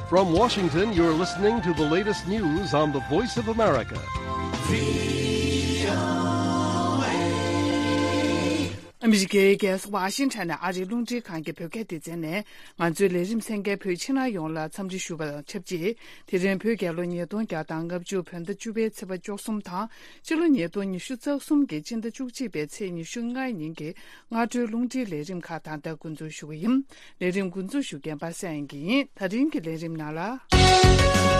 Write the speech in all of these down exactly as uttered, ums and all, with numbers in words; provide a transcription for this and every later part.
From Washington, you're listening to the latest news on the Voice of America. ཨ་མི་རི་ཀའི་རྒྱལ་ས་ཝ་ཤིང་ཊོན་ནས་ཨ་རིའི་རླུང་འཕྲིན་ཁང་གི་བོད་སྐད་སྡེ་ཚན་ནས་ང་ཚོའི་ལས་རིམ་གསན་མཁན་བོད་ཕྱི་ནང་ཡོངས་ལ་འཚམས་འདྲི་ཞུ་བ་དང་ཆབས་ཅིག་དེ་རིང་བོད་རྒྱལ་ལོ་ཉིས་སྟོང་བརྒྱ་དང་ལྔ་བཅུ་བོད་ཟླ་བཅུ་པའི་ཚེས་པ་བཅུ་གསུམ་དང་། སྤྱི་ལོ་ཉིས་སྟོང་ཉི་ཤུ་རྩ་གསུམ་གྱི་སྤྱི་ཟླ་བཅུ་གཅིག་པའི་ཚེས་ཉི་ཤུ་ལྔའི་ཉིན་གྱི་སྔ་དྲོའི་རླུང་འཕྲིན་ལས་རིམ་ཁག་ད་ལྟ་འགོ་འཛུགས་ཞུ་གི་ཡིན། ལས་རིམ་འགོ་འཛུགས་ཞུ་མཁན་པ་སངས་དབྱངས་སྐྱིད་ཡིན། ད་རིང་གི་ལས་རིམ་ནང་ལ།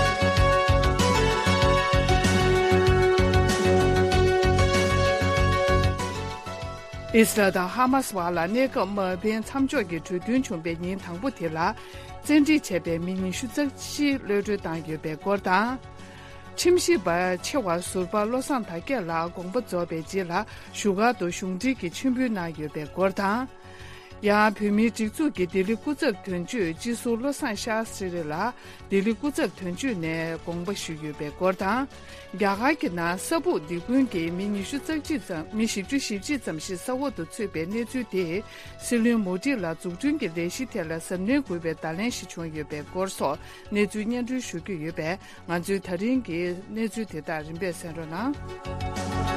ཨིས་རལ་དང་ཧ་མཱ་སི་བར་ལ་གནས་སྐབས་དམག་འབེན་མཚམས་འཇོག་གི་གྲོས་མཐུན་བྱུང་པའི་ཉིན་དང་པོ་དེ་ལ། བཙན་ཁྲིད་བྱས་པའི་མི་ཉི་ཤུ་རྩ་བཞི་གློད་གྲོལ་བཏང་ཡོད་པའི་སྐོར་དང་། ཁྲིམས་ཞིབ་པ་ཆེ་བ་ཟུར་པ་བློ་བཟང་དར་རྒྱས་ལགས་དགོངས་པ་རྫོགས་པའི་རྗེས་ལ་བཞུགས་སྒར་དུ་གཞུང་འབྲེལ་གྱི་མཆོད་འབུལ་གནང་ཡོད་པའི་སྐོར་དང་། ཡང་བོད་མིའི་སྒྲིག་འཛུགས་ཀྱི་ལྡི་ལི་སྐུ་ཚབ་དོན་གཅོད་སྤྱི་ཟུར་བློ་བཟང་ཤཱ་སི་རི་ལགས་ལྡི་ལི་སྐུ་ཚབ་དོན་གཅོད་ནས་དགོངས་པ་ཞུས་ཡོད་པའི་སྐོར་དང་། རྒྱ་གར་གྱི་ནང་ས་སྦུག་སྡིག་སྤོན་གྱིས་མི་ཉི་ཤུ་རྩ་གཅིག་ཙམ་མི་བཞི་བཅུ་ཞེ་གཅིག་ཙམ་ཞིག་ས་འོག་ཏུ་ཚུད་པའི་གནས་ཚུལ་དེས་སྲིད་བློན་མོ་ཌི་ལ་འཛུགས་སྐྲུན་གྱི་ལས་གཞི་ཐད་ལ་གཟབ་ནན་དགོས་པའི་བརྡ་ལན་ཞིག་བྱུང་ཡོད་པའི་སྐོར་སོགས་གནས་ཚུལ་སྙན་སྒྲོན་ཞུ་རྒྱུ་ཡོད་པས། ང་ཚོའི་ད་རིང་གི་གནས་ཚུལ་དེ་དག་རིམ་པས་གསན་རོགས་གནང་།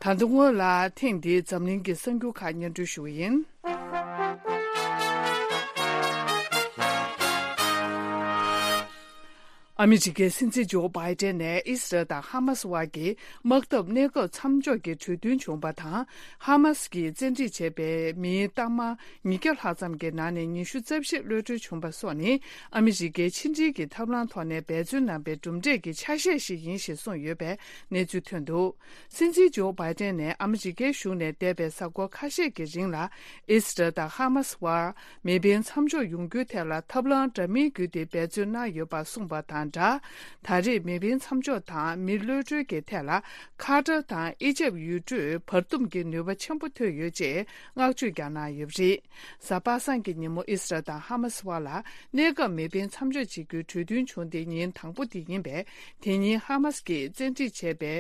ད་དུང་སྔོན་ལ་ཐེངས་འདིའི་འཛམ་གླིང་གི་གསར་འགྱུར་ཁག་སྙན་སྒྲོན་ཞུ་བ་ཡིན། ཨ་མི་རི་ཀའི་སྲིད་འཛིན་ཇོ་བྷའི་ཏན་ནས་ཨི་སི་རལ་དང་ཧ་མ་སི་དབར་གྱི་དམག་འཐབ་གནས་སྐབས་མཚམས་འཇོག་གི་གྲོས་མཐུན་བྱུང་པ་དང་། ཧ་མ་སི་གིས་བཙན་ཁྲིད་བྱས་པའི་མིའི་གཏའ་མ་ཉིས་བརྒྱ་ལྷག་ཙམ་གྱི་ནང་ནས་ཉི་ཤུ་རྩ་བཞི་གློད་གྲོལ་བྱུང་པ་སོགས་ནི་ཨ་མི་རི་ཀའི་ཕྱི་འབྲེལ་གྱི་ཐབས་ལམ་ཐོག་ནས་འབད་བརྩོན་གནང་པའི་གྲུབ་འབྲས་ཀྱི་ཆ་ཤས་ཤིག་ཡིན་ཞེས་གསུངས་ཡོད་པའི་གནས་ཚུལ་ཐོན་འདུག། སྲིད་འཛིན་ཇོ་བྷའི་ཏན་ནས་ཨ་མི་རི་ཀའི་གཞུང་ནས་འདས་པའི་གཟའ་འཁོར་ཁ་ཤས་ཀྱི་རིང་ལ་ཨི་སི་རལ་དང་ཧ་མ་སི་དབར་མེ་འཕེན་མཚམས་འཇོག་ཡོང་རྒྱུའི་ཐད་ལ་ཐབས་ལམ་འདྲ་མིན་བརྒྱུད་དེ་འབད་བརྩོན་གནང་ཡོད་པ་གསུངས་པ་དང་སྦྲགས། ད་རེས་མེ་འཕེན་མཚམས་འཇོག་དང་མི་གློད་གྲོལ་གྱི་ཐད་ལ་ཁ་ཏར་དང་ཨི་ཇེབ་ཡུལ་གྲུས་བར་འདུམ་གྱི་ནུས་པ་ཆེན་པོ་ཐོན་ཡོད་ཅེས་བསྔགས་བརྗོད་ཀྱང་གནང་ཡོད་པ་རེད། གཟའ་པ་སངས་ཀྱི་ཉིན་མོ་ཨི་སི་རལ་དང་ཧ་མ་སི་དབར་ལ་གནས་སྐབས་མེ་འཕེན་མཚམས་འཇོག་བྱེད་རྒྱུའི་གྲོས་མཐུན་བྱུང་སྟེ་ཉིན་དང་པོ་དེ་ཡིན་པས། དེ་ཉིན་ཧ་མ་སི་གིས་བཙན་ཁྲིད་བྱས་པའི་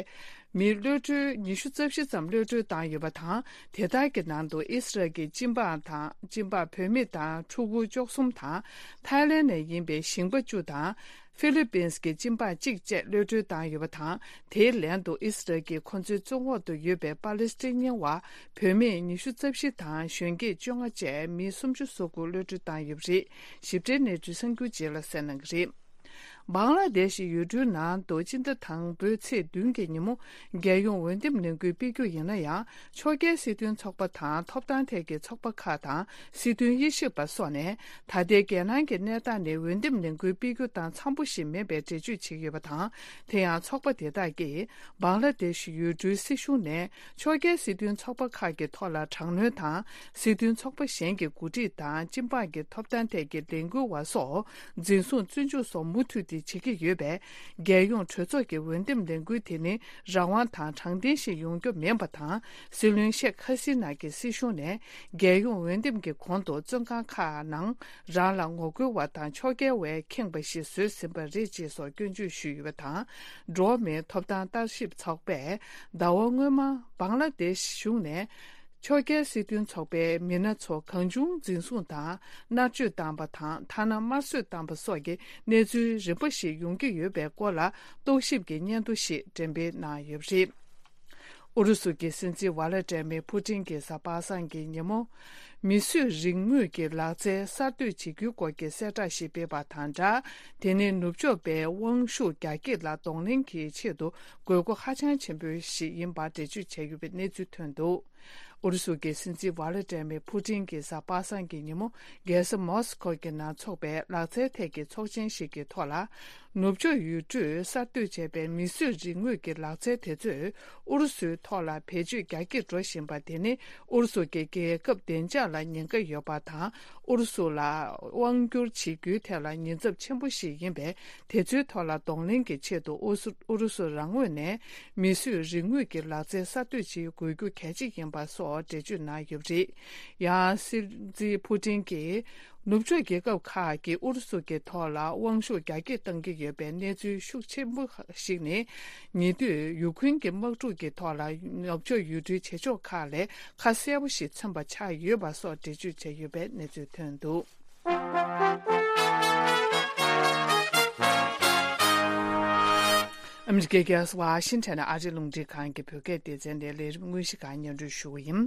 མི་གློད་གྲོལ་ཉི་ཤུ་རྩ་བཞི་ཙམ་གློད་གྲོལ་བཏང་ཡོད་པ་དང་། དེ་དག་གི་ནང་དུ་ཨི་སི་རལ་གྱི་སྤྱི་འབངས་དང་སྤྱི་འབངས་བུད་མེད་དང་ཕྲུ་གུ་བཅུ་གསུམ་དང་། ཐའི་ལེན་ནས་ཡིན་པའི་ཞིང་པ་བཅུ་དང་། ཧྥི་ལི་པིན་གྱི་སྤྱི་འབངས་གཅིག་བཅས་གློད་གྲོལ་བཏང་ཡོད་པ་དང་། དེའི་ལན་དུ་ཨི་སི་རལ་གྱིས་ཁོ་ཚོའི་བཙོན་འོག་ཏུ་ཡོད་པའི་པ་ལི་སི་ཐན་རྙིང་བ་བུད་མེད་ཉི་ཤུ་རྩ་བཞི་དང་གཞོན་སྐྱེས་བཅོ་ལྔ་བཅས་མི་སུམ་ཅུ་སོ་དགུ་གློད་གྲོལ་བཏང་ཡོད་པ་རེད། ཞིབ་ཕྲའི་གནས་ཚུལ་གསར་འགྱུར་རྗེས་ལ་གསན་གནང་གི་རེད། བང་ལ་དེ་ཤི་ཡུལ་གྲུའི་ནང་དུ་སྤྱི་ཟླ་དང་པོའི་ཚེས་བདུན་གྱི་ཉིན་མོ་རྒྱལ་ཡོངས་འོས་འདེམས་ལས་འགུལ་སྤེལ་རྒྱུ་ཡིན་ན་ཡང་། ཕྱོགས་འགལ་སྲིད་དོན་ཚོགས་པ་དང་ཐོབ་ཐང་ཐད་ཀྱི་ཚོགས་པ་ཁག་དང་སྲིད་དོན་དབྱེ་ཞིབ་པ་སོགས་ནས་ད་ལྟའི་རྒྱལ་ནང་གི་གནས་སྟངས་ནི་འོས་འདེམས་ལས་འགུལ་སྤེལ་རྒྱུ་དང་འཚམ་པོ་ཞིག་མིན་པའི་འགྲེལ་བརྗོད་བྱེད་ཀྱི་ཡོད་པ་དང་། དེ་ཡང་ཚོགས་པ་དེ་དག་གིས་བང་ལ་དེ་ཤི་ཡུལ་གྲུའི་སྲིད་གཞུང་ནས་ཕྱོགས་འགལ་སྲིད་དོན་ཚོགས་པ་ཁག་གི་ཐོག་ལ་དྲག་གནོན་དང་། སྲིད་དོན་ཚོགས་པ་གཞན་གྱི་འགོ་ཁྲིད་དང་སྤྱི་འབངས་ཀྱི་ཐོབ་ཐང་ཐད་ཀྱི་ལས་འགུལ་བ་སོགས་འཛིན་བཟུང་བཙོན་འཇུག་སོགས་མུ་མཐུད་དེ་བྱེད་ཀྱི་ཡོད་པས། རྒྱལ་ཡོངས་གྲོས་ཚོགས་ཀྱི་འོས་འདེམས་ལས་འགུལ་དེ་ནི་རང་དབང་དང་དྲང་བདེན་ཞིག་ཡོང་རྒྱུ་མིན་པ་དང་། སྲིད་བློན་ཤེག་ཧ་སི་ན་གྱི་སྲིད་གཞུང་ནས་རྒྱལ་ཡོངས་འོས་འདེམས་ཀྱི་གོང་དུ་བཙོན་ཁང་ཁག་ནང་རང་ལ་ངོ་རྒོལ་བ་དང་ཕྱོགས་འགལ་བས་ཁེངས་པ་ཞིག་བཟོས་ཟིན་པ་རེད་ཅེས་སོགས་སྐྱོན་བརྗོད་ཞུས་ཡོད་པ་དང་། འགྲོ་བ་མིའི་ཐོབ་ཐང་ལྟ་ཞིབ་ཚོགས་པས་ཟླ་བ་སྔོན་མ་བང་ལ་དེ་ཤི་གཞུང་ནས། ཕྱོགས་འགལ་སྲིད་དོན་ཚོགས་པའི་མི་སྣ་ཚོ་གང་བྱུང་འཛིན་བཟུང་དང་མནར་གཅོད་བཏང་པ་དང་ཐ་ན་དམར་གསོད་བཏང་པ་སོགས་ཀྱི་གནས་ཚུལ་རིམ་པ་ཞིག་ཡོང་གི་ཡོད་པའི་སྐོར་ལ་རྟོག་ཞིབ་ཀྱི་སྙན་ཐོ་ཞིག་འགྲེམས་སྤེལ་གནང་ཡོད་པ་རེད། ཨུ་རུ་སུ་གྱི་སྲིད་འཛིན་ཝ་ལ་ཏྲེ་མེ་ཕུ་ཏིན་གྱིས་གཟའ་པ་སངས་ཀྱི་ཉིན་མོ། མིས་བཟོས་རིག་དངོས་ཀྱི་ལག་རྩལ་གསར་གཏོད་བྱེད་རྒྱུའི་སྐོར་གྱི་གསལ་བསྒྲགས་ཤིག་སྤེལ་བ་དང་སྦྲགས། དེ་ནི་ནུབ་ཕྱོགས་པའི་དབང་ཤུགས་རྒྱ་སྐྱེད་ལ་གདོང་ལེན་གྱི་ཆེད་དུ་དགོས་མཁོ་ཧ་ཅང་ཆེན་པོ་ཞིག་ཡིན་པར་འགྲེལ་བརྗོད་བྱས་ཡོད་པའི་གནས་ཚུལ་ཐོན་འདུག། ཨུ་རུ་སུ་གྱི་སྲིད་འཛིན་ཝ་ལ་ཏྲེ་མེ་ཕུ་ཏིན་གྱིས་གཟའ་པ་སངས་ཀྱི་ཉིན་མོ་རྒྱལ་ས་མོ་སི་ཁོ་གི་ནང་འཚོགས་པའི་ལག་རྩལ་ཐད་ཀྱི་ཚོགས་ཆེན་ཞིག་གི་ཐོག་ལ། ནུབ་ཕྱོགས་ཡུལ་གྲུས་གསར་གཏོད་བྱས་པའི་མིས་བཟོས་རིག་དངོས་ཀྱི་ལག་རྩལ་དེ་ཚོས་ཨུ་རུ་སུའི་ཐོག་ལ་བེད་སྤྱོད་རྒྱ་སྐྱེད་འགྲོ་བཞིན་པ་དེ་ནི་ཨུ་རུ་སུ་གྱི་རྒྱལ་ཁབ་བདེ་འཇགས་ལ་ཉེན་ཁ་ཡོད་པ་དང་། ཨུ་རུ་སུ་ལ་དབང་བསྒྱུར་བྱེད་རྒྱུའི་ཐད་ལ་ཉེན་ཚབས་ཆེན་པོ་ཞིག་ཡིན་པས། དེ་ཚོའི་ཐོག་ལ་གདོང་ལེན་གྱི་ཆེད་དུ་ཨུ་སུ་ཨུ་རུ་སུ་རང་ངོས་ནས་མིས་བཟོས་རིག་དངོས་ཀྱི་ལག་རྩལ་གསར་གཏོད་བྱེད་དགོས་རྒྱུ་གལ་ཆེ་ཡིན་ པ་སོགས་འགྲེལ་བརྗོད་གནང་ཡོད་པ་རེད། ཡང་སྲིད་འཛིན་ཕུ་ཏིན་གྱིས་ནུབ་ཕྱོགས་རྒྱལ་ཁབ་ཁག་གིས་ཨུ་རུ་སུ་གྱི་ཐོག་ལ་དབང་ཤུགས་རྒྱ་སྐྱེད་གཏང་གི་ཡོད་པའི་གནས་ཚུལ་ཤུགས་ཆེན་པོ་ཞིག་ནི། ཉེ་དུས་ཡུ་ཁུན་གྱི་དམག་འཁྲུག་གི་ཐོག་ལ་ནུབ་ཕྱོགས་ཡུལ་གྲུའི་བྱེད་ཕྱོགས་ཁག་ལས་ཁ་གསལ་པོ་ཞིག་མཚོན་པ་ཆགས་ཡོད་པ་སོགས་འགྲེལ་བརྗོད་བྱས་ཡོད་པའི་གནས་ཚུལ་ཐོན་འདུག་ཨ་མི་རི་ཀའི་རྒྱལ་ས་ཝ་ཤིང་ཊོན་ནས་ཨ་རིའི་རླུང་འཕྲིན་ཁང་གི་བོད་སྐད་སྡེ་ཚན་ནས་ལས་རིམ་དངོས་གཞི་ཁག་སྙན་སྒྲོན་ཞུ་བ་ཡིན།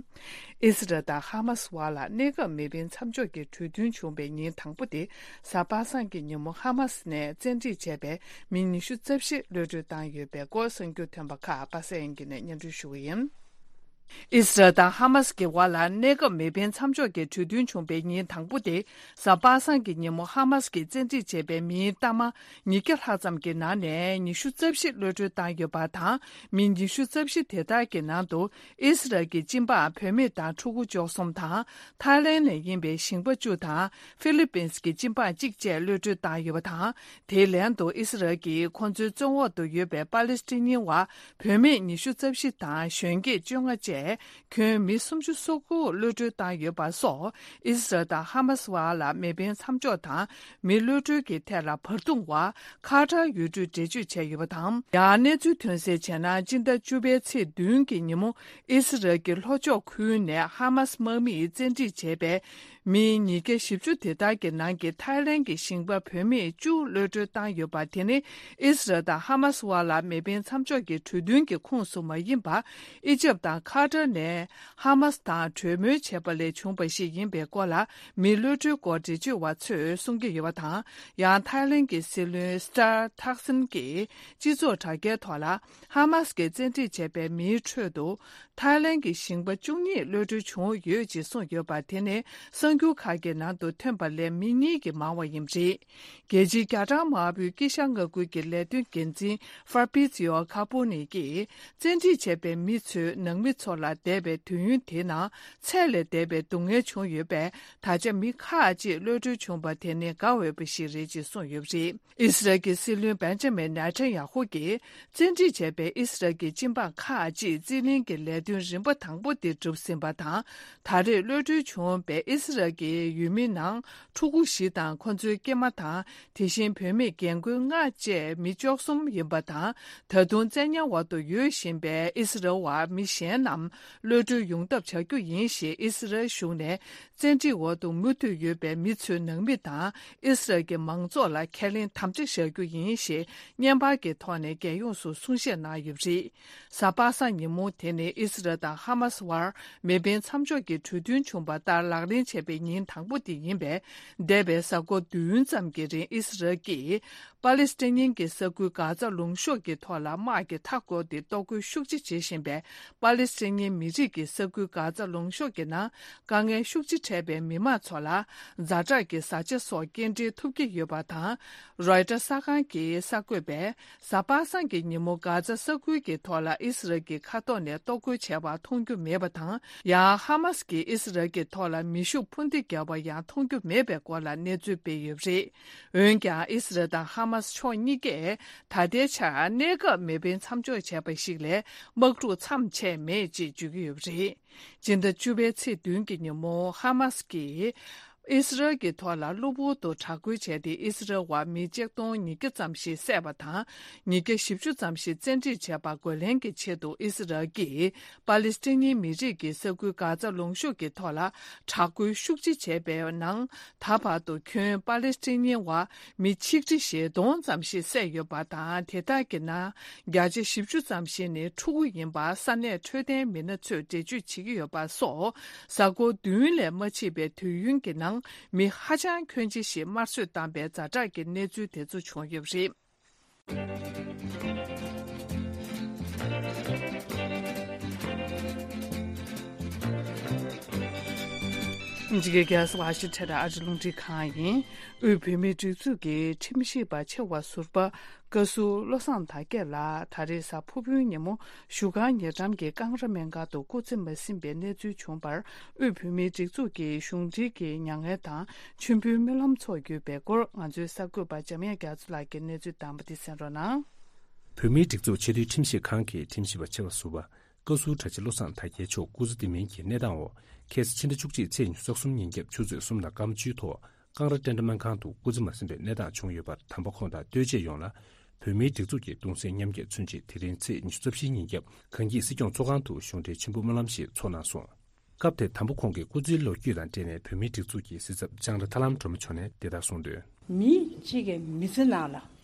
ཨི་སི་རལ་དང་ཧ་མ་སི་བར་ལ་གནས་སྐབས་མེ་འཕེན་མཚམས་འཇོག་གི་གྲོས་མཐུན་བྱུང་བའི་ཉིན་དང་པོ་དེ་གཟའ་པ་སངས་ཀྱི་ཉིན་མོ་ཧ་མ་སི་ནས་བཙན་ཁྲིད་བྱས་པའི་མི་ཉི་ཤུ་རྩ་བཞི་གློད་གྲོལ་བཏང་ཡོད་པའི་སྐོར་གསར་འགྱུར་ཐོན་པ་ཁག་པ་སངས་དབྱངས་སྐྱིད་ནས་སྙན་སྒྲོན་ཞུ་བ་ཡིན། ཨི་སི་རལ་དང་ཧ་མ་སི་ཀྱི་བར་ལ་གནས་སྐབས་མེ་འཕེན་མཚམས་འཇོག་གི་གྲོས་མཐུན་བྱུང་བའི་ཉིན་དང་པོ་དེ་གཟའ་པ་སངས་ཀྱི་ཉིན་མོ་ཧ་མ་སི་ཀྱིས་བཙན་ཁྲིད་བྱས་པའི་མིའི་གཏའ་མ་ཉིས་བརྒྱ་ལྷག་ཙམ་གྱི་ནང་ནས་ཉི་ཤུ་རྩ་བཞི་གློད་གྲོལ་བཏང་ཡོད་པ་དང་། མི་ཉི་ཤུ་རྩ་བཞི་དེ་དག་གི་ནང་དུ་ཨི་སི་རལ་གྱི་སྤྱི་འབངས་བུད་མེད་དང་ཕྲུ་གུ་བཅུ་གསུམ་དང་། ཐའི་ལེན་ནས་ཡིན་པའི་ཞིང་པ་བཅུ་དང་། ཧྥི་ལི་པིན་གྱི་སྤྱི་འབངས་གཅིག་བཅས་གློད་གྲོལ་བཏང་ཡོད་པ་དང་། དེའི་ལན་དུ་ཨི་སི་རལ་གྱིས་ཁོ་ཚོའི་བཙོན་འོག་ཏུ་ཡོད་པའི་པ་ལི་སི་ཐན་བ་བུད་མེད་ཉི་ཤུ་རྩ་བཞི་དང་གཞོན་སྐྱེས་བཅོ་ལྔ་བཅས། ཁྱོན་མི་སུམ་ཅུ་སོ་དགུ་གློད་གྲོལ་བཏང་ཡོད་པ་སོགས། ཨི་སི་རལ་དང་ཧ་མ་སི་བར་ལ་མེ་འཕེན་མཚམས་འཇོག་དང་མི་གློད་གྲོལ་གྱི་ཐད་ལ་བར་འདུམ་བ་ཁ་ཏར་ཡུལ་གྲུས་འགྲེལ་བརྗོད་བྱས་ཡོད་པ་དང་། ཡང་གནས་ཚུལ་ཐོན་གསལ་བྱས་ན། སྤྱི་ཟླ་བཅུ་པའི་ཚེས་བདུན་གྱི་ཉིན་མོ་ཨི་སི་རལ་གྱི་ལྷོ་ཕྱོགས་ཁུལ་ནས་ཧ་མ་སི་དམག་མིས་བཙན་ཁྲིད་བྱས་པའི་མི་ཉིས་བརྒྱ་བཞི་བཅུ་དེ་དག་གི་ནང་གི་ཐའི་ལེན་གྱི་ཞིང་པ་བུད་མེད་བཅུ་གློད་གྲོལ་བཏང་ཡོད་པ་དེ་ནི་ཨི་སི་རལ་དང་ཧ་མ་སི་བར་ལ་མེ་འཕེན་མཚམས་འཇོག་གི་གྲོས་མཐུན་གྱི་ཁོངས་སུ་མ་ཡིན་པ། ཨི་ཇེབ་དང་ཁ་ཏར་ནས། ཧ་མ་སི་དང་གྲོས་མོལ་བྱས་པ་ལས་བྱུང་བ་ཞིག་ཡིན་པའི་སྐོར་ལ་མི་གློད་གྲོལ་སྐོར་འགྲེལ་བརྗོད་པ་ཚོས་གསུང་གི་ཡོད་པ་དང་། ཡང་ཐའི་ལེན་གྱི་སྲིད་བློན་སི་ཏར་ཐག་སིན་གྱིས་སྤྱི་ཚོགས་དྲ་རྒྱའི་ཐོག་ལ་ཧ་མ་སི་གིས་བཙན་ཁྲིད་བྱས་པའི་མིའི་ཁྲོད་དུ་ཐའི་ལེན་གྱི་ཞིང་པ་བཅུ་གཉིས་གློད་གྲོལ་བྱུང་ཡོད་ཅེས་གསུངས་ཡོད་པ་དེ་ནི་གསར་འགྱུར་ཁག་གི་ནང་དུ་ཐོན་པ་ལས་མི་གཉིས་ཀྱིས་མང་བ་ཡིན་པ་རེད། རྒྱལ་སྤྱིའི་རྒྱ་གྲམ་དམར་པོའི་དཀྱིལ་ཤར་མངའ་ཁུལ་གྱི་ལས་དོན་འགན་འཛིན་ཧྥ་པི་ཙི་ཡོ་ཁ་པོ་ནི་ཀྱིས། བཙན་ཁྲིད་བྱས་པའི་མི་ཚོའི་ནང་མི་ཚོ་ལ་འདས་པའི་དུས་ཡུན་དེའི་ནང་ཚད་ལས་འདས་པའི་སྡུག་བསྔལ་བྱུང་ཡོད་པས། ད་ཆ་མི་ཁག་ཅིག་གློད་གྲོལ་བྱུང་བ་དེ་ནི་དགའ་འོས་པ་ཞིག་རེད་ཅེས་གསུངས་ཡོད་པ་རེད། ཨི་སི་རལ་གྱི་སྲིད་བློན་བེན་ཇ་མིན་ནེ་ཐན་ཡ་ཧུ་གྱིས། བཙན་ཁྲིད་བྱས་པའི་ཨི་སི་རལ་གྱི་སྤྱི་འབངས་ཁག་ཅིག་རྩིས་ལེན་གྱི་ལས་དོན་རིམ་པ་དང་པོ་དེ་གྲུབ་ཟིན་པ་དང་། ད་རེས་གློད་གྲོལ་བྱུང་བའི་ཨི་སི་རལ་གྱི་ཡུལ་མི་ནང་ཕྲུ་གུ་བཞི་དང་ཁོ་ཚོའི་སྐྱེས་མ་དང་། དེ་བཞིན་བུད་མེད་རྒན་རྒོན་ལྔ་བཅས་མི་བཅུ་གསུམ་ཡིན་པ་དང་། ད་དུང་བཙན་ཉར་འོག་ཏུ་ཡོད་བཞིན་པའི་ཨི་སི་རལ་བ་མི་གཞན་རྣམས་གློད་གྲོལ་ཡོང་ཐབས་བྱ་རྒྱུ་ཡིན་ཞེས་ཨི་སི་རལ་གཞུང་ནས་བཙན་ཁྲིད་འོག་ཏུ་མུ་མཐུད་ཡོད་པའི་མི་ཚོའི་ནང་མི་དང་ཨི་སི་རལ་གྱི་མང་ཚོགས་ལ་ཁས་ལེན་དམ་བཅའ་བཞག་རྒྱུ་ཡིན་ཞེས་བརྙན་པར་གྱི་ཐོག་ནས་རྒྱལ་ཡོངས་སུ་གསུང་བཤད་གནང་ཡོད་པ་རེད། གཟའ་པ་སངས་ཉིན་མོ་དེ་ནི་ཨི་སི་རལ་དང་ཧ་མ་སི་བར་མེ་འཕེན་མཚམས་འཇོག་གི་གྲོས་མཐུན་བྱུང་བ་ལྟར་ལག་ལེན་བྱས་པའི་ཉིན་དང་པོ་དེ་ཡིན་པས། འདས་པའི་གཟའ་འཁོར་བདུན་ཙམ་གྱི་རིང་ཨི་སི་རལ་གྱིས་པ་ལི་སི་ཐན་གྱི་ས་ཁུལ་གྷ་ཛ་ལུང་གཤོང་གི་ཐོག་ལ་དམག་གིས་མཐའ་བསྐོར་ཏེ་གཏོར་རྒོལ་ཤུགས་ཆེ་བྱེད་བཞིན་པས། པ་ལི་སི་ཐན་མི་རིགས་ཀྱི་ས་ཁུལ་གྷ་ཛ་ལུང་གཤོང་གི་ནང་དཀའ་ངལ་ཤུགས་ཆེ་འཕྲད་པའི་མི་མང་ཚོ་ལ་ཛ་དྲག་གི་བཟའ་བཅའ་སོགས་སྐྱེལ་འདྲེན་ཐུབ་ཀྱི་ཡོད་པ་དང་། རོའི་ཊར་གསར་ཁང་གི་གསར་འགོད་པས། གཟའ་པ་སངས་ཀྱི་ཉིན་མོ་གྷ་ཛ་ས་ཁུལ་གྱི་ཐོག་ལ་ཨི་སི་རལ་གྱི་མཁའ་ཐོག་ནས་གཏོར་རྒོལ་བྱས་པ་མཐོང་རྒྱུ་མེད་པ་དང་། ཡང་ཧ་མ་སི་ཀྱིས་ཨི་སི་རལ་གྱི་ཐོག་ལ་མེ་ཤུགས་འཕུར་མདེལ་བརྒྱབ་པ་ཡང་མཐོང་རྒྱུ་མེད་པའི་སྐོར་ལ་གནས་ཚུལ་སྤེལ་ཡོད་པ་རེད། འོན་ཀྱང་ཨི་སི་རལ་དང་ཧ་མ་སི་ཕྱོགས་གཉིས་ཀས་ད་ལྟའི་ཆར་གནས་སྐབས་མེ་འཕེན་མཚམས་འཇོག་བྱས་པ་ཞིག་ལས་དམག་འཁྲུག་མཚམས་ཆད་མེད་ཅེས་བརྗོད་ཀྱི་ཡོད་པ་རེད། སྤྱི་ཟླ་བཅུ་པའི་ཚེས་བདུན་གྱི་ཉིན་མོ་ཧ་མ་སི་ཀྱིས། ཨི་སི་རལ་གྱི་ཐོག་ལ་གློ་བུར་དུ་དྲག་རྒོལ་བྱས་ཏེ་ཨི་སི་རལ་བ་མི་ཆིག་སྟོང་ཉིས་བརྒྱ་ཙམ་ཞིག་བསད་པ་དང་། ཉིས་བརྒྱ་བཞི་བཅུ་ཙམ་ཞིག་བཙན་ཁྲིད་བྱས་པ་རྒོལ་ལན་གྱི་ཆེད་དུ་ཨི་སི་རལ་གྱིས་པ་ལི་སི་ཐན་མི་རིགས་ཀྱི་ས་ཁུལ་གྷ་ཛ་ལུང་གཤོང་གི་ཐོག་ལ་དྲག་རྒོལ་ཤུགས་ཆེ་བྱས་པའི་ནང་། ད་བར་དུ་ཁྱོན་པ་ལི་སི་ཐན་བ་མི་ཆིག་ཁྲི་ཞེ་སྟོང་ཙམ་ཞིག་བསད་ཡོད་པ་དང་། དེ་དག་གི་ནང་བརྒྱ་ཆ་བཞི་བཅུ་ཙམ་ཞིག་ནི་ཕྲུ་གུ་ཡིན་པ་ས་གནས་འཕྲོད་བསྟེན་མི་སྣ་ཚོས་འགྲེལ་བརྗོད་བྱེད་ཀྱི་ཡོད་པ་སོགས། གཟའ་འཁོར་བདུན་ལས་མ་ཕྱིན་པའི་དུས་ཡུན་གྱི་ནང་མི་ཧ་ཅང་ཁྱོན་ཆེ་ཞིག་དམར་གསོད་བཏང་པའི་ཛ་དྲག་གི་གནས་ཚུལ་དེ་ཚོ་བྱུང་ཡོད་པ་རེད། འཇིགས་རྒྱལ་ས་ཝ་ཤིང་ཊོན་ཨ་རི་རླུང་འཕྲིན་ཁང་ཡིན། དབུས་བོད་མིའི་སྒྲིག་འཛུགས་ཀྱི་ཁྲིམས་ཞིབ་པ་ཆེ་བ་ཟུར་པ། བཀའ་ཟུར་བློ་བཟང་དར་རྒྱས་ལགས་ད་རེས་གཟའ་ཕུར་བུའི་ཉིན་མོ་བཞུགས་སྒར་ཉེ་འགྲམ་གྱི་ཀང་ར་སྨན་ཁང་དུ་སྐུ་ཚེ་མ་ཟིན་པའི་གནས་ཚུལ་བྱུང་བར། དབུས་བོད་མིའི་སྒྲིག་འཛུགས་ཀྱི་གཞུང་འབྲེལ་གྱི་མྱ་ངན་དང་མཆོད་འབུལ་སྨོན་ལམ་ཚོགས་ཡོད་པའི་སྐོར་ང་ཚོའི་གསར་འགོད་པ་འཇམ་དབྱངས་རྒྱ་མཚོ་ལགས་ཀྱིས་གནས་ཚུལ་བཏང་བ་འདི་གསན་རོགས་གནང་། བོད་མིའི་སྒྲིག་འཛུགས་ཆེས་མཐོའི་ཁྲིམས་ཞིབ་ཁང་གི་ཁྲིམས་ཞིབ་པ་ཆེ་བ་ཟུར་པ། བཀའ་ཟུར་གྲྭ་ཆེ་བློ་བཟང་དར་རྒྱས་མཆོག་སྐུ་ཚེ་བརྟན་མིན་གྱི་གནས་སྟངས་འོག་ཁ་སང་ཕྱི་ཟླ་བཅུ་གཅིག་ཚེས་ཉི་ཤུ་རྩ་གསུམ་ཉིན་རྒྱབ་ཆུ་ཚོད་གསུམ་དང་སྐར་མ་བཅུའི་ཐོག་ཀང་ར་ཊེན་ཊ་སྨན་ཁང་དུ་སྐུ་ཚེ་མ་ཟིན་པའི་གནས་སྟངས་བྱུང་ཡོད་པར། དམ་པ་ཁོང་དང་ལྟོས་བཅས་ཡོངས་ལ་བོད་མིའི་སྒྲིག་འཛུགས་ཀྱི་གདུང་སེམས་མཉམ་སྐྱེད་མཚོན་ཆེད་དེ་རིང་ཚེས་ཉི་ཤུ་རྩ་བཞིའི་ཉིན་རྒྱབ་གངས་སྐྱིད་སྲིད་སྐྱོང་ཚོགས་ཁང་དུ་གཞུང་འབྲེལ་མཆོད་འབུལ་སྨོན་ལམ་ཞིག་ཚོགས་གནང་སོང་། སྐབས་དེར་དམ་པ་ཁོང་གིས་སྐུ་ཚེའི་ལོ་རྒྱུས་དང་འབྲེལ་ནས་བོད་མིའི་སྒྲིག་འཛུགས་ཀྱི་གཟི་ཚབ་ལྕང་ར་ཐར་ལམ་སྒྲོལ་མ་མཆོག་ནས་འདི་ལྟར་གསུངས་དོན། མི་གཅིག་གི་མི་ཚེ་ནང་ལ་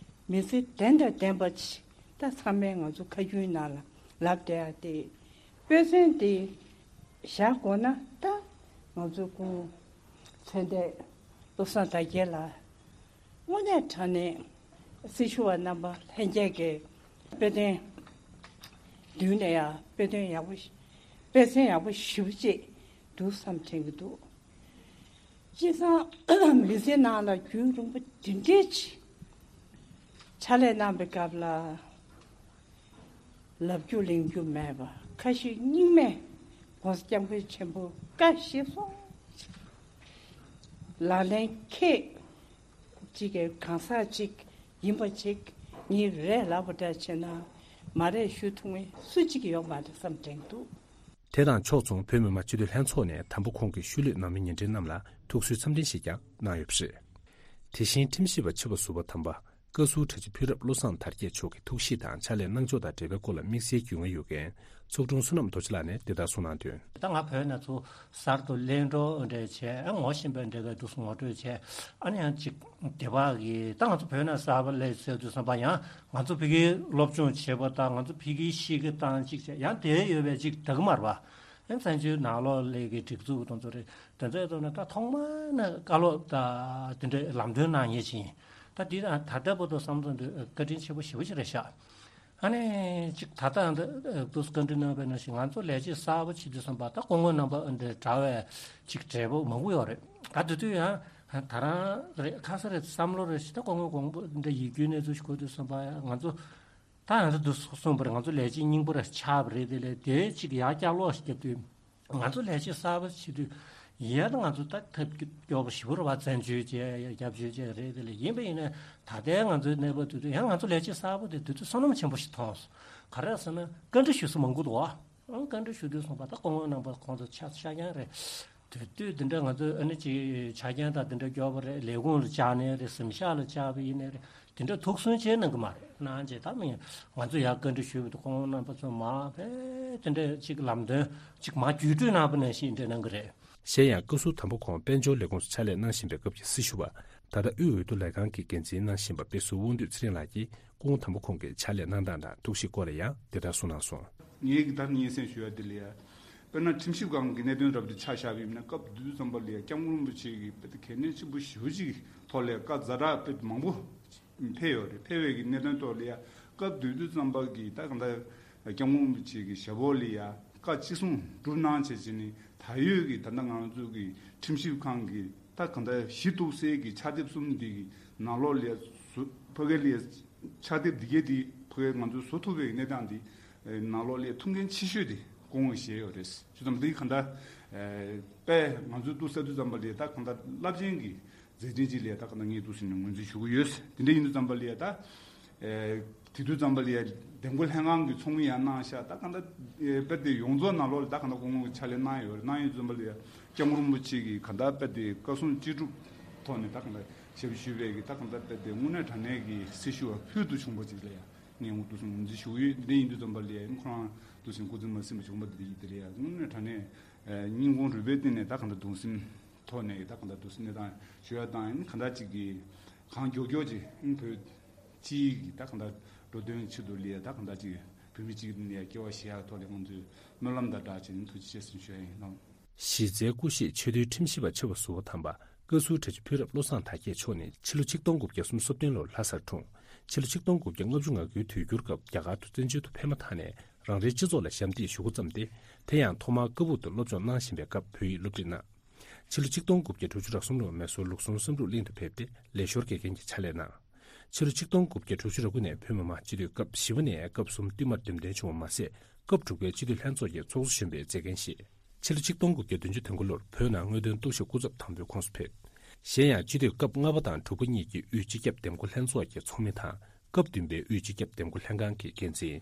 མི་ཚེ་ལྡན་དང་ལྡན་པ་ཅིག་ད་ཚང་མས་ང་ཚོ་ཁ་རྒྱུན་ནང་ལ་ལབ་བསྡད་ཡ་དེ། དཔེ་མཚོན་དེ་བཞག་དགོས་ན་ད་ང་ཚོ་སྐུ་ཚེ་འདས་བློ་བཟང་དར་རྒྱས་ལགས་དངོས་གནས་དྲང་གནས་སྲི་ཞུ་བ་རྣམ་པ་ལྷན་རྒྱས་ཀྱི་དཔེ་སྟོན་མདུན་ནས་ཡང་དཔེ་སྟོན་ཡག་པོ་ཞིག་དཔེ་མཚོན་ཡག་པོ་ཞེ་པོ་ཅིག་འདུག་བསམ་དྲན་གྱི་འདུག་སྤྱིར་བཏང་མི་ཚེ་ནང་ལ་རྒྱུན་རིང་པོ་འདི་འདྲའི་ཅིག་ཕྱག་ལས་གནང་པའི་སྐབས་ལ། ལབ་རྒྱུ་གླེང་རྒྱུ་མེད་པ་ཁ་ཤས་རྙིང་མས་༸གོང་ས་༸སྐྱབས་མགོན་ཆེན་པོ་བཀའ་བཞེས་སོང་། ལག་ལེན་འཁེལ་གཅིག་གི་གང་ཟག་ཅིག་ཡིན་པ་ཅིག་ངས་རེད་ལབ་པ་འདྲ་བྱས་ན་མ་རེད་ཞུ་ཐུབ་མཁན་སུ་གཅིག་ཡོད་མ་རེད་བསམ་དྲན་འདུག་དེ་དང་ཕྱོགས་མཚུངས་བོད་མི་མང་སྤྱི་འཐུས་ལྷན་ཚོགས་ནས་དམ་པ་ཁོང་གི་ཤུལ་ལུས་ནང་མི་ཉེ་འབྲེལ་རྣམས་ལ་ཐུགས་གསོའི་འཚམས་འཕྲིན་ཞིག་ཀྱང་གནང་ཡོད་པ་རེད། དེ་བཞིན་ཁྲིམས་ཞིབ་པ་ཆེ་བ་ཟུར་པ་དམ་པ་བཀའ་ཟུར་གྲྭ་ཆེ་ཕུན་རབ་བློ་བཟང་དར་རྒྱས་མཆོག་གི་ཐུགས་གཤིས་དང་ཕྱག་ལས་གནང་ཕྱོགས་དང་འབྲེལ་བའི་སྐོར་ལ་དམིགས་བསལ་རྒྱུས་མངའ་ཡོད་མཁན་ཚོགས་དྲུང་བསོད་ནམས་རྡོ་རྗེ་ལགས་ནས་དེ་ལྟར་གསུངས་གནང་དོན། ད་ང་བོད་ནས་ཚུར་གསར་དུ་གླེང་གྲོགས་འདྲ་བྱས་ཨ་ངོ་ཤེས་པ་འདྲ་བའི་འདུག་སེ་ངོ་སྤྲོད་བྱས་ཨ་ནི་ཡང་ཅིག་དེ་བག་གིས་ད་ང་ཚོ་བོད་ནས་གསར་པ་སླེབས་ཚར་དུས་ཙམ་པ་ཡང་ང་ཚོ་ཕ་གིའི་སློབ་སྦྱོང་བྱེད་པ་དང་ང་ཚོ་ཕ་གིའི་གཤིས་ཀ་དང་ཅིག་བྱས་ཡང་དེ་ཡོད་པའི་ཅིག་ད་གི་མར་བ་ཨ་བཙན་བྱོལ་ནང་ལོགས་ལས་ཀྱི་སྒྲིག་འཛུགས་དང་ཚོ་རེད་དེ་ཚོའི་ཐོག་ནས་ད་ཐོག་མ་ནས་བཀའ་སློབ་དང་དེ་འདྲའི་ལམ་སྟོན་གནང་མཁན་ཅིག་ཡིན། ད་འདི་ད་ད་ལྟ་བར་དུ་བསམ་བློ་འདི་བཀའ་དྲིན་ཆེན་པོ་ཞེ་པོ་ཅིག་རེད་ཤག་ཨ་ནི་ཅིག་ད་ལྟ་འདི་དུས་བཀའ་འདྲི་གནང་བའི་ནང་བཞིན་ང་ཚོ་ལས་བྱེད་གསར་པ་བྱེད་དུས་ཙམ་པ་ད་སྐུ་ངོ་རྣམ་པ་འདི་གྲྭ་བའི་ཅིག་གྲས་པོ་མང་པོ་ཡོད་རེད། ད་དེ་དུས་ཡང་ད་རང་རེད་ཁ་ས་རེད་བསམ་བློ་རེད་ཞིག་ད་སྐུ་ངོ་དགོངས་པ་འདི་ཡིད་སྐྱོའི་གནས་ཚུལ་ཞིག་གོ་དུས་ཙམ་པ་ང་ཚོ་ད་ང་ཚོ་འདི་གསུངས་པ་རེད་ང་ཚོ་ལས་བྱེད་རྙིང་པ་རེད་ཆགས་པ་རེད་དེ་ལས་དེ་ཅིག་ཡར་བསྐྱར་ལོག་ཞིག་བརྒྱབ་དུས། ང་ཚོ་ལས་བྱེད་གསར་པ་བྱེད་དུས་ཡ་ད་ང་ཚོ་ད་ཐབས་སྐྱོ་པོ་ཞེ་པོ་རེད་བ་བཙན་བྱོལ་བྱས་རྒྱབ་བྱོལ་བྱས་རེད་དེ་ལས་ཡིན་པ་ཡིན་ན་ད་ལྟའི་ང་ཚོའི་གནས་བབ་དེ་དུས་ཡང་ང་ཚོ་ལས་བྱེད་གསར་པ་དེ་དུས་ཚོད་བསོད་ནམས་ཆེན་པོ་ཞིག་མཐོང་སོང་ག་རེ་ཟེར་ན་བཀའ་འདྲི་ཞུ་ས་མང་པོ་འདུག་བ། ཨང་བཀའ་འདྲི་ཞུ་དུས་སོང་པ་ད་སྐུ་ངོ་རྣམ་པ་ཁོང་ཚོ་ཆ་ཤ་རྐྱང་རེད། དེ་དུས་དེ་འདྲ་ང་ཚོས་ཨ་ནི་ཅིག་ཆ་རྐྱེན་དང་དེ་འདྲ་སྐྱོ་པོ་རེད་ལས་ཁུངས་ལ་བཅར་ནའི་རེད་གཟིམ་ཤག་ལ་བཅར་བ་ཡིན་ནའི་རེད། དེ་འདྲ་ཐུགས་སུན་ཆེན་གནང་གི་མ་རེད་གནང་རྗེས་ད་མི་ང་ཚོ་ཡར་བཀའ་འདྲི་ཞུས་པ་དང་ཁོང་རྣམ་པ་ཚོ་མ་ཕེ་དེ་འདྲ་ཅིག་ལམ་སྟོན་ཅིག་མ་བརྒྱུད་སྤྲོད་གནང་པ་ནང་བཞིན་འདྲ་གནང་གི་རེད། གཞན་ཡང་བཀའ་ཟུར་དམ་པ་ཁོང་དཔལ་འབྱོར་ལས་ཁུངས་སུ་ཕྱག་ལས་གནང་བཞིན་པའི་སྐབས་ཀྱི་སྲི་ཞུ་བ་ད་ལྟ་དབུས་འོས་བསྡུ་ལས་ཁང་གི་འགན་འཛིན་གནང་བཞིན་པ་དཔེ་ཟུར་དབང་འདུས་ཚེ་རིང་ལགས་ཀྱིས་སྐུ་ངོ་དམ་པ་ཁོང་གི་ཕྱག་ལས་གནང་སྟངས་དང་ཐུགས་གཤིས་སྐོར་ལ་ཡང་དེ་ལྟར་གསུངས་གནང་སོང་། ངས་ཀྱི་ད་སྙན་སེང་ཞུ་ཡ་དེ་ལ་ཡ། དཔེར་ན་ཁྲིམས་ཞིབ་ཁང་གི་གནད་དོན་རབ་དེ་ཆ་བཞག་པ་ཡིན་ན་སྐབས་དེ་དུས་ཙམ་པ་ལ་ཡ་སྐྱབས་མགོན་རིན་པོ་ཆེ་གིས་དཔེ་དེ་གལ་གནད་ཆེན་པོ་ཞེ་པོ་ཅིག་གི་ཐོག་ལ་ཡ་བཀའ་ཛ་དྲག་དཔེ་མང་པོ་ཕེབས་ཡོད་རེད། ཕེབས་པའི་གི་གནད་དོན་ཐོག་ལ་ཡ་སྐབས་དེ་དུས་ཙམ་པ་གི་ད་གང་ལྟར་སྐྱབས་མགོན་རིན་པོ་ཆེ་གི་ཞབས་འོག་ལ་ཡ་བཀའ་ཅི་གསུང་སྒྲུབ་གནང་བྱས་བྱས་ནས་ད་ཡོད་གི་ད་ལྟ་ང་ཚོ་གི་ཁྲིམས་ཞིབ་ཁང་གི་ད་གང་ལྟར་གཞི་གཏུག་སའི་གི་ཕྱག་དེབ་གསུམ་འདི་གི་ནང་ལོགས་ལ་ཡ་ཕ་གི་ལ་ཡ་ཕྱག་དེབ་འདི་གས་འདི་ཕ་གི་ང་ཚོས་བཟོ་ཐུབ་པའི་གནས་སྟངས་འདི་ནང་ལོགས་ལ་ཐུགས་འགན་ཆེ་ཤོས་དེ་སྐུ་ངོས་བཞེས་ཡོད་རེད། བྱས་ཙང་འདི་གང་ལྟར་དཔེ་ང་ཚོས་འདུག་ཟེར་དུས་ཙམ་པ་ལ་ད་གང་ལྟར་རླབས་ཆེན་གྱི་མཛད་འཕྲིན་ཅིག་ལ་ད་གང་ལྟར་ངས་འདུག་ཟེར་ནས་ངོས་འཛིན་ཞུ་གི་ཡོད། དེ་འདྲ་ཡིན་དུས་ཙམ་པ་ལ་ད་དེ་དུས་ཙམ་པ་ལ་འདེམས་བསྐོ་ལྷན་ཁང་གི་ཚོགས་མི་ཡང་གནང་ཤག་ད་གང་ལྟར་དཔེ་དེ་ཡོངས་རྫོགས་ནང་ལོགས་ལ་ད་གང་ལྟར་སྐུ་ངོ་གི་ཕྱག་ལས་གནང་ཡོད་རེད། གནང་ཡོད་ཙམ་པ་ལ་སྐྱབས་མགོན་རིན་པོ་ཆེ་གིས་གང་ལྟར་དཔེ་དེ་བཀའ་གསུང་ཅི་སྒྲུབ་ཐོག་ནས་ད་གང་ལྟར་ཞབས་ཞུ་བའི་གི་ད་གང་ལྟར་དཔེ་དེ་དངོས་གནས་དྲང་གནས་ཀྱི་སྲི་ཞུ་བ་ཕུལ་དུ་བྱུང་བ་ཅིག་ལ་ཡང་ངས་འདུག་སེ་ངོས་འཛིན་ཞུ་གི་ཡོད། འདི་ཡིན་དུས་ཙམ་པ་ལ་ཡང་ཁོ་རང་འདུག་སེ་སྐུ་ཚེ་མ་ཟིན་པ་བྱུང་བ་འདི་ཡིན། དེ་ལ་ཡང་དངོས་གནས་དྲང་གནས་སྙིང་ཁོང་རུས་པའི་གཏིང་ནས་ད་གང་ལྟར་གདུང་སེམས་ཐོག་ནས་ད་གང་ལྟར་འདུག་སེ་གནས་སྟངས་ཞུ་ཡ་དང་ཡིན་གང་ལྟར་ཅིག་གི་གང་མགྱོགས་མགྱོགས་ཅིག་བོད་སྤྱིའི་གི་ད་གང་ལྟར་འགྲོ་དོན་ཆེད་དུ་ལ་ཡང་ད་གང་ལྟར་ཅིག་བོད་མི་གཅིག་ནས་སྐྱེ་བ་བཞེས་ཡག་ཐོག་ལ་ང་ཚོས་སྨོན་ལམ་དང་སྦྲགས་བྱས་ནས་ཐུགས་རྗེ་ཆེ་ཟེར་ཞུ་ཡ་ཡིན་ལགས། གཞི་རྩའི་སྐུ་གཤེགས་ཆེས་མཐོའི་ཁྲིམས་ཞིབ་པ་ཆེ་བ་ཟུར་པ་དམ་པ་བཀའ་ཟུར་གྲྭ་ཆེ་ཕུན་རབ་བློ་བཟང་དར་རྒྱས་མཆོག་ནི་ཕྱི་ལོ་ཆིག་སྟོང་དགུ་བརྒྱ་སུམ་ཅུ་སོ་བདུན་ལོར་ལྷ་སར་འཁྲུངས། ཕྱི་ལོ་ཆིག་སྟོང་དགུ་བརྒྱ་ལྔ་བཅུ་ང་དགུའི་དུས་འགྱུར་སྐབས་རྒྱ་གར་དུ་བཙན་བྱོལ་དུ་ཕེབས་མ་ཐག་ནས་རང་རེའི་སྤྱི་ཚོགས་ལ་ཞབས་འདེགས་ཞུ་འགོ་བརྩམས་ཏེ། དེ་ཡང་ཐོག་མར་ཀ་སྦུག་ཏུ་སློབ་སྦྱོང་གནང་བཞིན་པའི་སྐབས་བོད་ཡིག་སློབ་ཁྲིད་གནང་། ཕྱི་ལོ་ཆིག་སྟོང་དགུ་བརྒྱ་དྲུག་ཅུ་རེ་གསུམ་ལོར་མེ་སོར་ལུགས་ཟུང་བསམ་གྲུབ་གླིང་དུ་ཕེབས་ཏེ་ལས་ཞོར་དགེ་རྒན་གྱི་ཕྱག་ལས་གནང་། ཕྱི་ལོ་ཆིག་སྟོང་དགུ་བརྒྱ་དྲུག་ཅུ་རེ་དགུ་ནས་བོད་མི་མང་སྤྱི་འཐུས་སྐབས་བཞི་པ་ནས་སྐབས་གསུམ་བསྟུད་མར་འདེམས་ཐོན་བྱུང་བ་མ་ཟད། སྐབས་དྲུག་པའི་སྤྱི་འཐུས་ལྷན་ཚོགས་ཀྱི་ཚོགས་གཙོ་གཞོན་པའི་མཛད་འགན་བཞེས། ཕྱི་ལོ་ཆིག་སྟོང་དགུ་བརྒྱ་བདུན་ཅུ་དོན་དགུ་ལོར་བོད་ནང་དངོས་དོན་རྟོག་ཞིབ་སྐུ་ཚབ་དམ་འབུལ་ཁོངས་སུ་ཕེབས། གཞན་ཡང་སྤྱི་འཐུས་སྐབས་ལྔ་པ་དང་དྲུག་པ་གཉིས་ཀྱི་དབུས་སྤྱི་ཁྱབ་འདེམས་བསྐོ་ལྷན་ཚོགས་ཀྱི་ཚོགས་མི་དང་། སྐབས་བདུན་པའི་དབུས་སྤྱི་ཁྱབ་འདེམས་བསྐོ་ལྷན་ཁང་གི་འགན་འཛིན།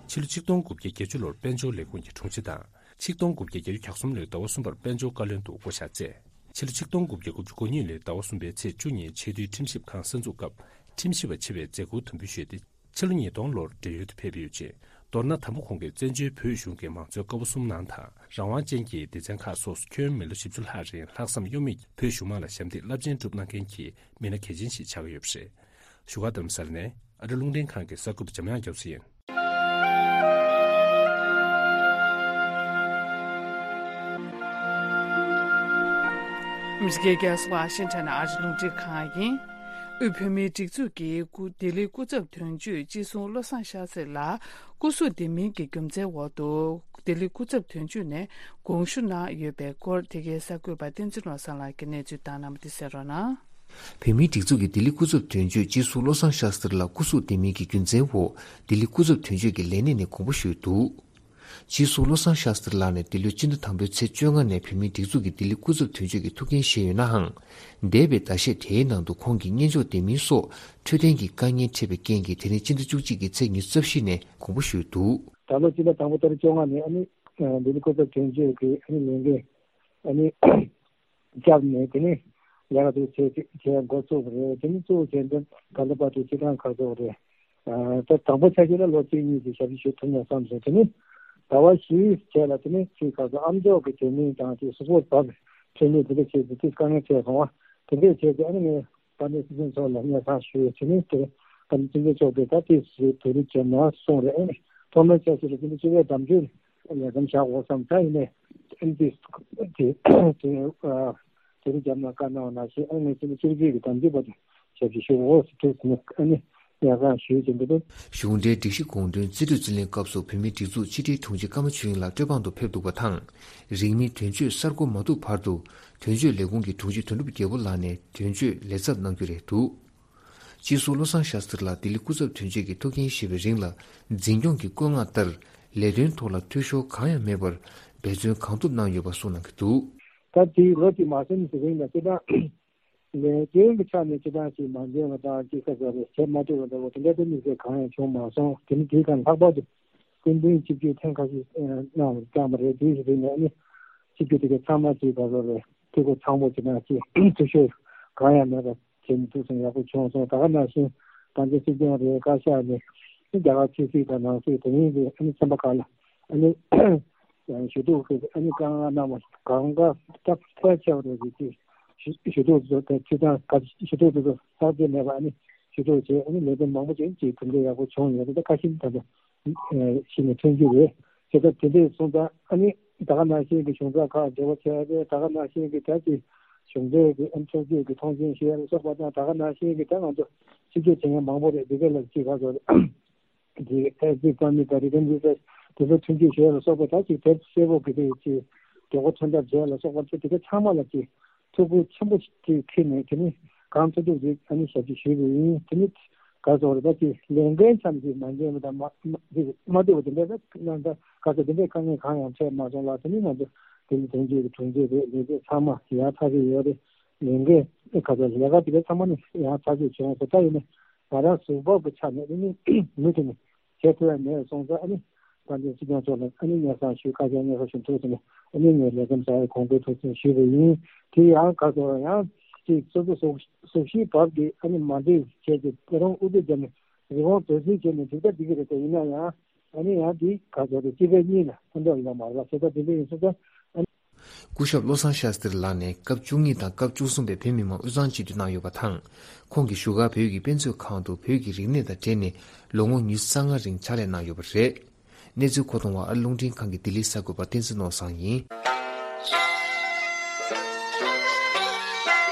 ཕྱི་ལོ་ཆིག་སྟོང་དགུ་བརྒྱ་བརྒྱད་ཅུ་ལོར་དཔལ་འབྱོར་ལས་ཁུངས་ཀྱི་དྲུང་ཆེ་དང་། ཆིག་སྟོང་དགུ་བརྒྱ་བརྒྱད་ཅུ་གྱ་གསུམ་ལོའི་ཟླ་བ་གསུམ་པར་དཔལ་འབྱོར་བཀའ་བློན་དུ་བསྐོ་བཞག་བྱས། ཕྱི་ལོ་ཆིག་སྟོང་དགུ་བརྒྱ་དགུ་བཅུ་གོ་གཉིས་ལོའི་ཟླ་བ་གསུམ་པའི་ཚེས་བཅུ་ཉིན་ཆེས་མཐོའི་ཁྲིམས་ཞིབ་ཁང་གསར་འཛུགས་སྐབས། ཁྲིམས་ཞིབ་པ་ཆེ་བས་མཛད་ཁུར་དམ་འབུལ་ཞུས་ཏེ། ཕྱི་ལོ་ཉིས་སྟོང་ལོར་བགྲེས་ཡོལ་དུ་ཕེབས་ཡོད་ཅིང་། མདོར་ན་དང་པོ་ཁོང་གིས་བཙན་བྱོལ་བོད་གཞུང་གི་མང་གཙོའི་ཀ་བ་གསུམ་ནང་དང་། རང་དབང་ཅན་གྱི་སྡེ་ཚན་ཁག་སོགས་སུ་ཁྱོན་མི་ལོ་བཞི་བཅུ་ལྷག་རིང་ལྷག་བསམ་གཡོ་མེད་ཀྱིས་བོད་གཞུང་མང་ལ་ཞབས་འདེགས་རླབས་ཆེན་བསྒྲུབས་གནང་མཁན་གྱི་མི་སྣ་གལ་ཆེན་ཞིག་ཆགས་ཀྱི་ཡོད་པ་རེད། བཞུགས་སྒར་རྡ་རམ་ས་ལ་ནས་ཨ་རི་རླུང་འཕྲིན་ཁང་གི་གསར་འགོད་པ་འཇམ་དབྱངས་རྒྱ་མཚོ་ཡིན། ཨ་མི་རི་ཀའི་རྒྱལ་ས་ཝ་ཤིང་ཊོན་ནས་ཨ་རི་རླུང་འཕྲིན་ཁང་ཡིན། དབུས་བོད་མིའི་སྒྲིག་འཛུགས་ཀྱི་སྐུ་ལྡི་ལི་སྐུ་ཚབ་དོན་གཅོད་སྤྱི་ཟུར་བློ་བཟང་ཤཱ་སྟྲི་ལགས་སྐུ་གཟུགས་བདེ་མིན་གྱི་རྒྱུ་མཚན་འོག་ཏུ་ལྡི་ལི་སྐུ་ཚབ་དོན་གཅོད་ནས་དགོངས་ཞུ་གནང་ཡོད་པའི་སྐོར། དེ་གའི་གསར་འགོད་པ་བསྟན་འཛིན་བློ་བཟང་ལགས་ཀྱིས་གནས་ཚུལ་བཏང་གནང་བ་དེ་གསན་རོགས་གནང་། བོད་མིའི་སྒྲིག་འཛུགས་ཀྱི་ལྡི་ལི་སྐུ་ཚབ་དོན་གཅོད་སྤྱི་ཟུར་བློ་བཟང་ཤཱ་སྟྲི་ལགས་སྐུ་གཟུགས་བདེ་མིན་གྱི་རྒྱུ་མཚན་འོག་ལྡི་ལི་སྐུ་ཚབ་དོན་གཅོད་ཀྱི་ལས་གནས་ནས་དགོངས་པ་ཞུས་འདུག་སྤྱི་ཟུར་བློ་བཟང་ཤཱ་སྟྲི་ལགས་ནས་འདི་ལོའི་སྤྱི་ཟླ་དང་པོའི་ཚེས་བཅོ་ལྔ་ནས་བོད་མིའི་སྒྲིག་འཛུགས་ཀྱི་ལྡི་ལི་སྐུ་ཚབ་དོན་གཅོད་ཀྱི་ཐུགས་འགན་བཞེས་ཡོད་ནའང་། འདས་པའི་ཟླ་ཤས་དེའི་ནང་དུ་ཁོང་གིས་གཉེན་སྐྱོང་ལྡན་མིན་སོགས་འཕྲོད་བསྟེན་གྱི་དཀའ་ངལ་འཕྲད་པའི་རྐྱེན་གྱིས་དེ་རིང་སྤྱི་ཟླ་བཅུ་གཅིག་གི་ཚེས་ཉི་ཤུ་རྩ་བཞི་ནས་དགོངས་པ་ཞུས་འདུག་ད་ལོ་སྤྱི་ཟླ་དང་པོ་ཏ་རིག་བཅོ་ལྔ་ནས་ཨ་ནི་ལྡི་ལི་སྐུ་ཚབ་དོན་གཅོད་ཀྱི་ཨ་ནི་ལས་འགན་ཨ་ནི་བརྒྱབ་ནས་དེ་ནས་ལས་ཀ་དེ་བྱས་བྱས་འགོ་བཙུགས་པ་རེད། དེ་ནས་བཙུགས་བྱས་འདི་ད་ལྟ་བར་དུ་སྤྱི་བཏང་ག་ཚོད་རེད། ད་དང་པོ་ཆ་བཞག་ན་ལོ་གཅིག་གཉིས་ཀྱི་ཞབས་ཕྱི་ཞུ་ཐུབ་ན་བསམ་སོང་། དེ་ནས་ཟླ་བ་བཞིའི་རྗེས་ལ་དེ་ནས་ཅིག་ག་ཚོད་ཨ་མཆོག་གི་དྲན་མིན་དང་ཅིག་གཟུགས་པོ་བབས་དྲན་མིན་དེ་འདྲ་བྱས་ཏེ་ཅིག་དཀའ་ངལ་འཕྲད་སོང་བ། དེ་འདྲས་བྱས་ཏེ་ཨ་ནི་ངས་དཔལ་ལྡན་སྲིད་སྐྱོང་མཆོག་ལ་སྙན་སེང་ཞུས། དེ་ནས་དེ་དཔལ་ལྡན་སྲིད་སྐྱོང་མཆོག་གིས་ད་ཏིས་བོད་རིགས་བྱས་ན་གསུངས་རེད། ཨ་ནི་ཐོག་མའི་ཆ་ཞིག་ལ་དེ་འདྲ་སྤྱི་པའི་གདམ་གསེས་ལས་ཀ་བཞག་དགོས་བསམ། ད་ཡིན་ནས་ཨ་ནི་ཏིས་དེ་དེ་ཨ། དེ་རིང་རྒྱབ་ན་བཀའ་གནང་བ་ནང་བཞིན་ཨ་ནི་ངས་ཅི་ནས་སྤྱི་རྒྱུད་ཀྱི་དམ་ཚིག་པ་དེ་ཞབས་ཕྱི་ཞུ་འོ་ཟེར་དུས་ནི་ཨ་ནི་ཡ་གང་ཞུས་ཀྱི་འདུག་པས། གཞུང་འབྲེལ་སྒྲིག་གཞི་དགོངས་དོན་རྩིས་སྤྲོད་རྩིས་ལེན་སྐབས་སུ་བོད་མིའི་སྒྲིག་འཛུགས་ཕྱི་དྲིལ་དྲུང་ཆེ་ཀརྨ་ཆོས་དབྱིངས་ལགས་སྤྲོ་འཕང་དུ་ཕེབས་འདུག་པ་དང་། རིང་མིན་དོན་གཅོད་གསར་འགོད་མ་ཐུབ་བར་དུ་དོན་གཅོད་ལས་ཁུངས་ཀྱི་དྲུང་ཆེ་དོན་གྲུབ་རྒྱལ་པོ་ལགས་ནས་དོན་གཅོད་ལས་ཚབ་གནང་རྒྱུ་རེད་འདུག་སྤྱི་ཟུར་བློ་བཟང་ཤཱ་སྟྲི་ལགས་ལྡི་ལི་སྐུ་ཚབ་དོན་གཅོད་ཀྱི་ཐུགས་འགན་བཞེས་པའི་རིང་ལ་འཛིན་སྐྱོང་གི་བཀོད་མངགས་ལྟར་ལས་དོན་ཐོག་ལ་འཐུས་ཤོར་གང་ཡང་མེད་པར་འབད་བརྩོན་གང་ཐུབ་གནང་ཡོད་པ་གསུངས་གནང་གི་འདུག་ད་དེའི་ལོ་གཅིག་མ་ཟིན་གྱི་རིང་ལ་སྤྱི་བཏང་ལས་དོན་གྱི་ཆ་ནས་སྤྱི་བཏང་ཞིག་མ་འཇོན་པ་དང་ཅིག་ས་ས་རེ་བྱེད་མ་ཐུབ་པ་འདྲ་བོ་དེ་འདྲ་དེ་དམིགས་བསལ་གང་ཡང་བྱུང་མ་སོང་། དེ་ནི་དེའི་སྒང་ལྷག་པར་དུ་སྐུ་མདུན་ཆིབས་བསྒྱུར་ཐེངས་ཁ་ཤས་གནང་བ་བཏང་བ་རེད། དེའི་རིང་ནས་ནི་ཆིབས་བསྒྱུར་དེ་གའི་ཚང་མ་ཅིག་ད་གཟོད་རེད་འཐུས་སྒོ་ཚང་པོ་ཅིག་དང་ཅིག་འཐུས་ཤོར་གང་ཡང་མེད་པ་བྱེད་མི་ཐུབ་སོང་ཡག་པོ་བྱུང་སོང་། ད་ག་ནང་བཞིན་ད་ལྟ་སྲིད་སྐྱོང་རེད་བཀའ་ཤག་ནས་རྒྱ་གར་ཕྱི་སྲིད་དང་ནང་སྲིད་དེ་རིང་གི་ཨ་ནི་ཚན་པ་ཁག་ལ་ཨ་ནི་ཞུ་གཏུག་གི་ཨ་ནི་བཀའ་མངགས་གནང་བ་གང་ག་སྟབས་ཕལ་ཆེ་བ་རེད་ཅེས་ཞུ་གཏུག་དེ་ཚོ་དེ་ཚོ་དང་ཞུ་གཏུག་དེ་ཚོ་ལྷག་བསྡད་མེད་པ་ཨ་ནི་ཞུ་གཏུག་བྱས་ཨ་ནི་ལས་དོན་མང་པོ་ཅིག་ཅིག་གྲུབ་འབྲས་ཡག་པོ་བྱུང་ཡོད་རེད། ད་ཁ་ཤས་ད་ལྟ་གཞི་ནས་ཐོན་རྒྱུ་རེད། བྱས་ཙང་དེ་འདྲས་སོང་ཙང་ཨ་ནི་ད་ག་ནང་བཞིན་གྱི་གཞུང་ཚབ་ཁག་འབྲེལ་བ་བྱས་ཏེ་ད་ག་ནང་བཞིན་གྱི་ད་ཅིག་གཞུང་འབྲེལ་གྱི་ཨ་ནི་ཕྱོགས་བསྐྱོད་ཀྱི་མཐོང་མཆན་ཞུ་ཡ་ལ་སོགས་པ་དང་ད་ག་ནང་བཞིན་གྱི་ད་ང་ཚོ་ཕྱི་སྐྱོད་བྱེད་མཁན་མང་པོ་རེད། འདི་ག་ལ་ཅིག་ག་ཚོད་རེད། འདི་ཨེ་ཙི་ཀ་མི་ད་རི་ཀན་འདི་ཚོ་དེ་ཚོ་མཐུན་འགྱུར་བྱས་ལ་སོགས་པ་ད་ཅིག་དེབ་གསལ་པོ་གི་དེ་ཅིག་མགྱོགས་པོ་ཐོན་ཐབས་བྱས་ལ་སོགས་པ་ཚོ་དེ་ག་ཚང་མ་ལ་ཅིག་ཐུགས་ཁུར་ཆེན་པོ་ཅིག་འཁྱེར་ནས་དེ་ནི་གང་ཐུབ་ཐུབ་ཅིག་ཨ་ནི་ཞབས་ཕྱི་ཞུས་པ་ཡིན། དེ་ནི་ག་ཚོད་རེད་ད་ཅིག་ལས་འགན་ཙམ་ཅིག་མ་འཇོན་པ་དང་མ་མ་ཅིག་མ་བཏུབ་པ་དེ་འདྲ་ད་ནང་ད་ག་ཚོད་དེ་འདྲའི་དཀའ་ངལ་གང་ཡང་འཕྲད་མ་སོང་ལ། དེ་ནི་ང་ཚོ་དེ་ནི་དོན་གཅོད་ཀྱི་དྲུང་ཆེ་རེད། ལས་བྱེད་ཚང་མ་ཡག་ཐག་ཆོད་ཡོད་རེད། ལས་འགན་ག་ཚོད་ལས་ཀ་དེ་ག་ཚང་མ་ནི་ཡག་ཐག་ཆོད་བྱུང་སོང་། ད་ཡིན་ནའི་ང་རང་གཟུགས་པོ་གི་ཆ་ནས་ནི་མུ་མཐུད་ནས་བྱེད་ཐུབ་ཡ་མེད་སོང་ཙང་ཨ་ནི་དཔལ་ལྡན་སྲིད་སྐྱོང་མཆོག་ལ་ཨ་ནི་སྙན་སེང་ཞུ་ཁ་ཤས་སྙན་སེང་ཞུ་ཐུབ་སོང་ནས་ཨ་ནི་ངས་ལས་ཁུངས་གསར་པའི་གོང་འཕེལ་ཐུབ་ཚུལ་ཞུས་པ་ཡིན། དེ་ཡང་ག་ཚོད་ཡང་ཅིག་སོ་སོ་གཟུགས་གཟུགས་གཞིའི་བབ་ཀྱི་ཨ་ནི་མ་འགྲིག་བྱས་ཏེ་ད་རུང་ཨུ་ཚུགས་བརྒྱབ་ནས་རི་བོང་དོད་རྩིས་བྱས་ནས་འགྲིག་ད་འགྲིག་གི་རེད། དེ་ཡིན་ན་ཡང་ཨ་ནི་ཡང་འདི་ག་ཚོད་རེད་སྤྱི་པའི་གཉིས་ལ་ཕན་ཐོགས་ཡོད་མ་རེད་པ། བྱས་ཙང་དེ་འདྲ་ཡིན་སོང་ཙང་ཨ་ནི། སྐུ་ཞབས་བློ་བཟང་ཤཱ་སྟྲི་ལགས་ནས་སྐབས་བཅུ་གཉིས་དང་སྐབས་བཅུ་གསུམ་པའི་བོད་མི་མང་དབུས་གཙང་སྤྱི་འཐུས་གནང་ཡོད་པ་དང་། ཁོང་གིས་བཞུགས་སྒར་བོད་ཀྱི་དཔེ་མཛོད་ཁང་དུ་བོད་ཀྱི་རིག་གནས་དང་འབྲེལ་ནས་ལོ་ངོ་ཉི་ཤུ་རྩ་ལྔ་རིང་ཕྱག་ལས་གནང་ཡོད་པ་རེད། གནས་ཚུལ་མཁོ་གཏོང་བ་ཨ་རི་རླུང་འཕྲིན་ཁང་གི་ལྡི་ལིའི་གསར་འགོད་པ་བསྟན་འཛིན་ནོར་བཟང་ཡིན།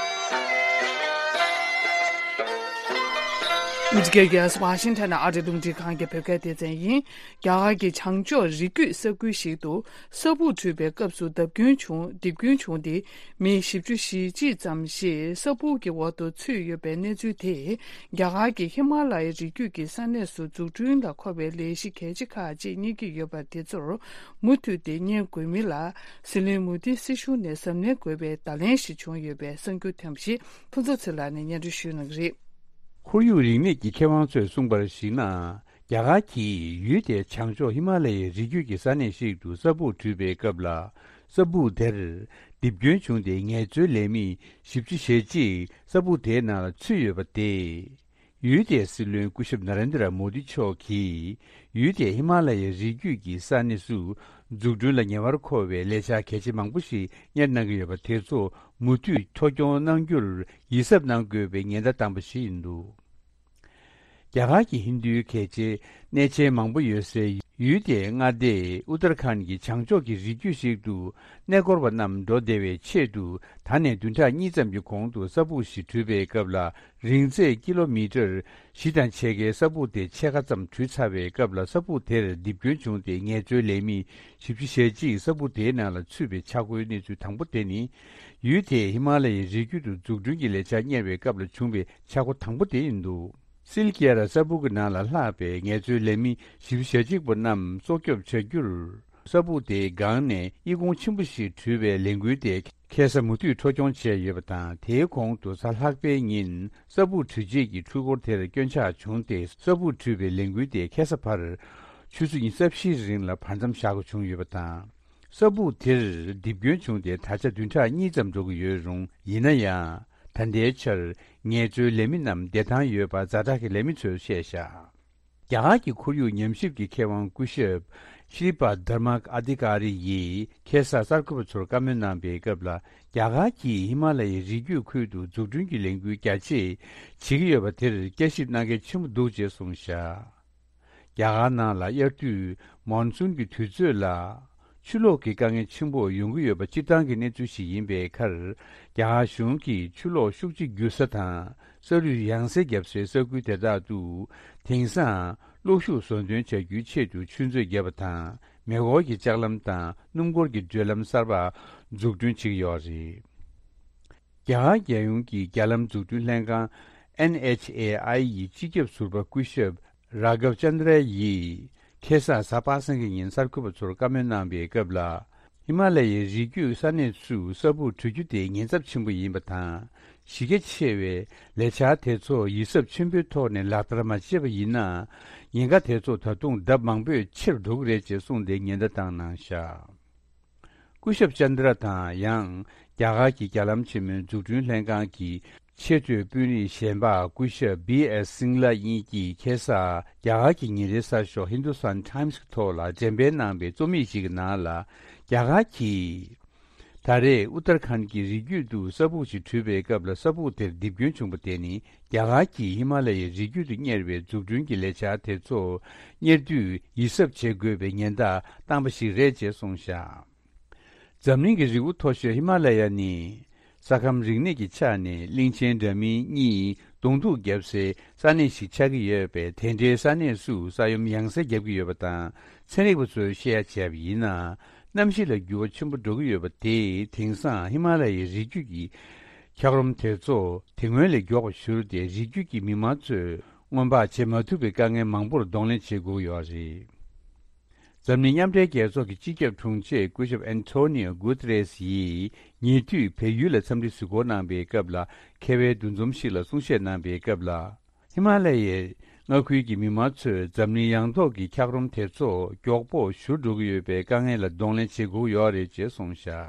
ཨ་མི་རི་ཀའི་རྒྱལ་ས་ཝ་ཤིང་ཊོན་ནས་ཨ་རིའི་རླུང་འཕྲིན་ཁང་གི་བོད་སྐད་སྡེ་ཚན་ཡིན། རྒྱ་གར་གྱི་བྱང་ཕྱོགས་རི་རྒྱུད་ས་ཁུལ་ཞིག་ཏུ་ས་སྦུག་འཁྲུགས་པའི་སྐབས་སུ་རྡིབ་སྐྱོན་བྱུང་རྡིབ་སྐྱོན་བྱུང་སྟེ་མི་བཞི་བཅུ་ཞེ་གཅིག་ཙམ་ཞིག་ས་སྦུག་གི་འོག་ཏུ་ཚུད་ཡོད་པའི་གནས་ཚུལ་དེས་རྒྱ་གར་གྱི་ཧི་མ་ལ་ཡའི་རི་རྒྱུད་ཀྱི་ས་གནས་སུ་འཛུགས་སྐྲུན་ལ་མཁོ་བའི་ལས་གཞི་གལ་ཆེ་ཁག་ཅིག་རྙེད་ཀྱི་ཡོད་པ་དེ་ཚོར་མུ་མཐུད་དེ་གཉེར་དགོས་མིན་ལ་ཟི་ལིང་མུ་དྷི་སྲིད་གཞུང་ནས་གཟབ་ནན་དགོས་པའི་བརྡ་ལན་ཞིག་བྱུང་ཡོད་པའི་གསར་འགྱུར་ཐོན་པ་ཞིག་ཕུན་ཚོགས་ཚེ་ལགས་ནས་སྙན་སྒྲོན་ཞུ་གནང་གི་རེད། ཁོར་ཡུག་རིག་གནས་ཀྱི་མཁས་དབང་ཚོས་གསུངས་པར་གཞིགས་ན། རྒྱ་གར་གྱིས་ཡུལ་དེའི་བྱང་ཕྱོགས་ཧི་མ་ལ་ཡའི་རི་རྒྱུད་ཀྱི་ས་གནས་ཤིག་ཏུ་ས་སྦུག་བྲུས་པའི་སྐབས་ལ། ས་སྦུག་དེར་རྡིབ་སྐྱོན་བྱུང་སྟེ། ངལ་རྩོལ་ལས་མི་བཞི་བཅུ་ཞེ་གཅིག་ས་སྦུག་དེའི་ནང་ལ་ཚུད་ཡོད་པ་སྟེ། ཡུལ་དེའི་སྲིད་བློན་སྐུ་ཞབས་ན་རེན་དྲ་མོ་དི་མཆོག་གིས། ཡུལ་དེའི་ཧི་མ་ལ་ཡའི་རི་རྒྱུད་ཀྱི་ས་གནས་སུ་འཛུགས་སྐྲུན་ལ་ཉེ་བར་མཁོ་བའི་ལས་འཆར་གལ་ཆེ་མང་པོ་ཞིག་གཉེར་གནང་གི་ཡོད་པ་དེ་ཚོ་མུ་མཐུད་འཕྲོ་སྐྱོང་གནང་རྒྱུར་ཡིད་གཟབ་གནང་དགོས་པའི་ཉེན་བརྡ་བཏང་པ་ཞིག་ཡིན་འདུག་རྒྱ་གར་གྱི་ཧིན་རྡུའི་གལ་ཆེའི་གནས་ཆེན་མང་པོ་ཡོད་སའི་ཡུལ་དེའི་མངའ་སྡེ་ཨུ་ཏར་ཁཱན་གྱི་བྱང་ཕྱོགས་ཀྱི་རི་རྒྱུད་ཞིག་ཏུ་གནས་སྐོར་བ་རྣམས་འགྲོ་བདེ་བའི་ཆེད་དུ། ད་ནས་བདུན་ཕྲག་གཉིས་ཙམ་གྱི་གོང་དུ་ས་སྦུག་ཞིག་བྲུས་པའི་སྐབས་ལ། རིང་ཚད་ཀི་ལོ་མི་ཊར་བཞི་དང་ཕྱེད་ཀའི་ས་སྦུག་དེ་ཕྱེད་ཀ་ཙམ་བྲུས་ཚར་བའི་སྐབས་ལ། ས་སྦུག་དེར་རྡིབ་སྐྱོན་བྱུང་སྟེ། ངལ་རྩོལ་ལས་མི་བཞི་བཅུ་ཞེ་གཅིག་ས་སྦུག་དེའི་ནང་ལ་ཚུད་པའི་ཆག་སྒོའི་གནས་ཚུལ་དང་པོ་དེ་ནི། ཡུལ་དེས་ཧི་མ་ལ་ཡའི་རི་རྒྱུད་དུ་འཛུགས་སྐྲུན་གྱི་ལས་འཆར་གཉེར་བའི་སྐབས་ལ་བྱུང་བའི་ཆག་སྒོ་དང་པོ་དེ་ཡིན་འདུག་སིལ་ཀི་ཡ་ར་ས་སྦུག་གི་ནང་ལ་ལྷགས་པའི་ངལ་རྩོལ་ལས་མི་བཞི་བཅུ་ཞེ་གཅིག་པོ་རྣམས་སྲོག་སྐྱོབ་བྱ་རྒྱུར། ས་སྦུག་དེའི་སྒང་ནས་གཡི་གུང་ཆེན་པོ་ཞིག་བྲུས་པའི་ལས་འགུལ་དེ་ཁ་སང་མུ་མཐུད་འཕྲོ་སྐྱོང་བྱས་ཡོད་པ་དང་། དེའི་གོང་དུ་གཟའ་ལྷག་པའི་ཉིན་ས་སྦུག་བྲུས་རྗེས་ཀྱི་འཕྲུལ་འཁོར་དེར་སྐྱོན་ཆག་བྱུང་སྟེ། ས་སྦུག་བྲུས་པའི་ལས་འགུལ་དེ་ཁ་སང་བར་ཆུ་ཚོད་ཉི་ཤུ་རྩ་བཞིའི་རིང་ལ་བར་མཚམས་བཞག་དགོས་བྱུང་ཡོད་པ་དང་། ས་སྦུག་དེར་རྡིབ་སྐྱོན་བྱུང་སྟེ། ད་ཆ་བདུན་ཕྲག་གཉིས་ཙམ་འགྲོ་གི་ཡོད་རུང་། ཡིན་ན་ཡང་། ད་ལྟའི་ཆར་ངལ་རྩོལ་ལས་མི་རྣམས་བདེ་ཐང་ཡོད་པ་ཛ་དྲག་གི་ལས་མི་ཚོས་བཤད་བཞག་རྒྱ་གར་གྱི་ཁོར་ཡུག་ཉམས་ཞིབ་ཀྱི་མཁས་དབང་སྐུ་ཞབས་ཤི་རི་པ་དྷར་མ་ཨ་དྷི་ཀ་རི་ཡིས་ཁ་སང་གསར་འགོད་པ་ཚོར་བཀའ་མོལ་གནང་པའི་སྐབས་ལ། རྒྱ་གར་གྱིས་ཧི་མ་ལ་ཡའི་རི་རྒྱུད་ཁུལ་དུ་འཛུགས་སྐྲུན་གྱི་ལས་འགུལ་རྒྱ་ཆེ་བྱེད་ཀྱི་ཡོད་པ་དེར་བསྐྱར་ཞིབ་གནང་གལ་ཆེན་པོ་འདུག་ཅེས་གསུངས་བཞག་རྒྱ་གར་ནང་ལ་དབྱར་དུས་མོན་སུན་གྱི་དུས་ཚོད་ལ། ཆུ་ལོག་གི་དཀའ་ངལ་ཆེན་པོ་ཡོང་གི་ཡོད་པ་སྤྱིར་བཏང་གི་གནས་ཚུལ་ཞིག་ཡིན་པའི་ཁར། རྒྱ་གར་གཞུང་གིས་ཆུ་ལོག་ཤུགས་ཆེ་རྒྱུག་ས་དང་ས་རུད་ཡང་སེ་བརྒྱབ་སའི་ས་ཁུལ་དེ་དག་ཏུ། དེང་སང་གློག་ཤུགས་བཟོ་འདོན་བྱ་རྒྱུའི་ཆེད་དུ་ཆུ་མཛོད་བརྒྱབ་པ་དང་། མེ་འཁོར་གྱི་ལྕགས་ལམ་དང་སྣུམ་འཁོར་གྱི་བགྲོད་ལམ་གསར་པ་འཛུགས་སྐྲུན་བྱེད་ཀྱི་ཡོད་རེད། རྒྱ་གར་རྒྱལ་ཡོངས་ཀྱི་རྒྱ་ལམ་འཛུགས་སྐྲུན་ལྷན་ཁང་NHAI ཡི་སྤྱི་ཁྱབ་ཟུར་པ་སྐུ་ཞབས་རཱ་གབ་ཅན་དྲ་ཡིས་ཁ་སང་གཟའ་པ་སངས་ཀྱི་ཉིན་གསར་འགོད་པ་ཚོར་བཀའ་མོལ་གནང་པའི་སྐབས་ལ། ཧི་མ་ལ་ཡའི་རི་རྒྱུད་ས་གནས་སུ་ས་སྦུག་བྲུས་རྒྱུ་དེ་ཉེན་ཚབས་ཆེན་པོ་ཡིན་པ་དང་། གཞི་རྒྱ་ཆེ་བའི་ལས་འཆར་དེ་ཚོ་ཡིད་གཟབ་ཆེན་པོའི་ཐོག་ནས་ལག་བསྟར་མ་བྱས་པ་ཡིན་ན། ཉེན་ཁ་དེ་ཚོ་ད་དུང་ལྡབ་མང་པོས་ཆེར་འགྲོ་གི་རེད་ཅེས་གསུངས་ཏེ་ཉེན་བརྡ་བཏང་གནང་བཞག་སྐུ་ཞབས་ཅན་དྲ་དང་། ཡང་རྒྱ་གར་གྱི་རྒྱ་ལམ་ཆེན་མོའི་འཛུགས་སྐྲུན་ལྷན་ཁང་གི་ཆེས་མཐོའི་དཔོན་རིགས་གཞན་པ་སྐུ་ཞབས་བི་ཨེས་སིང་ལ་གཉིས་ཀྱིས་ཁ་སང་རྒྱ་གར་གྱི་ཉིན་རེའི་གསར་ཤོག་ཧིན་དུ་སྟན་ཊའིམ་སི་གི་ཐོག་ལ་འགྲེམས་སྤེལ་གནང་པའི་རྩོམ་ཡིག་ཞིག་གི་ནང་ལ། རྒྱ་གར་གྱིས་ད་རེས་ཨུ་ཏར་ཁཱན་གྱི་རི་རྒྱུད་དུ་ས་སྦུག་ཅིག་བྲུས་པའི་སྐབས་ལ། ས་སྦུག་དེར་རྡིབ་སྐྱོན་བྱུང་པ་དེ་ནི། རྒྱ་གར་གྱིས་ཧི་མ་ལ་ཡའི་རི་རྒྱུད་དུ་གཉེར་བའི་འཛུགས་སྐྲུན་གྱི་ལས་འཆར་དེ་ཚོ་གཉེར་དུས་ཡིད་གཟབ་བྱེད་དགོས་པའི་ཉེན་བརྡ་བཏང་པ་ཞིག་རེད་ཅེས་གསུངས་བཞག་འཛམ་གླིང་གི་རི་བོ་མཐོ་ཤོས་ཧི་མ་ལ་ཡ་ནི། ས་ཁམས་རིག་གནས་ཀྱི་ཆ་ནས་གླིང་ཆེན་འདྲ་མིན་གཉིས་གདོང་ཐུག་བརྒྱབ་སའི་ས་གནས་ཤིག་ཆགས་ཀྱི་ཡོད་པས། དེ་འདྲའི་ས་གནས་སུ་ས་ཡོམ་ཡང་སེ་བརྒྱབ་ཀྱི་ཡོད་པ་དང་། ཚན་རིག་པ་ཚོས་བཤད་ཡ་བྱས་པ་ཡིན་ན། གནམ་གཤིས་ལ་འགྱུར་བ་ཆེན་པོ་འགྲོ་གི་ཡོད་པ་དེས། དེང་སང་ཧི་མ་ལ་ཡའི་རི་རྒྱུད་ཀྱི་འཁྱགས་རོམ་དེ་ཚོ་དེ་སྔོན་ལས་མགྱོགས་པར་བཞུར་ཏེ། རི་རྒྱུད་ཀྱི་མི་མང་ཚོས་སྔོན་དཔག་བྱེད་མ་ཐུབ་པའི་དཀའ་ངལ་མང་པོར་གདོང་ལེན་བྱེད་དགོས་ཀྱི་ཡོད་རེད། འཛམ་གླིང་མཉམ་འབྲེལ་རྒྱལ་ཚོགས་ཀྱི་སྤྱི་ཁྱབ་དྲུང་ཆེ་སྐུ་ཞབས་ཨན་ཐོ་ནིའོ་གུ་ཏེ་རེས་ཡིས་ཉེ་དུས་བལ་ཡུལ་ལ་འཚམས་འདྲི་གཟིགས་སྐོར་གནང་པའི་སྐབས་ལ། ཁ་བའི་འདུ་འཛོམས་ཤིག་ལ་གསུང་བཤད་གནང་པའི་སྐབས་ལ། ཧི་མ་ལ་ཡའི་མངའ་ཁུལ་གྱི་མི་མང་ཚོས་འཛམ་གླིང་ཡངས་ཐོག་གི་འཁྱགས་རོམ་དེ་ཚོ་མགྱོགས་པོ་བཞུར་འགྲོ་གི་ཡོད་པའི་དཀའ་ངལ་ལ་གདོང་ལེན་བྱེད་དགོས་ཡོད་རེད་ཅེས་གསུངས་བཞག་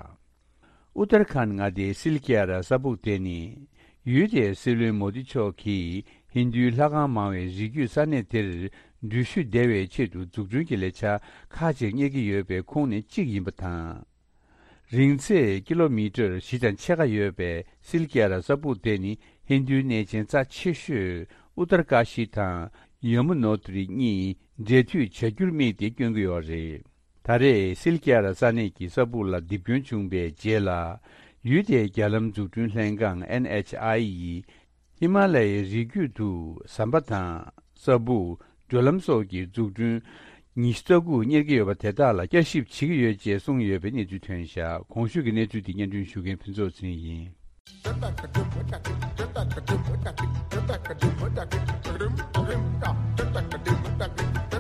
ཨུ་ཏར་ཁཱན་མངའ་སྡེའི་སིལ་ཀི་ཡ་ར་ས་སྦུག་དེ་ནི། ཡུལ་དེའི་སྲིད་བློན་མོ་དི་མཆོག་གིས་ཧིན་རྡུའི་ལྷ་ཁང་མང་བའི་རི་རྒྱུད་ས་གནས་དེར་འགྲུལ་བཞུད་བདེ་བའི་ཆེད་དུ་འཛུགས་སྐྲུན་གྱི་ལས་འཆར་ཁག་ཅིག་གཉེར་གྱི་ཡོད་པའི་ཁོངས་ནས་གཅིག་ཡིན་པ་དང་། རིང་ཚད་ཀི་ལོ་མི་ཊར་བཞི་དང་ཕྱེད་ཀ་ཡོད་པའི་སིལ་ཀི་ཡ་ར་ས་སྦུག་དེ་ནི་ཧིན་རྡུའི་གནས་ཆེན་རྩ་ཆེ་ཤོས་ཨུ་ཏར་ཀ་ཤི་དང་ཡ་མུ་ནོ་ཏྲི་གཉིས་འབྲེལ་མཐུད་བྱ་རྒྱུར་དམིགས་ཏེ་བསྐྱོན་གྱི་ཡོད་རེད། ད་རེས་སིལ་ཀི་ཡ་ར་ས་གནས་ཀྱི་ས་སྦུག་ལ་རྡིབ་སྐྱོན་བྱུང་བའི་རྗེས་ལ། ཡུལ་དེའི་རྒྱ་ལམ་འཛུགས་སྐྲུན་ལྷན་ཁང་NHAI ཡིས་ཧི་མ་ལ་ཡའི་རི་རྒྱུད་དུ་ཟམ་པ་དང་ས་སྦུག་བགྲོད་ལམ་སོགས་ཀྱི་འཛུགས་སྐྲུན་ཉི་ཤུ་རྩ་དགུ་གཉེར་གྱི་ཡོད་པ་དེ་དག་ལ་བསྐྱར་ཞིབ་བྱེད་ཀྱི་ཡོད་ཅེས་གསུངས་ཡོད་པའི་གནས་ཚུལ་ཐོན་བཞག་གོང་ཞུས་ཀྱི་གནས་ཚུལ་དེ་སྙན་སྒྲོན་ཞུ་མཁན་ཕུན་ཚོགས་ཚེ་རིང་ཡིན།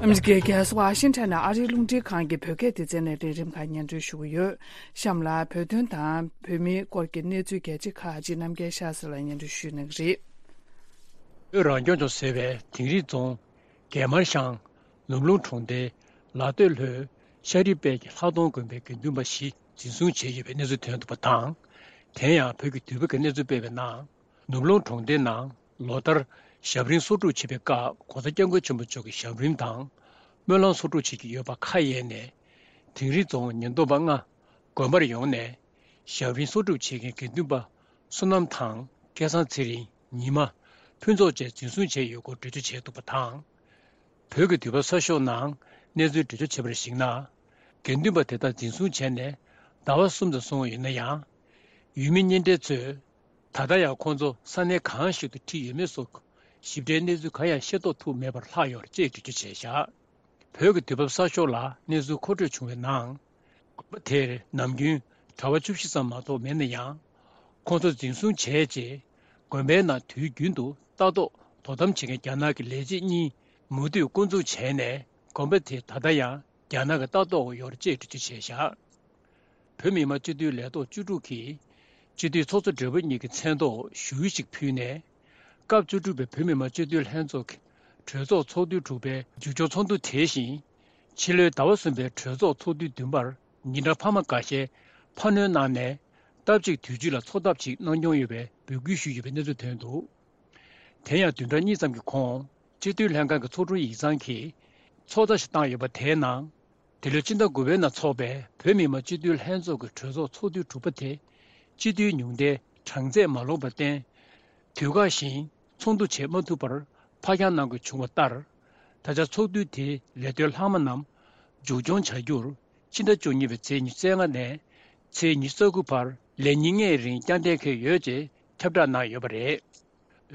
ཨ་མི་རི་ཀའི་རྒྱལ་ས་ཝ་ཤིང་ཊོན་ནས་ཨ་རིའི་རླུང་འཕྲིན་ཁང་གི་བོད་སྐད་སྡེ་ཚན་ནས་ལས་རིམ་ཁག་སྙན་སྒྲོན་ཞུ་གི་ཡོད། གཤམ་ལ་བོད་དོན་དང་བོད་མིའི་སྐོར་གྱི་གནས་ཚུལ་གལ་ཆེ་ཁག་ཅིག་རྣམ་རྒྱལ་ཤཱ་ཟེར་ལ་སྙན་སྒྲོན་ཞུ་གནང་གི་རེད། བོད་རང་སྐྱོང་ལྗོངས་ཟེར་བའི་དིང་རི་རྫོང་རྒྱལ་དམར་ཤང་ ནུབ་ལུང་གྲོང་རྡལ་ལ་སྟོད་ལྷོའི་ཤ་རི་པད་ཀྱི་ལྷག་སྟོང་དགོན་པའི་དགེ་འདུན་པ་བཞི་འཛིན་བཟུང་བྱས་ཡོད་པའི་གནས་ཚུལ་ཐོན་འདུག་པ་དང་། དེ་ཡང་བོད་ཀྱི་དུས་བབ་ཀྱི་གནས་ཚུལ་སྤེལ་བའི་ནང་། ནུབ་ལུང་གྲོང་རྡལ་ནང་ལོ་ལྟར་ཞབས་རིམ་གསོག་སྒྲུབ་བྱེད་པའི་སྐབས་༸གོང་ས་༸སྐྱབས་མགོན་ཆེན་པོ་མཆོག་གི་ཞབས་རིམ་དང་སྨོན་ལམ་གསོག་སྒྲུབ་བྱེད་ཀྱི་ཡོད་པ་ཁ་གཡར་ནས། དིང་རི་རྫོང་ཉེན་རྟོག་པ་ལྔ་དགོན་པར་ཡོང་ནས་ཞབས་རིམ་གསོག་སྒྲུབ་བྱེད་མཁན་དགེ་འདུན་པ་བསོད་ནམས་དང་སྐལ་བཟང་ཚེ་རིང་། ཉི་མ། ཕུན་ཚོགས་བཅས་འཛིན་བཟུང་བྱས་ཡོད་སྐོར་འགྲེལ་བརྗོད་བྱས་འདུག་པ་དང་། བོད་ཀྱི་དུས་བབ་གསར་ཤོག་ནང་གནས་ཚུལ་འགྲེལ་བརྗོད་བྱས་པར་གཞིགས་ན། དགེ་འདུན་པ་དེ་དག་འཛིན་བཟུང་བྱས་ནས་ཟླ་བ་གསུམ་ཙམ་སོང་བ་ཡིན་ན་ཡང་། ཡུལ་མི་གཉེན་འབྲེལ་ཚོས་ད་ལྟ་ཡང་ཁོང་ཚོ་ས་གནས་གང་ཞིག་ཏུ་ཁྲིད་ཡོད་མེད་སོགས་ཞིབ་ཕྲའི་གནས་ཚུལ་གང་ཡང་ཤེས་རྟོགས་ཐུབ་མེད་པར་ལྷག་ཡོད་ཅེས་འགྲེལ་བརྗོད་བྱས་བཞག་བོད་ཀྱི་དུས་བབ་གསར་ཤོག་ལ་གནས་ཚུལ་མཁོ་སྤྲོད་བྱུང་བའི་ནང་། དགོན་པ་དེར་ནམ་རྒྱུན་གྲྭ་པ་བཅུ་བཞི་ཙམ་མ་གཏོགས་མེད་ན་ཡང་། ཁོང་ཚོ་འཛིན་བཟུང་བྱས་རྗེས། དགོན་པའི་ནང་དུས་རྒྱུན་དུ་ལྟ་རྟོག་དོ་དམ་བྱེད་མཁན་རྒྱ་ནག་གི་ལས་བྱེད་གཉིས་མུ་མཐུད་བསྐོ་འཛུགས་བྱས་ནས། དགོན་པ་དེ་ད་ལྟ་ཡང་རྒྱ་ནག་གི་ལྟ་རྟོག་འོག་ཡོད་ཅེས་འགྲེལ་བརྗོད་བྱས་བཞག་བོད་མི་མང་སྤྱི་འཐུས་ལས་ཐོག་བཅུ་དྲུག་གིས་སྤྱི་འཐུས་ཚོགས་གཙོ་སྦྲེལ་པོ་གཉིས་ཀྱི་མཚན་ཐོག་ཞུ་ཡིག་ཅིག་ཕུལ་ནས། སྐབས་བཅུ་དྲུག་པའི་བོད་མི་མང་སྤྱི་འཐུས་ལྷན་ཚོགས་ཀྱི་གྲོས་ཚོགས་ཚོགས་དུས་དྲུག་པའི་མཇུག་སྐྱོང་ཚོགས་འདུ་དེ་བཞིན། ཕྱི་ལོའི་ཟླ་བ་གསུམ་པའི་གྲོས་ཚོགས་ཚོགས་དུས་བདུན་པར་ཉིན་གྲངས་འཕར་མ་འགའ་ཤས་འཕར་སྣོན་གནང་ནས། སྟབས་གཅིག་དུས་ཚོད་ལ་ཚོགས་ཐབས་ཅིག་གནང་སྐྱོང་ཡོད་པའི་འབོད་སྐུལ་ཞུས་ཡོད་པའི་གནས་ཚུལ་ཐོན་འདུག་དེ་ཡང་བདུན་ཕྲག་གཉིས་ཙམ་གྱི་གོང་། སྤྱི་འཐུས་ལྷན་ཁང་གི་ཚོགས་དྲུང་ཡིག་ཚང་གིས་ཚོགས་བརྡ་ཞིག་བཏང་ཡོད་པ་དེའི་ནང་། འདི་ལོའི་ཕྱི་ཟླ་དགུ་པའི་ནང་འཚོགས་པའི་བོད་མི་མང་སྤྱི་འཐུས་ལྷན་ཚོགས་ཀྱི་གྲོས་ཚོགས་ཚོགས་དུས་དྲུག་པ་དེ། སྤྱི་འཐུས་ཉུང་མཐའི་གྲངས་ཚད་མ་ལོངས་པར་བརྟེན། དུས་བཀག་བཞིན་ཚོགས་འདུ་བྱེད་མ་ཐུབ་པར་ཕར་འགྱངས་གནང་དགོས་བྱུང་བ་ལྟར། ད་ཆ་ཚོགས་དུས་དེའི་ལས་དོན་ལྷག་མ་རྣམས་མཇུག་སྐྱོང་བྱ་རྒྱུར། ཕྱི་ཟླ་བཅུ་གཉིས་པའི་ཚེས་ཉི་ཤུ་རྩ་ལྔ་ནས་ཚེས་ཉི་ཤུ་རྩ་དགུ་བར་ལས་ཉིན་ལྔའི་རིང་བསྐྱར་འདེམས་འཁེལ་ཡོད་ཅེས་ཁྱབ་བསྒྲགས་གནང་ཡོད་པ་རེད།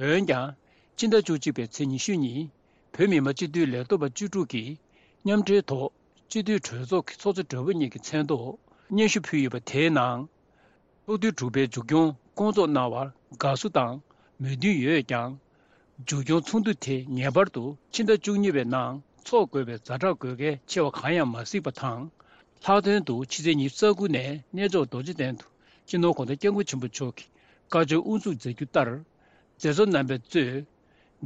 འོན་ཀྱང་། ཕྱི་ཟླ་བཅུ་གཅིག་པའི་ཚེས་ཉི་ཤུ་ཉིན། བོད་མི་མང་སྤྱི་འཐུས་ལས་ཐོག་པ་བཅུ་དྲུག་གིས་མཉམ་འབྲེལ་ཐོག་སྤྱི་འཐུས་གྲོས་ཚོགས་ཀྱི་ཚོགས་གཙོ་སྦྲེལ་པོ་གཉིས་ཀྱི་མཚན་ཐོག་སྙན་ཞུ་ཕུལ་ཡོད་པ་དེའི་ནང་། ཚོགས་དུས་དྲུག་པའི་མཇུག་སྐྱོང་བསྐོང་ཚོགས་གནང་བར་དགའ་བསུ་དང་མོས་མཐུན་ཡོད་ཀྱང་། མཇུག་སྐྱོང་ཚོགས་འདུ་དེ་ངེས་པར་དུ་ཕྱི་ཟླ་བཅུ་གཉིས་པའི་ནང་འཚོགས་དགོས་པའི་ཛ་དྲག་དགོས་གལ་ཆེ་བ་གང་ཡང་མ་གཟིགས་པ་དང་། ལྷག་དོན་དུ་ཕྱི་ཚེས་ཉི་ཤུ་རྩ་དགུ་ནས་གནས་མཆོག་རྡོ་རྗེ་གདན་དུ་སྤྱི་ནོར་༸གོང་ས་༸སྐྱབས་མགོན་ཆེན་པོ་མཆོག་གི་བཀའ་ཆོས་དབུ་འཛུགས་མཛད་རྒྱུ་ལྟར། མཛད་གཙོ་རྣམ་པས་གཙོས།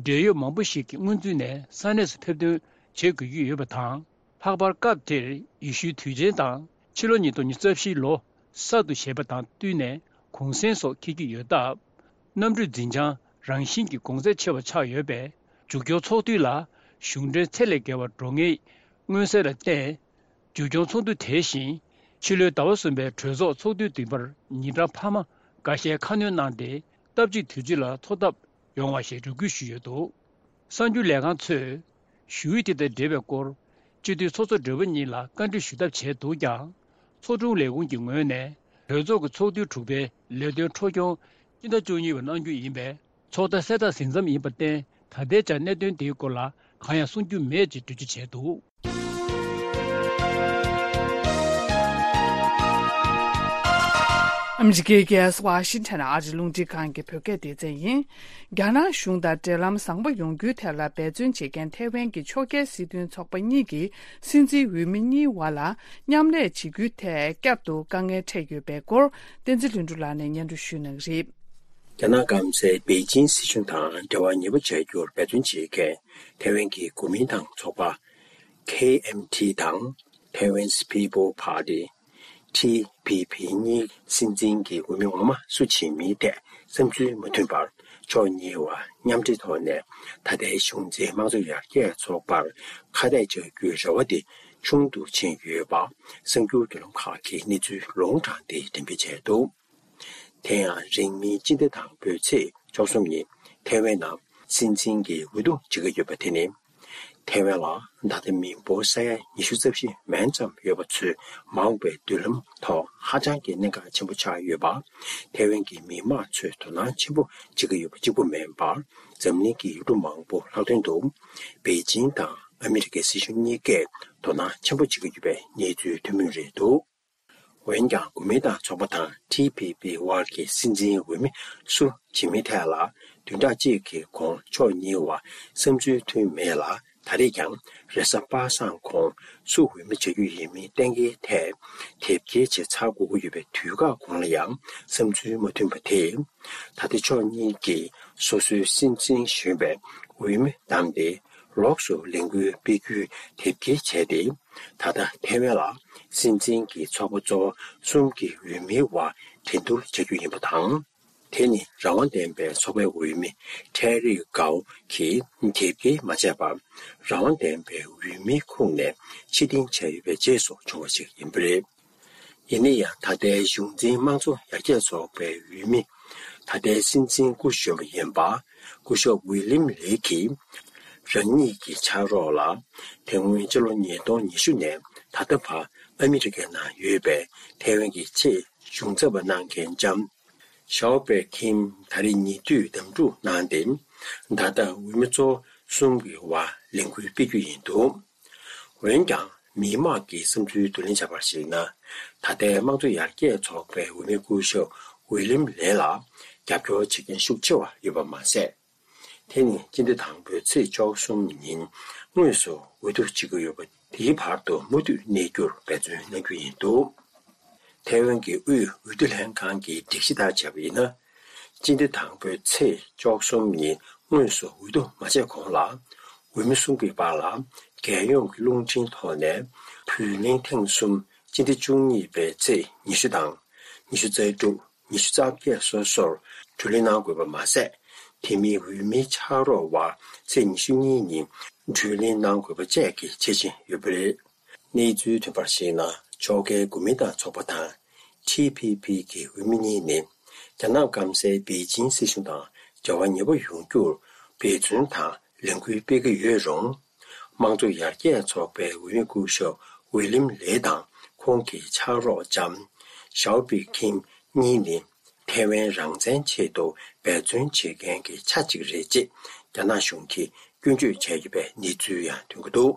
འབྲེལ་ཡོད་མང་པོ་ཞིག་གིས་སྔོན་ཚུད་ནས་ས་གནས་སུ་ཕེབས་ཐོན་བྱེད་དགོས་ཀྱི་ཡོད་པ་དང་། ལྷག་པར་སྐབས་དེར་ཡེ་ཤུའི་དུས་ཆེན་དང་ཕྱི་ལོ་ཉིས་སྟོང་ཉི་ཤུ་རྩ་བཞིའི་ལོ་གསར་དུ་བཞད་པ་དང་བསྟུན་ནས་གུང་གསེང་སོགས་འཁེལ་གྱི་ཡོད་སྟབས། གནམ་གྲུའི་འཛིན་བྱང་རང་བཞིན་གྱི་གོང་ཚད་ཆེ་བ་ཆགས་ཡོད་པས། མཇུག་སྐྱོང་ཚོགས་དུས་ལ་གཞུང་འབྲེལ་ཚད་ལས་བརྒལ་བ་འགྲོ་ངེས་མངོན་གསལ་ལ་བརྟེན། མཇུག་སྐྱོང་ཚོགས་འདུ་དེ་བཞིན་ཕྱི་ལོའི་ཟླ་བ་གསུམ་པའི་གྲོས་ཚོགས་ཚོགས་དུས་བདུན་པར་ཉིན་གྲངས་འཕར་མ་འགའ་ཤས་ཁ་སྣོན་གནང་སྟེ། སྟབས་གཅིག་དུས་ཚོད་ལ་ཚོགས་ཐབས་ཡོང་བ་ཞེས་རེ་སྐུལ་ཞུས་ཡོད་འདུག་གསར་འགྱུར་ལས་ཁང་ཚོས་ཞུ་ཡིག་དེ་དང་འབྲེལ་བའི་སྐོར། སྤྱི་འཐུས་ཚོགས་གཙོ་སྦྲེལ་པོ་གཉིས་ལ་བཀའ་འདྲི་ཞུ་ཐབས་བྱས་འདུག་ཀྱང་། ཚོགས་དྲུང་ལས་ཁུངས་ཀྱི་ངོས་ནས་གྲོས་ཚོགས་ཀྱི་ཚོགས་དུས་དྲུག་པའི་ལས་དོན་འཕྲོ་སྐྱོང་སྤྱི་ཟླ་བཅུ་གཉིས་པར་གནང་རྒྱུ་ཡིན་པས། ཚོགས་བརྡ་གསལ་བསྒྲགས་ཟིན་མཚམས་ཡིན་པར་བརྟེན། ད་ལྟའི་ཆར་གནད་དོན་དེའི་སྐོར་ལ་གང་ཡང་གསུང་རྒྱུ་མེད་ཅེས་འགྲེལ་བརྗོད་བྱས་འདུག་ཨ་མི་རི་ཀའི་རྒྱལ་ས་ཝ་ཤིང་ཊོན་ཨ་རིའི་རླུང་འཕྲིན་ཁང་གི་བོད་སྐད་སྡེ་ཚན་ཡིན། རྒྱ་ནག་གཞུང་དང་འབྲེལ་ལམ་བཟང་པོ་ཡོང་རྒྱུའི་ཐད་ལ་འབད་བརྩོན་བྱེད་མཁན་ཐའེ་ཝན་གྱི་ཕྱོགས་འགལ་སྲིད་དོན་ཚོགས་པ་གཉིས་ཀྱི་སྲིད་འཛིན་འོས་མི་གཉིས་བར་ལ་མཉམ་ལས་བྱེད་རྒྱུའི་ཐད་བསྐྱར་དུ་དཀའ་ངལ་འཕྲད་ཡོད་པའི་སྐོར། བསྟན་འཛིན་ལྷུན་གྲུབ་ལགས་ནས་སྙན་སྒྲོན་ཞུ་གནང་གི་རེད། རྒྱ་ནག་སྐམ་སའི་པེ་ཅིང་སྲིད་གཞུང་དང་འབྲེལ་བ་ཉེ་པོ་བྱ་རྒྱུར་འབད་བརྩོན་བྱེད་མཁན་ཐའེ་ཝན་གྱི་གོ་མིན་ཏང་ཚོགས་པ་ཁེ་ཨེམ་ཐི་དང་Taiwanese People Party། ཐི་པི་པི་གཉིས་སྲིད་འཛིན་གྱི་འོས་མི་ངོ་མ་སུ་བྱེད་མིན་ཐད་བསམ་ཚུལ་མ་མཐུན་པར། ཕྱོགས་གཉིས་བར་མཉམ་འབྲེལ་ཐོག་ནས་ད་ལྟའི་གཞུང་འཛིན་དམངས་གཙོ་ཡར་རྒྱས་ཚོགས་པར་ཁ་གཏད་བཅག་རྒྱུའི་རེ་བ་དེ་ཆུང་དུ་ཕྱིན་ཡོད་པ། གསར་འགྱུར་བརྒྱུད་ལམ་ཁག་གིས་གནས་ཚུལ་ལུང་དྲངས་ཏེ་འགྲེམས་སྤེལ་བྱས་འདུག་དེ་ཡང་རིང་མིན་སྤྱི་ཟླ་དང་པོའི་ཚེས་བཅུ་གསུམ་ཉིན་ཐའེ་ཝན་ནང་སྲིད་འཛིན་གྱི་འོས་བསྡུ་བྱེད་ཀྱི་ཡོད་པ་དེ་ནི། ཐའེ་ཝན་ལ་ད་ལྟ་མི་འབོར་ས་ཡ་ཉི་ཤུ་རྩ་བཞི་མན་ཙམ་ཡོད་པ་ཚོའི་མ་འོངས་པའི་མདུན་ལམ་ཐོག་ཧ་ཅང་གི་གནད་འགག་ཆེན་པོ་ཆགས་ཡོད་པ། ཐའེ་ཝན་གྱི་མི་དམངས་ཚོས་དོ་སྣང་ཆེན་པོ་བྱེད་ཀྱི་ཡོད་པ་གཅིག་པུ་མིན་པར། འཛམ་གླིང་གི་ཡུལ་གྲུ་མང་པོ་ལྷག་དོན་དུ་པེ་ཅིང་དང་ཨ་མི་རི་ཀའི་སྲིད་གཞུང་གཉིས་ཀས་དོ་སྣང་ཆེན་པོ་བྱེད་ཀྱི་ཡོད་པའི་གནས་ཚུལ་ཐོན་མུས་རེད་འདུག་འོན་ཀྱང་། གོ་མིན་ཏང་ཚོགས་པ་དང་ཐི་པི་པི་དབར་གྱི་སྲིད་འཛིན་འོས་མི་སུ་བྱེད་མིན་ཐད་ལ་བདུན་ཕྲག་གཅིག་གི་གོང་ཕྱོགས་གཉིས་བར་བསམ་ཚུལ་མཐུན་མེད་ལ། ད་རེས་ཀྱང་རེས་གཟའ་པ་སངས་གོང་སུ་འོས་མི་བྱ་རྒྱུ་ཡིན་མིན་གཏན་འཁེལ་ཐད་དེབ་སྐྱེལ་བྱས་ཚར་དགོས་ཀྱི་ཡོད་པའི་དུས་བཀག་གོང་ལ་ཡང་བསམ་ཚུལ་མ་མཐུན་པ་དེས། ད་ལྟ་ཕྱོགས་གཉིས་ཀྱིས་སོ་སོའི་སྲིད་འཛིན་གཞོན་པའི་འོས་མི་བདམས་ཏེ། ལོགས་སུ་ལས་འགུལ་སྤེལ་རྒྱུའི་དེབ་སྐྱེལ་བྱས་ཏེ། ད་ལྟ་ཐའེ་ཝན་ལ་སྲིད་འཛིན་གྱི་ཚོགས་པ་གཙོ་བོ་གསུམ་གྱི་འོས་མིའི་དབར་འགྲན་བསྡུར་བྱ་རྒྱུ་ཡིན་པ་དང་། དེ་ནི་རང་དབང་ལྡན་པའི་ཚོགས་པའི་འོས་མི་ཁྲེ་རི་ཀའོ་གིས་དེབ་སྐྱེལ་མ་བྱས་པར། རང་དབང་ལྡན་པའི་འོས་མིའི་ཁོངས་ནས་ཕྱིར་འཐེན་བྱས་ཡོད་པའི་རྗེས་སུ་བྱུང་བ་ཞིག་ཡིན་པ་རེད། ཡིན་ན་ཡང་། ད་ལྟའི་གཞུང་འཛིན་དམངས་གཙོ་ཡར་རྒྱས་ཚོགས་པའི་འོས་མི། ད་ལྟའི་སྲིད་འཛིན་སྐུ་གཞོན་པ་ཡིན་པ། སྐུ་ཞབས་ཝི་ལིམ་ལེ་གིས། རང་ཉིད་ཀྱི་ཕྱག་རོགས་ལ། དེ་སྔོན་ཕྱི་ལོ་ཉིས་སྟོང་ཉི་ཤུ་ནས་ད་ལྟ་བར་ཨ་མི་རི་ཀའི་ནང་ཡོད་པའི་ཐའེ་ཝན་གྱི་ཆེས་གཞུང་ཚབ་པ་གནང་མཁན་ལྕམ་ཞའོ་པེ་ཁིམ་ད་རེས་ཉེ་དུས་གདམ་འཁྲུག་གནང་སྟེ། ད་ལྟ་འོས་མི་གཙོ་བོ་གསུམ་གྱི་དབར་ལས་འགུལ་སྤེལ་རྒྱུ་ཡིན་འདུག་འོན་ཀྱང་། མི་མང་གི་བསམ་ཚུལ་བསྡུ་ལེན་བྱས་པར་གཞིགས་ན། ད་ལྟའི་དམངས་གཙོ་ཡར་རྒྱས་ཚོགས་པའི་འོས་མི་སྐུ་ཞབས་ཝི་ལིམ་ལེ་ལ་རྒྱབ་སྐྱོར་བྱེད་མཁན་ཤུགས་ཆེ་བ་ཡོད་པ་མ་ཟད། དེ་ནི་སྤྱི་ཟླ་དང་པོའི་ཚེས་བཅུ་གསུམ་ཉིན་དངོས་སུ་འོས་བསྡུ་བྱེད་ཀྱི་ཡོད་པ། དེའི་བར་དུ་མུ་མཐུད་གནས་རྒྱུར་འབད་བརྩོན་གནང་རྒྱུ་ཡིན་འདུག་ཐའེ་ཝན་གྱི་དབུས་འོས་བསྡུ་ལྷན་ཁང་གི་སྒྲིག་གཞི་ལྟར་བྱས་པ་ཡིན་ན། སྤྱི་ཟླ་དང་པོའི་ཚེས་བཅུ་གསུམ་ཉིན་དངོས་སུ་འོས་བསྡུ་མ་བྱས་གོང་ལ། འོས་མི་གསུམ་གྱི་བར་ལ་རྒྱལ་ཡོངས་ཀྱི་རླུང་འཕྲིན་ཐོག་ནས་བུན་གླེང་ཐེངས་གསུམ། སྤྱི་ཟླ་བཅུ་གཉིས་པའི་ཚེས་ཉི་ཤུ་དང་། ཉི་ཤུ་རྩ་དྲུག་ཉི་ཤུ་རྩ་བརྒྱད་སོ་སོར་བགྲོ་གླེང་གནང་དགོས་པ་མ་ཟད། དེ་མིན་འོས་མིའི་ཕྱག་རོགས་དབར་ཚེས་ཉི་ཤུ་གཉིས་ཉིན་བགྲོ་གླེང་གནང་དགོས་པ་བཅས་ཀྱི་ཆ་རྐྱེན་ཡོད་པ་རེད། གནས་ཚུལ་ཐོན་པར་གཞིགས་ན། ཕྱོགས་འགལ་གོ་མིན་ཏང་ཚོགས་པ་དང་། ཊི་ཕི་ཕི་གི་འོས་མི་གཉིས་ནི། རྒྱ་ནག་སྐམ་སའི་པེ་ཅིང་སྲིད་གཞུང་དང་འབྲེལ་བ་ཉེ་པོ་ཡོང་རྒྱུར་འབད་བརྩོན་དང་ལས་འགུལ་སྤེལ་གྱི་ཡོད་རུང་། དམངས་གཙོ་ཡར་རྒྱས་ཚོགས་པའི་འོས་མི་སྐུ་ཞབས་ཝི་ལིམ་ལེ་དང་ཁོང་གི་ཕྱག་རོགས་ལྕམ་ཞའོ་པི་ཁིམ་གཉིས་ནི། ཐའེ་ཝན་རང་བཙན་ཆེད་དུ་འབད་བརྩོན་བྱེད་མཁན་གྱི་ཆ་གཅིག་རེད་ཅེས་རྒྱ་ནག་གཞུང་གིས་སྐྱོན་བརྗོད་བྱས་ཡོད་པའི་གནས་ཚུལ་ཡང་ཐོན་གྱི་འདུག་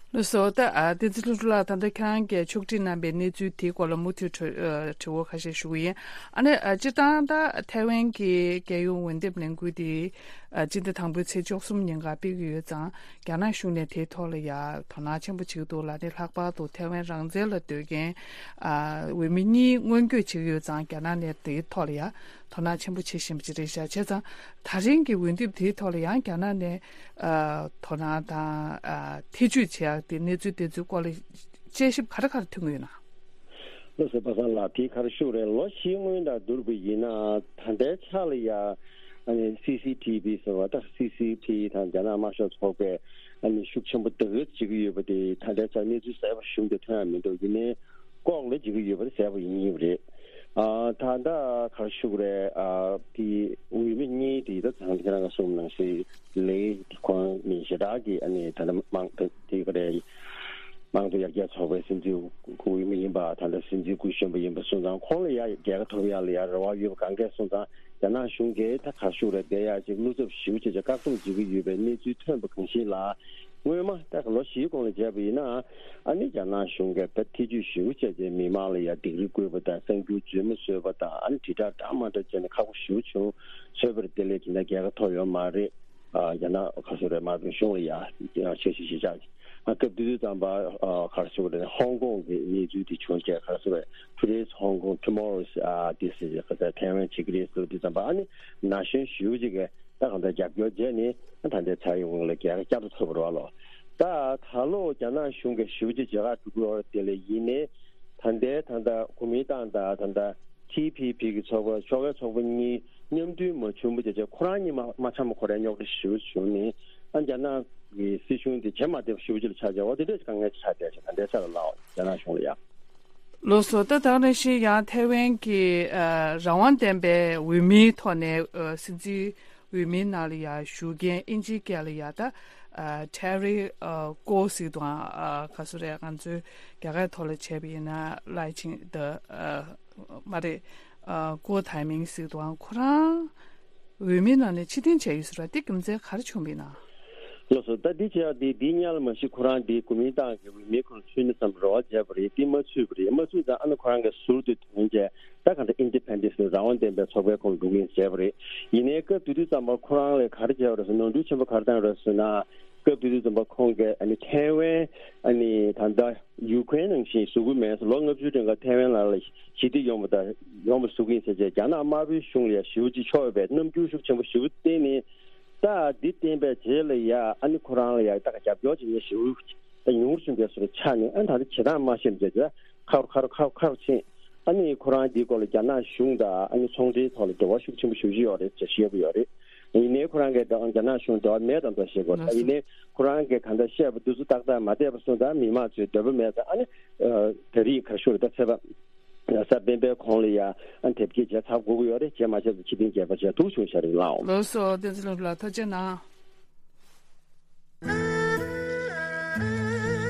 ལགས་སོ། ད་ཨ་བསྟན་འཛིན་ལྷུན་གྲུབ་ལགས། ད་ལྟ་ཁྱེད་རང་གིས་ཕྱོགས་སྒྲིག་གནང་པའི་གནས་ཚུལ་དེའི་སྐོར་ལ་མུ་མཐུད་དྲི་ཨ་དྲི་བ་ཁ་ཤས་ཞུ་གི་ཡིན། ཨ་ནི་ཨ་སྤྱིར་བཏང་ད་ཐའེ་ཝན་གྱི་རྒྱལ་ཡོངས་འོས་འདེམས་ལས་འགུལ་དེ་ཨ་སྤྱི་ཟླ་དང་པོའི་ཚེས་བཅུ་གསུམ་ཉིན་ཀ་སྤེལ་གྱི་ཡོད་ཙང་། རྒྱ་ནག་གཞུང་ནས་དེའི་ཐོག་ལ་ཡ་དོ་སྣང་ཆེན་པོ་བྱེད་ཀྱི་འདུག་ལ། ནི་ལྷག་པར་དུ་ཐའེ་ཝན་རང་བཙན་ལ་འདོད་མཁན་ཨ་འོས་མི་གཉིས་སྔོན་འགོད་བྱེད་ཀྱི་ཡོད་ཙང་། རྒྱ་ནག་ནས་དེའི་ཐོག་ལ་ཡ་དོ་སྣང་ཆེན་པོ་བྱེད་བཞིན་པ་ཅིག་རེད་ཤག་བྱས་ཙང་། ད་རིང་གི་འོས་འདེམས་དེའི་ཐོག་ལ་ཡང་རྒྱ་ནག་ནས་ཨ་དོ་སྣང་དང་ཨ་ཐེ་ཇུས་བྱེད་ཡག་དེ་གནས་ཚུལ་དེ་ཚོའི་སྐོར་ལ་དཔྱད་ཞིབ་ག་རེ་ག་རེ་ཐོན་གྱི་ཡོད་ན། ལགས་སོ། པ་སངས་ལགས། དེ་ག་རེ་ཞུ་དགོས་རེད། ལོ་བཞིའི་སྔོན་དང་བསྡུར་བ་ཡིན་ན། ད་ལྟའི་ཆ་ལ་ཡ་ཨ་ནི་སི་སི་ཐི་བི་ཟེར་བ་དང་། སི་སི་ཕི་དང་རྒྱ་ནག་དམར་ཤོག་ཚོགས་པས་ཨ་ནི་ཤུགས་ཆེན་པོ་དེ་ག་བྱེད་ཀྱི་ཡོད་པ་དེ་ད་ལྟའི་ཆར་གནས་ཚུལ་གསལ་པོ་ཞུ་འདོད་ཐོན་ཡ་མི་འདུག་ཡིན་ནའི་ལྐོག་ལས་བྱེད་ཀྱི་ཡོད་པ་དེ་གསལ་པོ་ཡིན་ཡིན་པ་རེད། ཨ་ད་ལྟ་ག་རེ་ཞུ་དགོས་རེད། ཨ་དེ་འོས་མི་གཉིས་དེ་ད་ཚང་ཁྱེད་རང་ག་གསུངས་ནང་བཞིན་ལེ་དེ་ཁོང་ནི་ཞེ་དྲག་གི་ཨ་ནི་ད་ལྟ་དམངས་དེ་ག་རེད། དམངས་གཙོ་ཡར་རྒྱས་ཚོགས་པའི་སྲིད་འཛིན་འོས་མི་ཡིན་པ། ད་ལྟ་སྲིད་འཛིན་སྐུ་གཞོན་པ་ཡིན་པ་སོང་ཙང་། ཁོང་ལ་ཡ་རྒྱལ་ཁ་ཐོབ་ཡ་ལ་ཡ་རེ་བ་ཡོད་པ་གང་གས་སོང་ཙང་། རྒྱ་ནག་གཞུང་གིས་ད་ག་རེ་ཞུ་དགོས་རེད། དེ་ཡ་ཅིག་བློ་འཚབ་ཞེ་པོ་བྱས་བྱས་བཀག་སྡོམ་བྱེད་ཀྱི་ཡོད་པའི་གནས་ཚུལ་ཐོན་པ་གང་ཞིག་ལ། སྔོན་མ་ད་ལོ་བཞིའི་གོང་ལ་བྱས་པ་ཡིན་ན། ཨ་ནི་རྒྱ་ནག་གཞུང་གིས་ད་ཐེ་ཇུས་ཞེ་པོ་བྱས་བྱས་མི་མང་ལ་ཡ་སྡིགས་ར་བསྐུལ་བ་དང་། གསར་འགྱུར་རྫུན་མ་བཟོས་པ་དང་། ཨ་ནི་དྲིལ་བསྒྲགས་འདྲ་མ་འདྲ་བྱས་ནས་ཁག་པོ་ཞེ་པོ་བྱུང་། བཟོས་པར་དེ་ལས་ཇི་འདྲ་རྒྱལ་ཁ་ཐོབ་ཡོད་མ་རེད། ཨ་རྒྱ་ནག་ག་རེ་ཟེར་རེད། དམར་པོའི་གཞུང་ལ་ཡ་འཆར་གཞི་གཞི་བཞག་ཨ་སྐབས་དེ་དུས་ཙམ་པ་ཨ་ག་རེ་ཟེར་དགོས་རེད། ཧོང་ཀོང་གི་གནས་ཚུལ་དེ་བྱུང་རྗེས་ག་རེ་ཟེར་རེད། Today's Hong Kong, tomorrow's ཨ་this is ག་ཚད་ཐའེ་ཝན་བྱེད་ཀྱི་རེད་ཟེར་དུས་ཙམ་པ། ཨ་ནི་ན་གཞོན་ཞེ་པོ་ཅིག་གིས་ད་གང་ལྟར་རྒྱབ་སྐྱོར་བྱས་ནས། ད་ལྟའི་ཚར་ཡོང་ལ་རྒྱལ་ཁ་བསྐྱར་དུ་ཐོབ་པ་རེད་བ་ལོ། ད་ད་ལོ་རྒྱ་ནག་གཞུང་གིས་ཞེ་པོ་ཅིག་བྱེད་ག་འགྲོ་གི་ཡོད་རེད། དེ་ལས་ཡིན་ནའི་ད་ལྟའི་ད་ལྟ་གོ་མིན་ཏང་དང་ད་ལྟ་ཐི་ཕི་ཕི་གི་ཚོགས་པ། ཕྱོགས་འགལ་ཚོགས་པ་གཉིས་མཉམ་མཐུན་མ་བྱུང་བ་བྱས་བྱས། ཁོ་རང་གཉིས་མ་མ་འཆམ་པ་ཁོ་རང་རྙོག་དྲ་ཞེ་པོ་བྱུང་ནས། ཨ་རྒྱ་ནག་གི་སྲིད་གཞུང་དེ་བྱེད་མ་བདེ་བ་ཞེ་པོ་ཅིག་ལ་ཆགས་བྱས། འོ་དེ་འདྲས་དཀའ་ངལ་ཆགས་བསྡད་ཤག་ད་ལྟའི་ཆར་ལ་ལའོ་རྒྱ་ནག་གཞུང་ལ་ཡ། ལགས་སོ། ད་དེ་ནང་བཞིན་ཡང་ཐའེ་ཝན་གྱི་ཨ་རང་དབང་ལྡན་པའི་འོས་མིའི་ཐོག་ནས་ཨ་སྲིད་འཛིན་འོས་མིའི་ནང་ལ་ཡ་ཞུགས་མཁན་ཨིན་ཇིའི་སྐད་ལ་ཡ་ད་ཨ་ཊེ་རི་ཨ་ཀོ་ཟེར་གྱི་འདུག་ཨ་ག་སུ་རེད། ང་ཚོའི་རྒྱ་གར་ཐོག་ལ་བྱས་པ་ཡིན་ན་ལའེ་ཆིང་ཏེ་ཨ་མ་རེད། ཨ་ཀོ་ཐའེ་མིང་ཟེར་གྱི་འདུག་ཨ་ཁོ་རང་འོས་མིའི་ནང་ནས་ཕྱིར་འཐེན་བྱས་ཡོད་ཟེར་བ་དེ་རྒྱུ་མཚན་ག་རེ་བྱུང་བ་ཡིན་ན། ལགས་སོ། ད་འདི་བྱས་ཡག་འདི་འདི་སྔོན་ལ་མ་གཞི་ཁོ་རང་འདི་གོ་མིན་ཏང་གི་འོས་མིའི་ཁོངས་ཚུད་ནས་བསམ་རེ་བ་བྱས་པ་རེད། འདི་མ་ཚུད་པ་རེད། མ་ཚུད་ཙང་ཨ་ནི་ཁོ་རང་གི་ཟུར་དུ་ཐོན་བྱས། ད་གང་ལྟར་ཨིན་ཌི་པེན་ཌེན་སི་རང་དབང་ལྡན་པའི་ཚོགས་པའི་ཁོངས་འགྲོ་གི་ཡིན་བྱས་པ་རེད། ཡིན་ནའི་སྐབས་དེ་དུས་ཙམ་པར་ཁོ་རང་ལ་ག་རེ་བྱས་པ་རེད་ཟེར། ནོར་འཁྲུལ་ཆེན་པོ་ག་རེ་བཏང་ཡོད་རེད་ཟེར་ན། སྐབས་དེ་དུས་ཙམ་པར་ཁོང་གིས་ཨ་ནི་ཐའེ་ཝན་ཨ་ནི་ད་ལྟ་ཡུ་ཀེ་རེན་ནང་བཞིན་བཟོ་གི་མེད་ཟེར། ལོ་ལྔ་བཅུའི་རིང་ག་ཐའེ་ཝན་ནང་ལ་ཞི་བདེ་ཡོང་བ་དང་ཡོང་བ་བཟོ་གི་ཡིན་ཟེར་བྱས། རྒྱ་ནག་དམར་པོའི་གཞུང་ལ་ཡ་ཞེ་པོ་ཅིག་ཕྱོགས་ཡོད་པའི་རྣམ་འགྱུར་ཤུགས་ཆེན་པོ་ཞེ་པོ་བསྟན་ནས། ད་འདི་བསྟན་པའི་རྗེས་ལ་ཡ་ཨ་ནི་ཁོ་རང་ལ་ཡ་ད་རྒྱབ་སྐྱོར་བྱེད་མཁན་ཞེ་པོ་ད་ཉུང་རུ་སོང་པའི་བཟོ་འདྲ་ཆགས་ནས། ཨ་ནི་ད་ལྟ་བྱེད་སྟངས་མ་ཤེས་པ་བྱས་ཁ་རུ་ཁ་རུ་ཁ་རུ་ཁ་རུ་ཕྱིན། ཨ་ནི་ཁོ་རང་འདིའི་སྐོར་ལ་རྒྱ་ནག་གཞུང་དང་ཨ་ནི་ཚོང་འབྲེལ་ཐོག་ལ་འབྲེལ་བ་ཤུགས་ཆེན་པོ་ཞེ་པོ་ཅིག་ཡོད་རེད་ཅེས་བཤད་ཀྱི་ཡོད་རེད། ཡིན་ནའི་ཁོ་རང་གིས་ད་རྒྱ་ནག་གཞུང་འབྲེལ་བ་མེད་དམ་ད་བཤད་ཀྱི་ཡོད་རེད། ད་ཡིན་ནའི་ཁོ་རང་གིས་གང་ལྟར་བཤད་པ་འདི་ཚོ་ཏག་ཏག་མ་བསྡད་པ་སོང་ཙང་མི་མང་ཚོའི་འདོད་པ་མེད་ཙང་། ཨ་ནི་ད་རེས་ག་རེ་ཞུ་རེད། ད་ཚེས་པ་གཟའ་སྤེན་པའི་གོང་ལ་ཡ་ཨ་ནི་དེབ་སྐྱེལ་བྱས་ཚར་དགོས་ཀྱི་ཡོད་རེད། བྱས་མ་བྱས་ད་ཕྱི་ཐེངས་རྒྱས་པ་བྱས་འདུག་བྱུང་ཤག་རེད་ལགས། ལགས་སོ། བསྟན་འཛིན་ལྷུན་གྲུབ་ལགས་ཐུགས་རྗེ་གནང་། ཨ་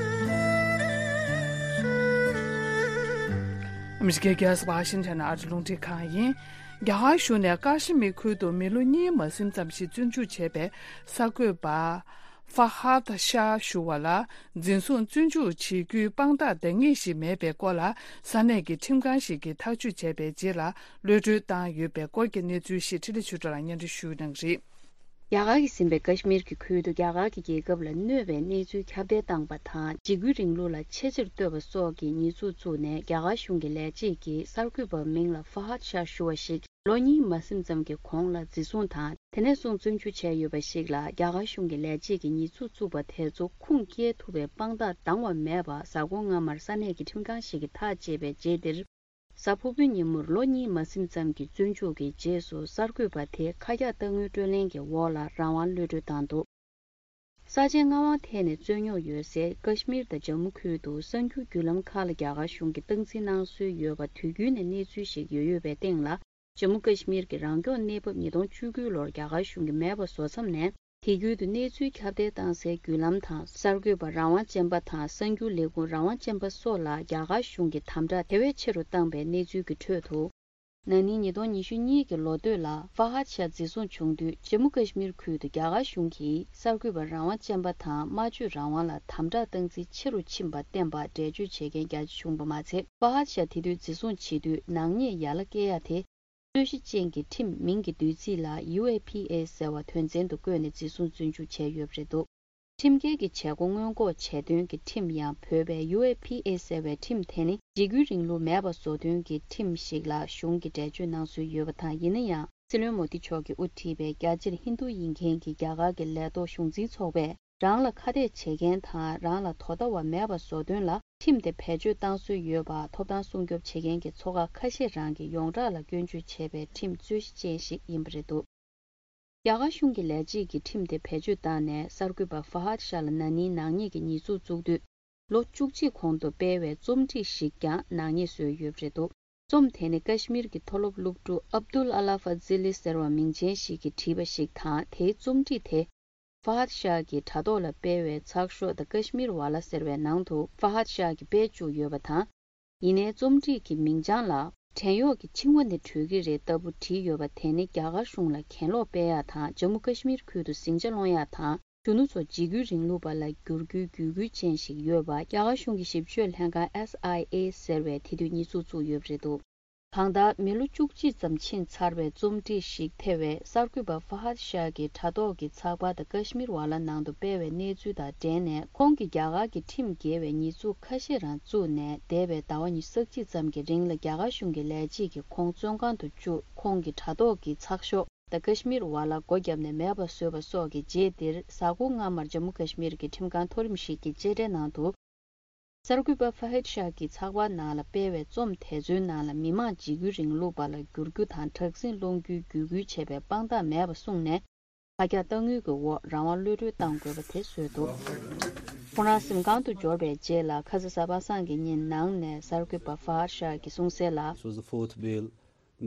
མི་རི་ཀའི་རྒྱལ་ས་ཝ་ཤིང་ཊོན་ཨ་རི་རླུང་འཕྲིན་ཁང་ཡིན། རྒྱ་གར་གཞུང་ནས་ཀ་ཤི་མིར་ཁུལ་དུ་མི་ལོ་གཉིས་མ་ཟིན་ཙམ་ཞིག་བཙོན་འཇུག་བྱས་པའི་གསར་འགོད་པ་ཧྥ་ཧད་ཤཱ་ཞུ་བ་ལ་འཛིན་བཟུང་བཙོན་འཇུག་བྱེད་རྒྱུའི་དཔང་རྟགས་འདང་ངེས་ཤིག་མེད་པའི་སྐོར་ལ། ས་གནས་ཀྱི་ཁྲིམས་ཁང་ཞིག་གིས་ཐག་གཅོད་བྱས་པའི་རྗེས་ལ་གློད་གྲོལ་བཏང་ཡོད་པའི་སྐོར་གྱི་གནས་ཚུལ་ཞིག་འཕྲིན་ལས་ཆོས་གྲགས་ལགས་སྙན་སྒྲོན་ཞུ་གནང་གི་རེད། རྒྱ་གར་གྱིས་ཟིན་པའི་ཀ་ཤི་མིར་གྱི་ཁུལ་དུ་རྒྱ་གར་གྱི་རྒྱལ་ཁབ་ལ་གནོད་པའི་གནས་ཚུལ་ཁྱབ་གདལ་བཏང་པ་དང་། འཇིགས་སྐུལ་རིང་ལུགས་ལ་ཆེས་ཆེར་བསྟོད་པ་སོགས་ཀྱི་ཉེས་འཛུགས་བཙུགས་ནས། རྒྱ་གར་གཞུང་གི་ལས་བྱེད་ཀྱིས་གསར་འགོད་པ་མིང་ལ་ཧྥ་ཧད་ཤཱ་ཞུ་བ་ཞིག་ལོ་གཉིས་མ་ཟིན་ཙམ་གྱི་གོང་ལ་འཛིན་བཟུང་དང་། དེ་ནས་བཟུང་བཙོན་འཇུག་བྱས་ཡོད་པ་ཞིག་ལ། རྒྱ་གར་གཞུང་གི་ལས་བྱེད་ཀྱིས་ཉེས་འཛུགས་བཙུགས་པ་དེ་ཚོ་ཁུངས་སྐྱེལ་ཐུབ་པའི་དཔང་རྟགས་འདང་བ་མེད་པ། གཟའ་འཁོར་སྔ་མར་ས་གནས་ཀྱི་ཁྲིམས་ཁང་ཞིག་གིས་ཐག་བཅད་པའི་རྗེས་འདིར། གཟའ་ཕུར་བུའི་ཉིན་མོར་ལོ་གཉིས་མ་ཟིན་ཙམ་གྱི་བཙོན་འཇུག་གི་རྗེས་སུ། གསར་འགོད་པ་དེ་ཁ་རྒྱག་གཏང་དངུལ་སྤྲོད་ལེན་གྱི་འོག་ལ་རང་དབང་གློད་གྲོལ་བཏང་འདུག། ས་ཆའི་མངའ་དབང་ཐད་ནས་རྩོད་རྙོག་ཡོད་སའི་ཀ་ཤི་མིར་དང་ཇམ་མུ་ཁུལ་དུ་གསར་འགྱུར་བརྒྱུད་ལམ་ཁག་ལ་རྒྱ་གར་གཞུང་གིས་སྟངས་འཛིན་གནང་སྲོལ་ཡོད་པ། དུས་རྒྱུན་ནས་གནས་ཚུལ་ཞིག་ཡོད་ཡོད་པའི་སྟེང་ལ། ཇམ་མུ་ཀ་ཤི་མིར་གྱི་རང་སྐྱོང་གནས་བབ་ཉིས་སྟོང་བཅུ་དགུ་ལོར་རྒྱ་གར་གཞུང་གིས་མེད་པ་བཟོ་མཚམས་ནས། དེ་ཁུལ་དུ་གནས་ཚུལ་ཁྱབ་གདལ་བཏང་སའི་བརྒྱུད་ལམ་དང་། གསར་འགོད་པ་རང་དབང་ཅན་པ་དང་། གསར་འགྱུར་ལས་ཁུངས་རང་དབང་ཅན་པ་སོགས་ལ་རྒྱ་གར་གཞུང་གིས་དམ་དྲག་དེ་བས་ཆེ་རུ་བཏང་པའི་གནས་ཚུལ་གྱི་ཁྲོད་དུ། ན་ནིང་ཉིས་སྟོང་ཉི་ཤུ་གཉིས་ཀྱི་ལོ་སྟོད་ལ་ཧྥ་ཧད་ཤཱ་འཛིན་བཟུང་བྱུང་དུས། ཇམ་མུ་ཀ་ཤི་མིར་ཁུལ་དུ་རྒྱ་གར་གཞུང་གིས་གསར་འགོད་པ་རང་དབང་ཅན་པ་དང་སྨྲ་བརྗོད་རང་དབང་ལ་དམ་དྲག་སྟངས་འཛིན་ཆེ་རུ་ཕྱིན་པ་བསྟན་པ་འགྲེལ་བརྗོད་བྱེད་མཁན་རྒྱ་ཆེ་བྱུང་པ་མ་ཚད། ཧྥ་ཧད་ཤཱ་དེ་དུས་འཛིན་བཟུང་བྱེད་དུས་ནག་ཉེས་ཡ་ལ་བཀལ་ཡ་དེ། རྩོད་གཞི་ཅན་གྱི་ཁྲིམས་མིང་གི་བསྡུས་ཚིག་ལ་ཡུ་ཨེ་ཕི་ཨེ་ཟེར་བ་དོན་ཚན་དུ་བཀོད་ནས་འཛིན་བཟུང་བཙོན་འཇུག་བྱས་ཡོད་པ་རེད་འདུག། ཁྲིམས་འགལ་གྱི་བྱེད་སྒོ་སྔོན་འགོག་བྱེད་དོན་གྱི་ཁྲིམས་ཡང་བོད་པའི་ཡུ་ཨེ་ཕི་ཨེ་ཟེར་བའི་ཁྲིམས་དེ་ནི་འཇིགས་སྐུལ་རིང་ལུགས་མེད་པ་བཟོ་དོན་གྱི་ཁྲིམས་ཤིག་ལ་གཞུང་གིས་འགྲེལ་བརྗོད་གནང་སྲོལ་ཡོད་པ་དང་། ཡིན་ན་ཡང་། སྲིད་བློན་མོ་དི་མཆོག་གིས་དབུ་ཁྲིད་པའི་རྒྱ་ཆེར་ཧིན་རྡུ་ཡིན་མཁན་གྱི་རྒྱ་གར་གྱི་ལས་ཐོག་གཞུང་འཛིན་ཚོགས་པས། རང་ལ་ཁ་གཏད་བྱེད་མཁན་དང་། རང་ལ་དོ་ཟླ་བ་མེད་པ་བཟོ་དོན་ལ་ཁྲིམས་དེ་བེད་སྤྱོད་བཏང་སྲོལ་ཡོད་པ། ཐོབ་ཐང་སྲུང་སྐྱོབ་བྱེད་མཁན་གྱི་ཚོགས་ཁག་ཁ་ཤས་རང་གིས་ཡོངས་གྲགས་ལ་སྐྱོན་བརྗོད་བྱས་པའི་ཁྲིམས་རྩོད་གཞི་ཅན་ཞིག་ཡིན་པ་རེད་འདུག། རྒྱ་གར་གཞུང་གི་ལས་བྱེད་ཀྱིས་ཁྲིམས་དེ་བེད་སྤྱོད་བཏང་ནས། གསར་འགོད་པ་ཧྥ་ཧད་ཤཱ་ལ་ན་ནིང་ནག་ཉེས་ཀྱི་ཉེས་འཛུགས་བཙུགས་དུས། ལོ་བཅུ་གཅིག་གོང་དུ་སྤེལ་བའི་རྩོམ་སྒྲིག་ཞིག་ཀྱང་ནག་ཉེས་བཟོས་ཡོད་པ་རེད་འདུག། རྩོམ་དེ་ནི་ཀ་ཤི་མིར་གྱི་མཐོ་སློབ་སློབ་ཕྲུག་ཨབ་དུལ་ཨ་ལ་ཧྥ་ཛི་ལི་ཟེར་བ་མིང་ཅན་ཞིག་གིས་བྲིས་པ་ཞིག་དང་། དེའི་རྩོམ་སྒྲིག་དེ། ཧྥ་ཧད་ཤཱ་གི་དྲ་ཐོག་ལ་སྤེལ་བའི་ཚགས་ཤོག་The Kashmir Wala ཟེར་བའི་ནང་དུ་ཧྥ་ཧད་ཤཱ་གིས་སྤེལ་བཅུག་ཡོད་པ་དང་། ཡིན་ནའི་རྩོམ་སྒྲིག་གི་མིང་བྱང་ལ། བྲན་གཡོག་གི་འཆིང་བ་ནི་གྲོལ་གྱི་རེད་ལྟ་བུ་བྲིས་ཡོད་པ་དེ་ནི་རྒྱ་གར་གཞུང་ལ་གྱེན་ལོག་སྤེལ་ཡག་དང་། ཇམ་མུ་ཀ་ཤི་མིར་ཁུལ་དུ་ཟིང་ཆ་སློང་ཡག་དང་། གཞོན་ནུ་ཚོ་འཇིགས་སྐུལ་རིང་ལུགས་པ་ལ་བསྒྱུར་རྒྱུའི་བརྒྱུད་སྐུལ་ཅན་ཞིག་ཡོད་པ་རྒྱ་གར་གཞུང་གི་ཞིབ་དཔྱོད་ལྷན་ཁང་S I A ཟེར་བས་དེ་དུས་ཉེས་འཛུགས་བཙུགས་ཡོད་པ་རེད་འདུག། གང་ལྟར། མི་ལོ་བཅུ་གཅིག་ཙམ་ཕྱིན་ཚར་བའི་རྩོམ་སྒྲིག་ཞིག་ཐེ་བའི་གསར་འགོད་པ་ཧྥ་ཧད་ཤཱ་གི་དྲ་ཐོག་གི་ཚགས་པར་The Kashmir Wala ནང་དུ་སྤེལ་བའི་གནས་ཚུལ་དང་འབྲེལ་ནས། ཁོང་གིས་རྒྱ་གར་གྱི་ཁྲིམས་འགལ་བའི་ཉེས་འཛུགས་ཁ་ཤས་རང་བཙུགས་ནས། འདས་པའི་ཟླ་བ་ཉི་ཤུ་རྩ་གཅིག་ཙམ་གྱི་རིང་ལ་རྒྱ་གར་གཞུང་གི་ལས་བྱེད་ཀྱིས་ཁོང་བཙོན་ཁང་དུ་བཅུག། ཁོང་གི་དྲ་ཐོག་གི་ཚགས་ཤོག་The Kashmir Wala སྒོ་བརྒྱབ་ནས་མེད་པ་བཟོས་པ་སོགས་ཀྱི་རྗེས་འདིར། གཟའ་འཁོར་སྔ་མར་ཇམ་མུ་ཀ་ཤི་མིར་གྱི་ཁྲིམས་ཁང་མཐོ་རིམ་ཞིག་གིས་བཅད་ཁྲའི་ནང་དུ། གསར་འགོད་པ་ཧྥ་ཧད་ཤཱ་གིས་ཚགས་པར་ནང་ལ་སྤེལ་བའི་རྩོམ་དེ་ཚོའི་ནང་ལ། མི་མང་འཇིགས་སྐུལ་རིང་ལུགས་པ་ལ་བསྒྱུར་རྒྱུ་དང་། དྲག་ཟིང་སློང་རྒྱུའི་བརྒྱུད་སྐུལ་བྱས་པའི་དཔང་རྟགས་མེད་པ་གསུངས་ནས། ཁ་རྒྱག་གཏང་དངུལ་གྱི་འོག་རང་དབང་གློད་གྲོལ་གཏང་དགོས་པ་དེ་བཟོས་འདུག། ཁོང་རང་གཟིམ་ཁང་དུ་འབྱོར་བའི་རྗེས་ལ། ཁ་ས་གཟའ་པ་སངས་ཀྱི་ཉིན་ནང་ནས་གསར་འགོད་པ་ཧྥ་ཧད་ཤཱ་གིས་གསུངས་གསལ་ལ། This was the fourth bail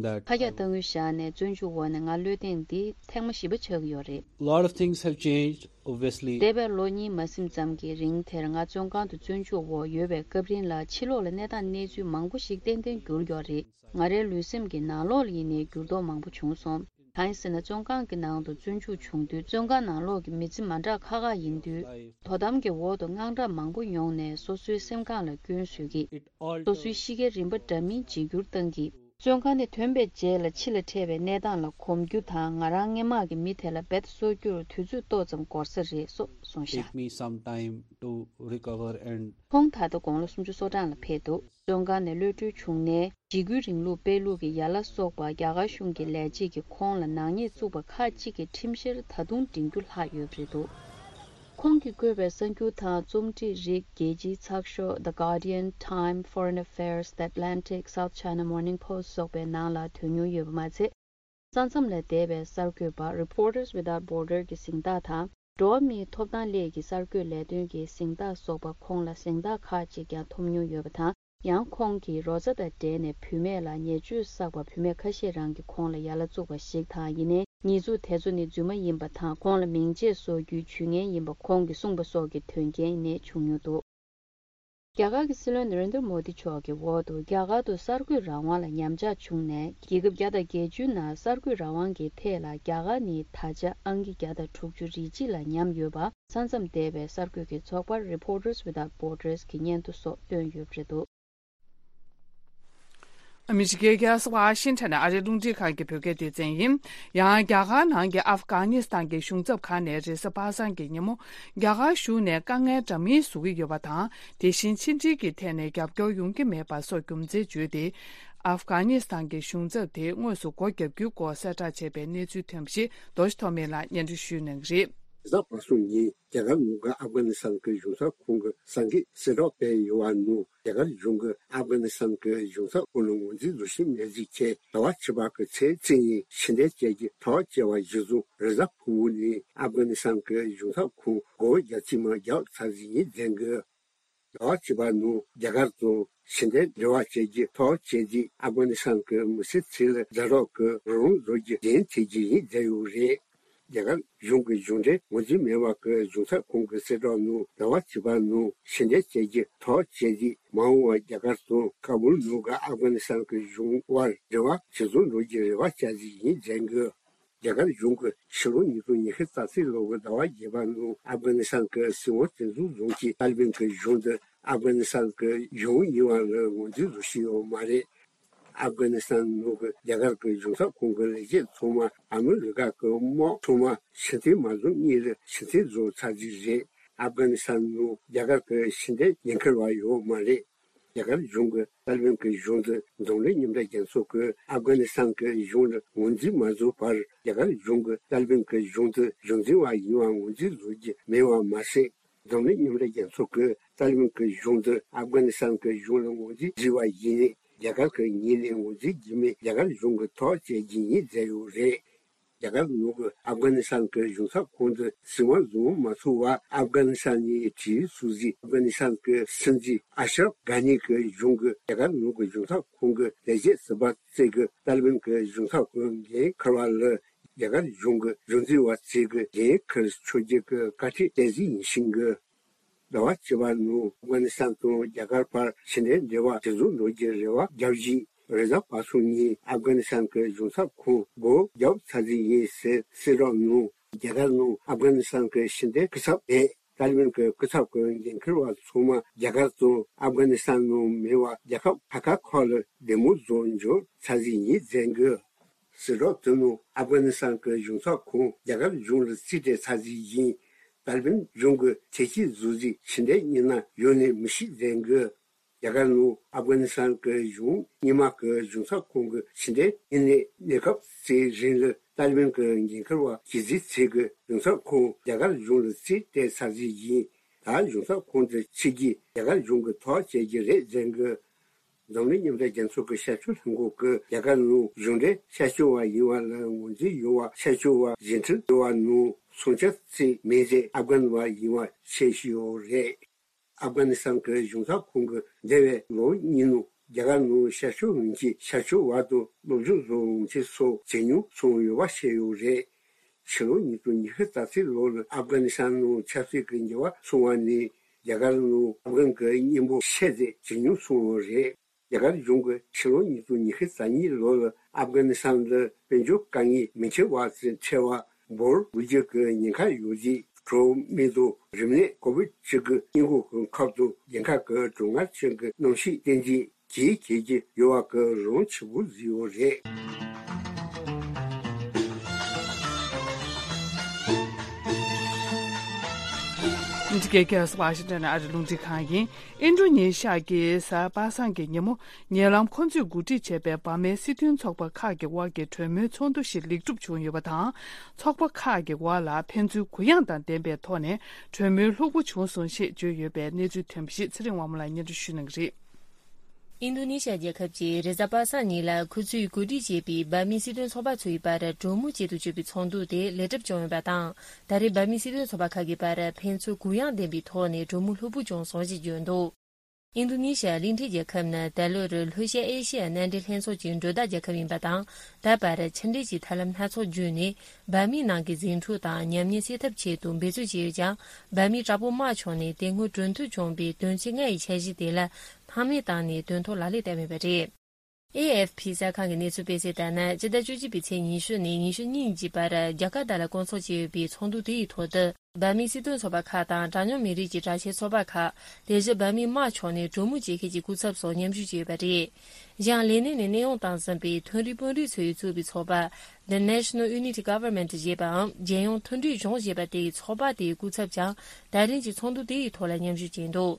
that ཁ་རྒྱག་གཏང་དངུལ་བཞག་ནས་བཙོན་འཇུག་འོག་ནས་ང་གློད་ཐེངས་འདི་ཐེངས་མ་བཞི་པ་ཆགས་ཀྱི་ཡོད་རེད། A lot of things have changed, obviously. འདས་པའི་ལོ་གཉིས་མ་ཟིན་ཙམ་གྱི་རིང་དེར་ང་བཙོན་ཁང་དུ་བཙོན་འཇུག་འོག་ཡོད་པའི་སྐབས་རིང་ལ། ཕྱི་ལོགས་ལ་གནས་སྟངས་གནས་ཚུལ་མང་པོ་ཞིག་ཏན་ཏན་འགྱུར་ཡོད་རེད། ང་རའི་ལུས་སེམས་ཀྱི་ནང་ལོགས་ལ་ཡིན་ནའི་འགྱུར་ལྡོག་མང་པོ་བྱུང་སོང་། གང་ཡིན་ཟེར་ན། བཙོན་ཁང་གི་ནང་དུ་བཙོན་འཇུག་བྱུང་དུས། བཙོན་ཁང་ནང་ལོགས་ཀྱི་མི་ཚེ་མ་འདྲ་ཁག་ཁག་ཡིན་དུས། དོ་དམ་གྱི་འོག་ཏུ་དངངས་སྐྲག་མང་པོ་མྱོང་ནས། སོ་སོའི་སེམས་ཁམས་ལ་སྐྱོན་བཟོས་ཀྱི། སོ་སོའི་གཤིས་ཀའི་རིམ་པ་འདྲ་མིན་འཇིགས་སྐྱུར་བཏང་གི། བཙོན་ཁང་ནས་ཐོན་པའི་རྗེས་ལ་ཕྱི་ལ་འཕྲད་པའི་གནས་སྟངས་ལ་གོམས་རྒྱུ་དང་། ང་རང་སྔན་མ་གི་མི་དེ་ལ་རྦད་གསོ་རྒྱུར་དུས་ཚོད་ཏོག་ཙམ་འགོར་ས་རེད་སོགས་གསུངས་ཤག། Take me some time to recover and ཁོང་ད་ལྟ་དགུང་ལོ་སུམ་ཅུ་སོ་གྲངས་ལ་ཕེབས་འདུག། བཙོན་ཁང་ནས་གློད་གྲོལ་བྱུང་ནས། འཇིགས་སྐུལ་རིང་ལུགས་སྤེལ་ལུགས་ཀྱི་ཡན་ལག་སོགས་པ་རྒྱ་གར་གཞུང་གི་ལས་བྱེད་ཀྱིས་ཁོང་ལ་ནག་ཉེས་བཙུགས་པ་ཁག་ཅིག་གི་ཁྲིམས་བཤེར་ད་དུང་འབྲིང་རྒྱུ་ལྷག་ཡོད་པ་རེད་འདུག་ཁོང་གིས་བཀོད་པའི་གསར་འགྱུར་དང་རྩོམ་སྒྲིག་རིགས། རྒྱལ་སྤྱིའི་ཚགས་ཤོག་The Guardian, Time, Foreign Affairs, The Atlantic, South China Morning Post སོགས་པའི་ནང་ལ་ཐོན་མྱོང་ཡོད་པ་མ་ཚད། ས་མཚམས་ལས་འདས་པའི་གསར་འགོད་པ་Reporters Without Border གྱི་གཟེངས་རྟགས་དང་། འགྲོ་བ་མིའི་ཐོབ་ཐང་སླད་ཀྱི་གསར་འགོད་ལས་དོན་གྱི་གཟེངས་རྟགས་སོགས་པ། ཁོང་ལ་གཟེངས་རྟགས་ཁག་ཅིག་ཀྱང་ཐོབ་མྱོང་ཡོད་པ་དང་། ཡང་ཁོང་གིས་རོ་ཛ་དང་འབྲེལ་ནས་བུད་མེད་ལ་ཉེས་སྤྱོད་བསགས་པ་བུད་མེད་ཁ་ཤས་རང་གིས་ཁོང་ལ་ཡ་ལ་བཙུགས་པ་ཞིག་དང་། ཡིན་ནའི་ཉེས་འཛུགས་དེ་ཚོ་ནི་རྫུན་མ་ཡིན་པ་དང་། ཁོང་ལ་མིང་ཆད་བཟོ་རྒྱུའི་ཇུས་ངན་ཡིན་པ་ཁོང་གིས་གསུངས་པ་སོགས་ཀྱི་དོན་རྐྱེན་ནི་བྱུང་མྱོང་འདུག་རྒྱ་གར་གྱི་སྲིད་བློན་ནེ་རེན་དྲ་མོ་དི་མཆོག་གི་འོག་ཏུ་རྒྱ་གར་དུ་གསར་འགོད་རང་དབང་ལ་ཉམས་ཆག་བྱུང་ནས། རྒྱལ་ཁབ་བརྒྱ་དང་བརྒྱད་ཅུའི་ནང་གསར་འགོད་རང་དབང་གི་ཐད་ལ་རྒྱ་གར་ནི་ད་ཆ་ཨང་ཀི་བརྒྱ་དང་དྲུག་ཅུ་རེ་གཅིག་ལ་ཉམས་ཡོད་པ། ས་མཚམས་འདས་པའི་གསར་འགོད་ཀྱི་ཚོགས་པ་Reporters Without Borders གི་སྙན་ཐོ་སོགས་བཏོན་ཡོད་པ་རེད་འདུག་ཨ་མི་རི་ཀའི་རྒྱལ་ས་ཝ་ཤིང་ཊོན་ནས་ཨ་རིའི་རླུང་འཕྲིན་ཁང་གི་བོད་སྐད་སྡེ་ཚན་ཡིན། ཡང་རྒྱ་གར་ནང་གི་ཨབ་གྷ་ནི་སི་ཐན་གྱི་གཞུང་ཚབ་ཁང་ནས་རེས་གཟའ་པ་སངས་ཀྱི་ཉིན་མོ། རྒྱ་གར་གཞུང་ནས་དཀའ་ངལ་འདྲ་མིན་བཟོ་གི་ཡོད་པ་དང་། དེ་བཞིན་ཕྱི་འབྲེལ་གྱི་ཐད་ནས་རྒྱབ་སྐྱོར་ཡོང་གི་མེད་པ་སོགས་རྒྱུ་མཚན་བརྗོད་དེ། ཨབ་གྷ་ནི་སི་ཐན་གྱི་གཞུང་ཚབ་དེ་དངོས་སུ་སྒོ་བརྒྱབ་རྒྱུའི་སྐོར་གསལ་བསྒྲགས་བྱས་པའི་གནས་ཚུལ་ཐོན་པ་ཞིག་རྡོ་རྗེ་ཐོགས་མེད་ལགས་སྙན་སྒྲོན་ཞུ་གནང་གི་རེད། རེས་གཟའ་པ་སངས་ཉིན་རྒྱ་གར་ནང་གི་ཨབ་གྷ་ནི་སི་ཐན་གྱི་གཞུང་ཚབ་ཁང་གི་གསར་འགོད་གསལ་བསྒྲགས་སྤེལ་ཡོད་པ་ནང་། རྒྱ་གར་གཞུང་གིས་ཨབ་གྷ་ནི་སི་ཐན་གྱི་གཞུང་ཚབ་ཁང་ལ་ངོས་འཛིན་བཟོ་བཞིན་མེད་ཅེས་བྱས། ཟླ་བ་བཅུ་པ་གི་ཚེས་གཅིག་ཉིན་ཕྱི་འཐེན་བཅས་ཀྱི་ཐག་བཅད་པ་གཞིར་བཟུང་། རེས་གཟའ་ཕུར་བུ་ཉིན་ཨབ་གྷ་ནི་སི་ཐན་གྱི་གཞུང་ཚབ་ཁང་སྒོ་རྒྱག་རྩིས་མ་བརྒྱབ་ཚར་ཟིན་ཡིན་ཟེར་གི། ཟླ་བ་བཅུ་པ་ནང་རྒྱ་གར་དང་ཕྱི་འཐེན་འབྲེལ་བ་བཅས་ཀྱི་ཐག་བཅད་རྗེས། ཨབ་གྷ་ནི་སི་ཐན་གྱི་མི་སེར་ཚོ་ལ་ཛ་དྲག་གི་རོགས་རམ་བཟོ་རྒྱུ་འགན་འཁྱེར་རྒྱུ་ཡིན་ཟེར་ཡོད་རེད། རྒྱ་གར་གཞུང་གི་གཞུང་འབྲེལ་ངོས་འཛིན་མེད་པ་གི་གཞུང་ཚབ་ཁང་གི་གསལ་བསྒྲགས་ནང་། ཟླ་བ་བཅུ་པ་ནང་ཕྱི་འཐེན་བཅས་ཀྱི་ཐག་བཅད་རྗེས། མ་འོངས་པར་རྒྱ་གར་དང་ཀ་བུལ་ནང་གི་ཨབ་གྷ་ནི་སི་ཐན་གྱི་གཞུང་དབར་འབྲེལ་བ་ཇེ་བཟང་འགྲོ་རྒྱུའི་རེ་བ་བྱ་རྩིས་ཡིན་ཟེར་གི། རྒྱ་གར་གཞུང་གིས་ཕྱི་ལོ་ཉིས་སྟོང་ཉི་ཤུ་རྩ་གཅིག་ལོ་གི་ཟླ་བ་བརྒྱད་པ་ནང་ཨབ་གྷ་ནི་སི་ཐན་གྱི་སྲིད་དབང་དེ་ཚོ་བཟུང་གིས་ཏཱ་ལི་བན་གྱི་གཞུང་དེ་ཨབ་གྷ་ནི་སི་ཐན་གྱི་གཞུང་ཡིན་པ་ལ་ངོས་འཛིན་བཟོ་བཞིན་ཡོད་མ་རེད། ཨབ་གྷ་ནི་སི་ཐན་ནང་གི་རྒྱ་གར་གྱི་གཞུང་ཚབ་ཁང་གི་ལས་བྱེད་ཚང་མ་ཨ་མི་རི་ཀ་གི་དམག་ཚང་མ་ཕྱིར་འཐེན་མ་བཟོ་སྔོན་ལ་ཕྱིར་འཐེན་བཟོ་ཚར་རྩིས་རེད། ཨབ་གྷ་ནི་སི་ཐན་ནང་རྒྱ་གར་གྱི་ཕྱི་འཐེན་འགན་འཁུར་བ་ཡོད་མ་རེད། རྒྱ་གར་གཞུང་གིས་ཏཱ་ལི་བན་གྱི་གཞུང་དེ་འཛམ་གླིང་མཉམ་འབྲེལ་རྒྱལ་ཚོགས་ཀྱིས་ཨབ་གྷ་ནི་སི་ཐན་གྱི་གཞུང་ལ་ངོས་འཛིན་མ་བཟོ་བར། རྒྱ་གར་གཞུང་གིས་ཏཱ་ལི་བན་གྱི་གཞུང་དེ་གཞུང་འཛིན་པ་ཡིན་པ་ངོས་འཛིན་བཟོ་རྒྱུ་མེད་པ་མ་ཟད། འཛམ་གླིང་མཉམ་འབྲེལ་རྒྱལ་ཚོགས་ཀྱིས་ཏཱ་ལི་བན་གྱི་གཞུང་དེ་ཨབ་གྷ་ནི་སི་ཐན་གྱི་གཞུང་ལ་ངོས་འཛིན་བྱས་པ་ཡིན་ན། རྒྱ་གར་གྱི་ངོས་ནས་ངོས་འཛིན་བགྱིས་མིན་རྒྱ་གར་གཞུང་གིས་ཐག་བཅད་རྒྱུ་ཡིན་ཟེར་ཡོད་རེད། རྒྱ་གར་ནང་གི་ཨབ་གྷ་ནི་སི་ཐན་གྱི་གཞུང་ཚབ་ཁང་དུ་སྲིད་དབང་བཟུང་མ་ཚུགས་པར། ཨབ་གྷ་ནི་སི་ཐན་ནས་བྲོས་སོང་ཟིག་ཨབ་གྷ་ནི་སི་ཐན་གྱི་སྲིད་འཛིན་ཨ་ཤ་རབ་གྷ་ནི་གྱི་གཞུང་གིས་རྒྱ་གར་ནང་གི་གཞུང་ཚབ་ཁང་གི་ལས་བྱེད་ཟུར་པ་ཚོས་ཀྱིས་ཏཱ་ལི་བན་གྱི་གཞུང་ཚབ་ཁང་འགན་འཁུར་བ་ལ། རྒྱ་གར་གཞུང་གི་གཞུང་འཛིན་པ་ཚོས་ཀྱིས་འགན་འཁུར་ཆོག་རྒྱུ་གི་བཀའ་ཁྲིད་སྤྲད་ཟིག་ཡིན་ཤིང་གི། ཟླ་བ་བཅུ་པ་ནང་ཨབ་གྷ་ནི་སི་ཐན་དང་རྒྱ་གར་བར་ཕྱི་འབྲེལ་འབྲེལ་བ་ཇེ་བཟང་འགྲོ་རྒྱུའི་རེ་བ་བརྒྱབ་བཞིན། རེས་གཟའ་པ་སངས་ཉིན་ཨབ་གྷ་ནི་སི་ཐན་གྱི་གཞུང་ཚབ་ཁང་སྒོ་བརྒྱབ་ཚར་རྩིས་ཡིན་ཟེར་གསལ་བསྒྲགས་གནང་། རྒྱ་གར་ནང་ཨབ་གྷ་ནི་སི་ཐན་གྱི་ཕྱི་འབྲེལ་སྐུ་ཚབ་དེ་ཏཱ་ལི་བན་གྱི་སྐུ་ཚབ་ཀྱི་འགན་འཁུར་བ་ཚང་མ་རྒྱ་གར་དང་ཨབ་གྷ་ནི་སི་ཐན་ནང་མེད་པར་རྒྱལ་ཁབ་ཁ་ཁ་ཁག་ལ་བདེ་མོ་བཟོ་འབྱོར་ཚར་རྩིས་ཡིན་ཟེར་གི། གསལ་བསྒྲགས་དེ་ནང་ཨབ་གྷ་ནི་སི་ཐན་གྱི་གཞུང་ཚབ་ཁང་རྒྱ་གར་གཞུང་ལ་རྩིས་སྤྲད་ཚར་རྩིས་ཡིན། ཏཱ་ལི་བན་གཞུང་གིས་ཐེ་ཇུས་བཟོ་རྩིས་ཕྱི་འབྲེལ་གཉིས་ནང་ཡོད་ནི་མི་ཤེས་ཟེར་གི། རྒྱ་གར་ནང་ཨབ་གྷ་ནི་སི་ཐན་གྱི་གཞུང་རྙིང་མ་གི་གཞུང་ཚབ་ཁང་གི་ཕྱི་འབྲེལ་དངོས་གནས་གནས་སྐབས་ཚོའི་རིང་ལ་ཏཱ་ལི་བན་གྱི་འགན་འཁུར་བ་གཞི་རྩའི་ཚིག་གི་གཞུང་ཚབ་ཁང་རྒྱ་གར་གཞུང་ལ་རྩིས་སྤྲད་ཚར་རྩིས་ཡིན། ད་གཞུང་ཚབ་ཁང་དེ་ཕྱི་རྒྱལ་རྒྱ་གར་གཞུང་གིས་ཐག་བཅད་རྒྱུ་རེད་ཟེར་གི། འཛམ་གླིང་མཉམ་འབྲེལ་རྒྱལ་ཚོགས་ཀྱི་ཤར་ཕྱོགས་ལྷན་ཁང་གིས་རྒྱ་གར་ནང་གཞུང་འབྲེལ་ཤར་ཕྱོགས་པ་ཡིན་པ་ལ་ངོས་འཛིན་ཡོད་པ། ཤར་ཕྱོགས་པ་རྗེས་ཁྲིད་ཡོད་པ་ནང་སྲུང་སྐྱོབ་རྩིས་མེད་ཚེ་ཨབ་གྷན་པ་ཡིན་པ་ཤེས་ཀྱི་ཡོད་རེད། ཨབ་གྷ་ནི་སི་ཐན་གྱི་གཞུང་ཚབ་ཁང་གིས་འདས་པའི་ལོ་གཉིས་ནང་རྒྱ་གར་ནང་ཤར་ཕྱོགས་གླིང་ཆེན་ཤར་ཕྱོགས་པ་དང་སློབ་སྦྱོང་བཟོ་གླིང་ཆེན་སོགས་ཇེ་ཉུང་སོང་ཡོད་པ་ཤེས་ཡོད་རེད། ཕྱི་ལོ་ཉིས་སྟོང་ཉི་ཤུ་རྩ་གཅིག་ལོ་ལ་ཨབ་གྷ་ནི་སི་ཐན་ནང་ཆབ་སྲིད་ཀྱི་འགྱུར་བ་སོང་བ་ནས་རྒྱ་གར་ནང་ཨབ་གྷན་གྱི་མཉེན་འབུ་ཤེས་ཚད་ཇེ་ཉུང་སོང་བ་རེད། རྒྱ་གར་གཞུང་གིས་ཕྱི་ལོ་ཉིས་སྟོང་ཉི་ཤུ་རྩ་གཉིས་ལོ་ལ་ཨབ་གྷ་ནི་སི་ཐན་ལ་དཔལ་འབྱོར་དཀའ་ངལ་མི་འཕྲད་པ་ཚོའི་འཕྲད་པ་འབོར་དགུ་བཅུ་གི་ཉེན་ཁ་ཡོད་ཅེས་གྲོས་མོལ་དང་རིམས་ནད་ཀོ་བིད་བཅུ་དགུ་སྔོན་འགོག་གི་ཁབ་ཏུ་འགན་ཁག་གི་གྲོན་ཁོལ་ཅན་གྱི་གནམ་གཤིས་བསྟན་འཛིན་གྱིས་གལ་གྱི་ཡོད་པ་གི་རང་ཆེ་བོ་བཟོས་ཡོད་རེད། འདི་ རྒྱལ་ཁབ་ཝ་ཤིང་ཊོན་ཨ་རི་རླུང་འཕྲིན་ཁང་ཡིན། ཨིན་ཌོ་ནེ་ཤི་ཡ་གི་གཟའ་པ་སངས་ཀྱི་ཉིན་མོ། ཉེ་ལམ་ཁོ་ཚོས་གོ་སྒྲིག་བྱས་པའི་འབར་མའི་སྲིད་དོན་ཚོགས་པ་ཁག་གི་དབར་གྱི་གྲོས་མོལ་ཚོགས་འདུ་ཞིག་ལེགས་གྲུབ་བྱུང་ཡོད་པ་དང་། ཚོགས་པ་ཁག་གི་དབར་ལ་ཕན་ཚུན་གུ་ཡངས་དང་ལྡན་པའི་ཐོག་ནས་གྲོས་མོལ་ལྷུག་པོ་བྱུང་སོང་ཞེས་བརྗོད་ཡོད་པའི་གནས་ཚུལ་ཐོན་པ་ཞིག་ཚེ་རིང་དབང་མོ་ལགས་སྙན་སྒྲོན་ཞུ་གནང་གི་རེད། ཨིན་རྡུ་ནི་ཤ་རྒྱལ་ཁབ་ཀྱིས་རེས་གཟའ་པ་སངས་ཉིན་ལ་ཁོ་ཚོས་གོ་སྒྲིག་བྱས་པའི་འབར་མའི་སྲིད་དོན་ཚོགས་པ་ཚོའི་བར་གྲོས་མོལ་བྱེད་དུ་བཅུག་པའི་ཚོགས་འདུ་དེ་ལེགས་གྲུབ་བྱུང་ཡོད་པ་དང་། ད་རེས་འབར་མའི་སྲིད་དོན་ཚོགས་པ་ཁག་གི་བར་ཕན་ཚུན་གུ་ཡངས་ལྡན་པའི་ཐོག་ནས་གྲོས་མོལ་ལྷུག་པོ་བྱུང་སོང་ཞེས་བརྗོད་འདུག་ཨིན་རྡུ་ནི་ཤ་གླིང་ཕྲན་རྒྱལ་ཁབ་ནི་ད་ལོར་ལྷོ་ཤར་ཨེ་ཤི་ཡ་མནའ་འབྲེལ་ལྷན་ཚོགས་ཀྱི་མགྲོན་བདག་རྒྱལ་ཁབ་ཡིན་པ་དང་། ད་བར་ཕྱི་འབྲེལ་གྱི་ཐབས་ལམ་སྣ་ཚོགས་བརྒྱུད་ནས་འབར་མའི་ནང་གི་ཟིང་འཁྲུག་དང་ཉམས་ཉེས་སེལ་ཐབས་ཆེད་དུ་འབད་བརྩོན་བྱས་ཡོད་ཀྱང་། འབར་མའི་དྲག་པོ་དམག་ཕྱོགས་ནས་དེ་སྔོན་གྲོས་མཐུན་བྱུང་བའི་དོན་ཚན་ལྔ་ཡི་འཆར་གཞི་དེ་ལ་སྣང་མེད་བཏང་ནས་དོན་ཐོག་ལག་ལེན་བསྟར་མེད་པ་རེད། ཨེ་ཨེཕ་ཕི་གསར་ཁང་གི་གནས་ཚུལ་སྤེལ་གསལ་ལྟར་ན། སྤྱི་ཟླ་བཅུ་གཅིག་པའི་ཚེས་ཉི་ཤུ་ནས་ཉི་ཤུ་གཉིས་ཀྱི་བར་རྒྱ་གར་ད་ལ་བསྐོང་ཚོགས་བྱས་ཡོད་པའི་ཚོགས་འདུ་དེ་ཡི་ཐོག་ཏུ། འབར་མའི་སྲིད་དོན་ཚོགས་པ་ཁག་དང་གྲངས་ཉུང་མི་རིགས་ཀྱི་དྲག་ཆས་ཚོགས་པ་ཁག་དེ་བཞིན་འབར་མའི་དམག་ཕྱོགས་ནས་གྲོས་མོལ་བྱེད་མཁན་གྱི་སྐུ་ཚབ་སོགས་མཉམ་ཞུགས་བྱས་ཡོད་པ་རེད། གཞན་ལས་གནས་ནས་གནས་དབྱུང་བཏང་ཟིན་པའི་མཐོ་རིམ་དཔོན་རིགས་ཚོས་གཙོས་པའི་ཚོགས་པ། The National Unity Government ཞེས་པའམ་རྒྱལ་ཡོངས་མཐུན་སྒྲིལ་གཞུང་ཞེས་པ་དེ་ཡི་ཚོགས་པ་དེའི་སྐུ་ཚབ་ཀྱང་ད་རིང་གི་ཚོགས་འདུ་དེ་ཡི་ཐོག་ལ་མཉམ་ཞུགས་བྱས་འདུག་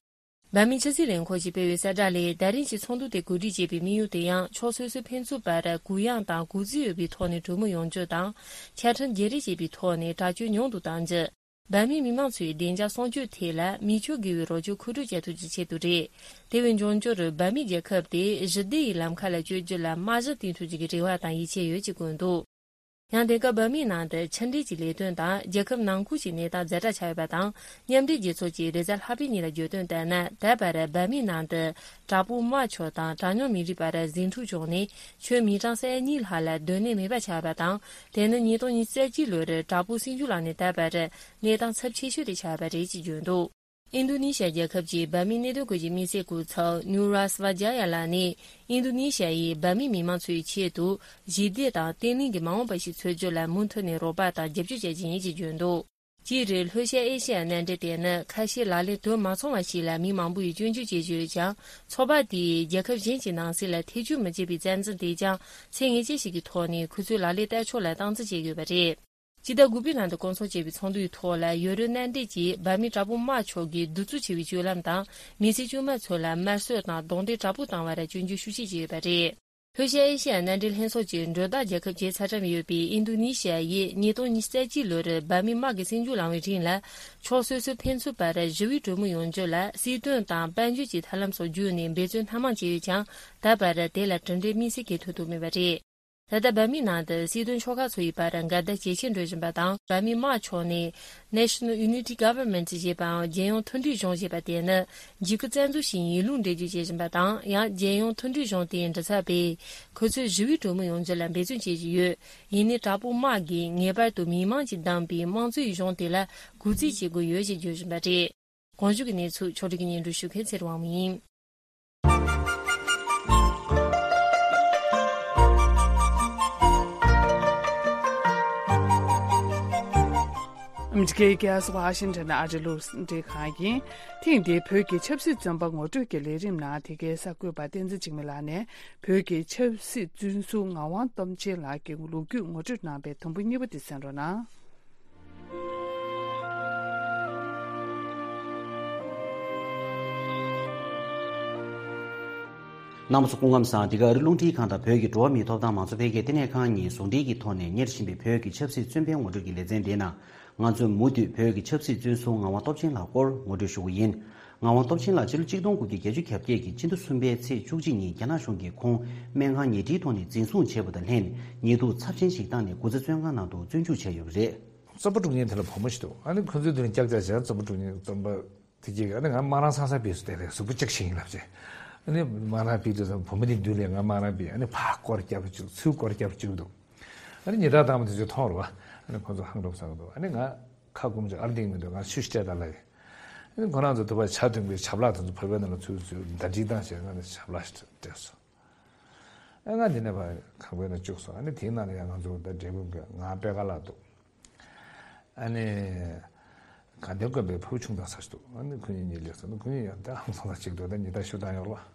འབར་མའི་ཕྱི་སྲིད་ལས་ཁུངས་ཀྱིས་སྤེལ་བའི་གསལ་བསྒྲགས་ལས། ད་རིང་གི་ཚོགས་འདུ་དེ་གོ་སྒྲིག་བྱས་པའི་དམིགས་ཡུལ་དེ་ཡང་ཕྱོགས་སོ་སོའི་ཕན་ཚུན་བར་གུ་ཡངས་དང་གུས་བརྩི་ཡོད་པའི་ཐོག་ནས་གྲོས་མོལ་ཡོང་རྒྱུ་དང་། ཆ་འཕྲིན་བརྗེ་རེས་བྱེད་པའི་ཐོག་ནས་དྲག་སྤྱོད་ཉུང་དུ་གཏང་རྒྱུ། འབར་མའི་མི་མང་ཚོའི་བདེ་འཇགས་སྲུང་སྐྱོབ་ཐད་ལ་མི་ཆོས་དགེ་བའི་རོགས་སྐྱོར་མཁོ་སྤྲོད་བྱ་ཐུབ་རྒྱུའི་ཆེད་དུ་རེད། དེ་བས་འབྱུང་འགྱུར་འབར་མའི་རྒྱལ་ཁབ་དེ་ཞི་བདེ་ཡི་ལམ་ཁ་ལ་བསྐྱོད་རྒྱུ་ལ་རྨང་གཞི་བཏིང་ཐུབ་རྒྱུ་གི་རེ་བ་དང་ཡིད་ཆེས་ཡོད་ཅེས་བཀོད་འདུག་ཡང་དེང་སྐབས་འབར་མའི་ནང་དུ་ཕྱི་འབྲེལ་གྱི་ལས་དོན་དང་རྒྱལ་ཁབ་ནང་ཁུལ་གྱི་གནས་སྟངས་ཛ་དྲག་ཆགས་ཡོད་པ་དང་། མཉམ་འབྲེལ་རྒྱལ་ཚོགས་ཀྱིས་རེས་གཟའ་ལྷག་པའི་ཉིན་ལ་བརྗོད་དོན་ལྟར་ན། ད་བར་འབར་མའི་ནང་དུ་དྲག་པོ་དམག་ཕྱོགས་དང་གྲངས་ཉུང་མི་རིགས་བར་ཟིང་འཁྲུག་བྱུང་ནས་ཆོས་མི་གྲངས་ས་ཡ་གཉིས་ལྷག་ལ་སྡོད་གནས་མེད་པ་ཆགས་པ་དང་། དེ་ནི་ཉིས་སྟོང་ཉི་ཤུ་རྩ་གཅིག་ལོར་དྲག་པོ་སྲིད་འཇུག་ལངས་ནས་ད་བར་གནས་སྟངས་ཚབས་ཆེ་ཤོས་དེ་ཆགས་པ་རེད་ཅེས་བརྗོད་འདུག་ཨིན་རྡུ་ནི་ཤ་རྒྱལ་ཁབ་ཀྱི་འབར་མའི་གནད་དོན་སྐོར་གྱི་དམིགས་བསལ་སྐུ་ཚབ་ནུ་རཱ་སི་ཝ་ཇ་ཡ་ལགས་ནས། ཨིན་རྡུ་ནི་ཤ་ཡིས་འབར་མའི་མི་མང་ཚོའི་ཆེད་དུ་ཞི་བདེ་དང་བརྟན་ལྷིང་གི་མ་འོངས་པ་ཞིག་འཚོལ་རྒྱུ་ལ་མུ་མཐུད་ནས་རོགས་པ་དང་རྒྱབ་སྐྱོར་བྱ་རྒྱུ་ཡིན་ཞེས་བརྗོད་འདུག་སྤྱིར་ལྷོ་ཤར་ཨེ་ཤེ་ཡ་མནའ་འབྲེལ་དེ་ནི་ཁ་ཤས་ལག་ལེན་དུ་མ་སོང་བ་ཞིག་ལ་མི་མང་པོ་ཡིས་སྐྱོན་བརྗོད་བྱེད་ཀྱི་ཡོད་ཀྱང་། ཚོགས་པ་དེས་རྒྱལ་ཁབ་གཞན་གྱི་ནང་སྲིད་ལ་ཐེ་བྱུས་མི་བྱེད་པའི་རྩ་འཛིན་དེས་ཀྱང་ཚད་ངེས་ཅན་ཞིག་གི་ཐོག་ནས་ཁོ་ཚོའི་ལག་ལེན་བསྟར་ཕྱོགས་ལ་སྟངས་འཛིན་བྱེད་དགོས་པ་རེད། སྤྱི་ཟླ་དགུ་པའི་ནང་དུ་བསྐོང་ཚོགས་བྱས་པའི་ཚོགས་འདུའི་ཐོག་ལ་ཡོ་རོབ་མནའ་འབྲེལ་གྱིས་འབར་མའི་དྲག་པོ་དམག་ཕྱོགས་ཀྱིས་གདུག་རྩུབ་ཆེ་བའི་སྤྱོད་ལམ་དང་མི་སེར་དཀྱུས་མ་ཚོ་ལ་དམར་གསོད་དང་རྡུང་རྡེག་དྲག་པོ་བཏང་བར་སྐྱོན་བརྗོད་ཤུགས་ཆེ་བྱས་ཡོད་པ་རེད། ལྷོ་ཤར་ཨེ་ཤེ་ཡ་མནའ་འབྲེལ་ལྷན་ཚོགས་ཀྱི་མགྲོན་བདག་རྒྱལ་ཁབ་བརྒྱད་ཚ་གྲམ་ཡོད་པའི་ཨིན་རྡུ་ནི་ཤ་ཡིས་ཉིས་སྟོང་ཉི་ཤུ་རྩ་གཅིག་ལོར་འབར་མའི་དམག་གི་སྲིད་འཇུག་ལངས་བའི་རིང་ལ་ཕྱོགས་སོ་སོའི་ཕན་ཚུན་བར་ཞི་བའི་གྲོས་མོལ་ཡོང་རྒྱུ་ལ་སྲིད་དོན་དང་དཔལ་འབྱོར་གྱི་ཐབས་ལམ་སོགས་བརྒྱུད་ནས་འབད་བརྩོན་སྣ་མང་བྱས་ཡོད་ཀྱང་། ད་བར་དེ་ལ་གྲུབ་འབྲས་དམིགས་བསལ་གང་ཐོན་ཐུབ་མེད་པ་རེད། ད་ལྟ་འབར་མའི་ནང་དུ་སྲིད་དོན་ཕྱོགས་ཁག་ཚོ་ཡི་བར་འགལ་ཟླ་ཇེ་ཆེར་འགྲོ་བཞིན་པ་དང་། འབར་མའི་དམག་ཕྱོགས་ནས་National Unity Government ཞེས་པའམ་རྒྱལ་ཡོངས་མཐུན་སྒྲིལ་གཞུང་ཞེས་པ་དེ་ནི་འཇིགས་སྐུལ་རྩ་འཛུགས་ཤིག་ཡིན་ལུགས་འགྲེལ་བརྗོད་བྱེད་བཞིན་པ་དང་། ཡང་རྒྱལ་ཡོངས་མཐུན་སྒྲིལ་གཞུང་དེའི་མགྲིན་ཚབ་པས་ཁོ་ཚོས་ཞི་བའི་གྲོས་མོལ་ཡོང་རྒྱུ་ལ་འབད་བརྩོན་བྱེད་བཞིན་ཡོད། ཡིན་ནའི་དྲག་པོ་དམག་གིས་ངེས་པར་དུ་མི་མང་གིས་བདམས་པའི་དམངས་གཙོའི་གཞུང་དེ་ལ་གུས་བརྩི་བྱེད་དགོས་ཡོད་ཅེས་བརྗོད་བཞིན་པ་རེད། གོང་ཞུས་ཀྱི་གནས་ཚུལ་ཕྱོགས་སྒྲིག་གིས་སྙན་སྒྲོན་ཞུ་མཁན་ཚེ་རིང་དབང་མོ་ཡིན། ཨ་མི་རི་ཀའི་རྒྱལ་ས་ཝ་ཤིང་ཊོན་ཨ་རི་རླུང་འཕྲིན་ཁང་ཡིན། ཐེངས་འདིའི་བོད་ཀྱི་ཆབ་སྲིད་བཙོན་པ་ངོ་སྤྲོད་ཀྱི་ལས་རིམ་ནང་དེ་གའི་གསར་འགོད་པ་བསྟན་འཛིན་འཇིགས་མེད་ལགས་ནས་བོད་ཀྱི་ཆབ་སྲིད་བཙོན་ཟུར་ངག་དབང་སྟོབས་ཆེན་ལགས་ཀྱི་ལོ་རྒྱུས་ངོ་སྤྲོད་གནང་བའི་དུམ་བུ་གཉིས་པ་དེ་གསན་རོགས་གནང་། རྣམ་པ་ཚོ་སྐུ་ཁམས་བཟང་། འདི་ག་ཨ་རི་རླུང་འཕྲིན་ཁང་དང་བོད་ཀྱི་འགྲོ་བ་མིའི་ཐོབ་ཐང་མང་གཙོ་འཕེལ་རྒྱས་ལྟེ་གནས་ཁང་གཉིས་ཟུང་འབྲེལ་གྱི་ཐོག་ནས་གཉེར་བཞིན་པའི་བོད་ཀྱི་ཆབ་སྲིད་བཙོན་པའི་ངོ་སྤྲོད་ཀྱི་ལེ་ཚན་འདིའི་ནང་། ང་ཚོས་མུ་མཐུད་བོད་ཀྱི་ཆབ་སྲིད་བཙོན་ཟུར་ངག་དབང་སྟོབས་ཆེན་ལགས་སྐོར་ངོ་སྤྲོད་ཞུ་གི་ཡིན། ངག་དབང་སྟོབས་ཆེན་ལགས་ཕྱི་ལོ་གཅིག་སྟོང་དགུ་བརྒྱ་བརྒྱད་ཅུ་གྱ་བརྒྱད་ཀྱི་སྤྱི་ཟླ་གསུམ་པའི་ཚེས་བཅུ་གཅིག་ཉིན་རྒྱ་ནག་གཞུང་གིས་ཁོང་སྨན་ཁང་ཉལ་ཁྲིའི་ཐོག་ནས་འཛིན་བཟུང་བྱས་པ་དང་ལྷན། ཉེས་འཛུགས་ཚབས་ཆེན་ཞིག་བཏང་ནས་སྐུ་ཚེ་བཙོན་ཁང་ནང་དུ་བཙོན་འཇུག་བྱས་ཡོད་པ་རེད། རྩོམ་པ་དྲུག་ཉིན་དེ་ལ་བུ་མོ་ཞིག་འདུག་ཨ་ནི་ཁོ་ཚོའི་དེ་ནས་ཀྱག་ཀྱག་བྱས། རྩོམ་པ་དྲུག་ཉིན་རྩོམ་པ་དེ་གྱིས་ཨ་ནི་ང་དམར་རང་ཚང་ས་ཕེབས་སུ་བསྡད་རེད། གཟུགས་པོ་ལྕགས་ཤིང་ཡིན་ལབ་བྱས། ཨ་ནི་དམར་རང་ཕེབས་དུས་ཙམ་བུ་མོ་དེ་མདུན་ལ་ང་དམར་རང་ཕེབས། ཨ་ནི་ཕར་སྐོར་རྒྱབ་བཅུག་ཚུར་སྐོར་རྒྱབ་བཅུག་འདུག་ཨ་ནི་ཉེས་རྡུང་བཏང་བ་དེ་ཚོས་མཐོང་རུང་། ཨ་ནི་ཁོ་ཚོ་ཧང་སྒྲོབ་ཟ་གི་འདུག་ཨ་ནི་ང་ཁ་སྐོམ་ཅིག་ཨར་འདིང་མི་འདུག་ང་ཆུ་ཞིག་སྤྲད་དང་ལབ་ཡིན། ཨ་ནི་ཁོ་རང་ཚོ་དུ་བ་ཇ་འཐུང་གི་ཆབ་ལག་དེ་ཚོ་བོད་པའི་ནང་ལ་ཚུར་ཚུར་ཟླ་སྒྲིལ་བཏང་བྱས། ང་ནི་ཆབ་ལག་ཞིག་སྤྲད་སོང་། ཨ་ང་འདི་ནས་ཕར་ཁང་པའི་ནང་བཅུག་སོང་། ཨ་ནི་དེའི་ནང་ལ་ཡང་ང་ཚོ་ད་འབྲས་སྤུངས་ཀྱི་ང་པད་དཀར་ལགས་འདུག་ཨ་ནི་དགའ་ལྡན་དགོན་པའི་ཕུར་བུ་ཆུང་ཐང་ཟེར་ཞིག་འདུག་ཨ་ནི་ཁོ་གཉིས་གཉིས་སླེབས་སོང་། ཨ་ནི་ཁོ་གཉིས་ཡང་ད་ཧང་སང་ས་ཅིག་འདུག་ད་ཉི་ཟླ་བཞུགས་སྟངས་ཡོད་རེད་པ།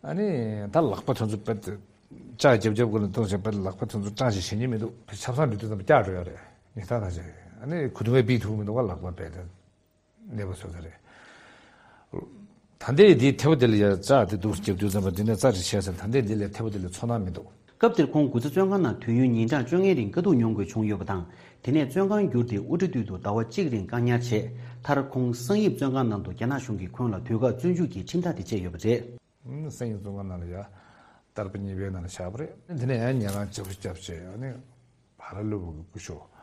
ཨ་ནི་ད་ལག་པ་དེ་ཚོ་དཔེ་ལྕག་རྒྱབ་རྒྱབ་སྒོ་ལ་གཏོང་བྱས། དཔེ་ལག་པ་དེ་ཚོ་སྐྲངས་ཤིག་བྱེད་ཉན་མི་འདུག་ཆབ་གསང་འགྲོ་དུས་ཙམ་པ་སྐྲག་འགྲོ་ཡ་རེད། ཉི་ཟླ་ད་ཅིག་ཨ་ནི་གོས་ཐུང་བས་ཕུད་ཐུབ་མི་འདུག་ག་ལག་པ་རྦད་དེ། གནས་པ་བཟོ་ས་རེད། ད་ལྟའི་འདི་ཐེ་བོ་དེ་ལ་ཡ་རྩ་དེ་འདུག་རྒྱབ་དུས་ཙམ་པ་འདི་ནས་རྩ་རེ་བྱས་ཟེར། ད་ལྟའི་འདི་ལ་ཐེ་བོ་དེ་ལ་ཚོར་སྣང་མི་འདུག་སྐབས་དེར་ཁོང་དགུ་ཚ་བཙོན་ཁང་ནང་དུས་ཡུན་ཉིན་གྲངས་བཅོ་ལྔའི་རིང་དཀའ་སྡུག་མྱོང་དགོས་བྱུང་ཡོད་པ་དང་། དེ་ནས་བཙོན་ཁང་བསྒྱུར་ཏེ་དབུ་སྐྲ་བཏུལ་དུ་ཟླ་བ་གཅིག་རིང་བཀག་ཉར་བྱས། མཐར་ཁོང་གསང་ཡིབ་བཙོན་ཁང་ནང་དུ་རྒྱ་ནག་གཞུང་གིས་ཁོང་ལ་དུས་བཀག་བཙོན་འཇུག་གི་ཁྲིམས་ཐག་དེ་བཅད་ཡོད་པ་རེད། གསང་ཡིབ་བཙོན་ཁང་ནང་ལ་ཡ་ཏར་པ་གཉིས་པའི་ནང་ལ་བཞག་པ་རེད། དེ་ནས་ཡང་ཉལ་ཁང་ལྕགས་པོ་བརྒྱབ་བྱས། ཨ་ནི་བྷ་ར་ལུ་བ་གི་སྐུ་ཞབས་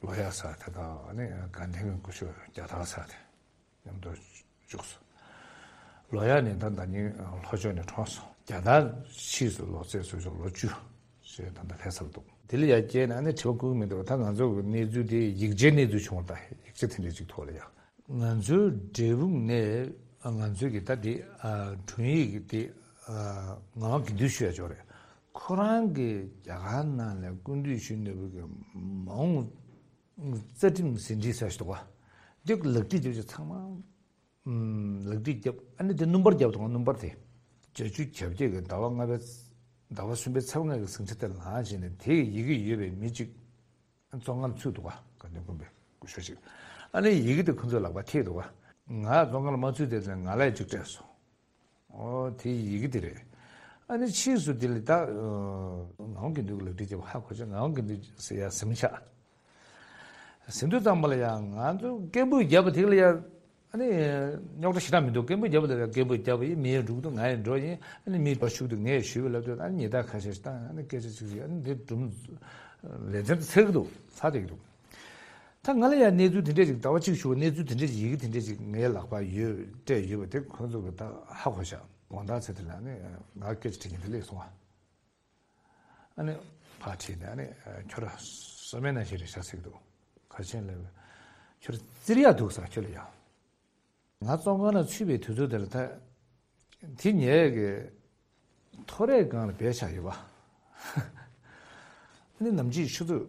ལོ་ཡ་ཟེར་དེ་དང་། ཨ་ནི་དགའ་ལྡན་གྱི་སྐུ་ཞབས་རྒྱ་སྟག་ཟེར་དེ། མཉམ་དུ་བཅུག་སོང་། ལོ་ཡ་ནི་ད་ཟླ་ཉིན་ལྷོ་ཕྱོགས་ནས་གྲོངས་སོང་། རྒྱ་ནག་ཕྱིས་སུ་ལོ་ཚད་སུ་ཆོག་ལོ་བཅུ་ཞེས་ད་ལྟ་ལྷག་ཚར་འདུག་དེ་ལ་ཡ་སྐྱེས་ན་ནི་དྲི་བ་བཀོད་ཀྱི་མི་འདུག་ད་ང་ཚོ་གི་གནས་ཚུལ་དེ་ཡིག་ཆའི་གནས་ཚུལ་བྱུང་བ་དང་། ཡིག་ཆ་དེ་འདྲ་ཅིག་ཐོག་ལ་ཡ། ང་ཚོའི་འབྲས་སྤུངས་ནས་ང་ཚོའི་གི་ད་དེ་ཨ་དྲུང་ཡིག་གི་དེ་ཨ་ངག་དབང་དགེ་འདུན་ཞུ་ཡ་ཅིག་ཡོད་རེད། ཁོ་རང་གི་རྒྱ་གར་ནང་ལ་སྐུ་མདུན་ཞུ་གནས་བབ་གི་མ་འོངས་རྩ་ཁྲིམས་ཟིན་བྲིས་ཟེར་ཞིག་འདུག་ག་འདི་ལག་བྲིས་རྒྱབ་ཅིག་ཚང་མ་ཨམ་ལག་བྲིས་བརྒྱབ། ཨ་ནི་དེ་སྣུམ་པར་བརྒྱབ་འདུག་ག་སྣུམ་པར་དེ། བརྒྱད་ཅུ་གྱ་བརྒྱད་ཀྱི་ཟླ་བ་ལྔ་པའི་ཟླ་བ་གསུམ་པའི་ཚེས་པ་ལྔ་གི་ཟིང་ཆ་དེ་ལ་ལངས་བྱས་ནས། དེ་ཡི་གེ་ཡོད་པའི་མི་གཅིག་བཙོན་ཁང་ལ་ཚུད་འདུག་ག་དགའ་ལྡན་དགོན་པའི་སྐུ་ཞབས་ཅིག་ཨ་ནི་ཡི་གེ་དེ་ཁོ་ཚོའི་ལག་པར་ཐེབས་འདུག་ག་ང་བཙོན་ཁང་ལ་མ་ཚུད་དེ་ཙང་ང་ལ་ཡང་གཅིག་སྤྲད་སོང་། ཨོ་དེ་ཡི་གེ་དེ་རེད། ཨ་ནི་ཕྱིས་སུ་དེ་ལ་ད་ངག་དབང་དགེ་འདུན་གྱི་ལག་བྲིས་བརྒྱབ་པ་ཧ་གོ་བྱས། ངག་དབང་དགེ་འདུན་ཟེར་ཡ་ཟིན་ཆགས། ཟིན་དུས་ཙམ་པ་ལ་ཡང་ང་ཚོ་སྐད་འབོད་བརྒྱབ་པ་དེ་ལ་ཡང་ཨ་ནི་རྙོག་དྲ་ཞེ་དྲག་མི་འདུག་སྐད་འབོད་བརྒྱབ་པ་དེ་ལ་སྐད་འབོད་བརྒྱབ་པ་ཡིན། མི་ཡང་འགྲོ་གི་འདུག་ང་ཡང་འགྲོ་ཡིན། ཨ་ནི་མི་འགྲོ་ཤུགས་དུ་ངས་ཞུས་པ་ལབ་དུས། ཨ་ནི་ཉེས་རྡུང་ཁ་ཤས་ཤིག་བཏང་། ཨ་ནི་སྐད་ཆ་ཅིག་ཅིག་ཨ་ནི་འདི་སྒྲུང་ལེ་ཚན་དུ་ཚར་གི་འདུག་ཚར་བསྡད་ཀྱི་འདུག་ད་ང་ལ་ཡང་གནས་ཚུལ་དེ་འདྲས་ཅིག་ཟླ་བ་གཅིག་ཞུ་བ། གནས་ཚུལ་དེ་འདྲས་ཅིག་ཡི་གེ་དེ་འདྲས་ཅིག་ངའི་ལག་པར་ཡོད་སྤྲད་ཡོད་པ་དེ་ཁོ་ཚོ་གི་ད་ཧ་གོ་བཞག་དགོང་དག་ཚེ་དེ་ལ་ཨ་ནི་ང་སྐད་ཆ་དྲི་མཁན་དེ་སླེབས་སོང་བ། ཨ་ནི་ཕར་ཁྲིད་ནས། ཨ་ནི་ཁྱོད་ར་བསམ་ཡས་ནང་བཞིན་རེད་ཤག་ཟེར་གྱི་འདུག་ག་ཆེན་ལབ། ཁྱོད་ར་བཙིར་ཡག་འདུག་ས་ཁྱོད་ལ་ཡ། ང་བཙོན་ཁང་ནང་ཚུད་པའི་དུས་ཚོད་དེ་ལ་ད་དེ་ངའི་གི་ཐོ་རས་སྒང་ལ་སྦས་བཞག་ཡོད་པ། ཨ་ནི་ནམ་ཕྱེད་ཆུ་ཚོད་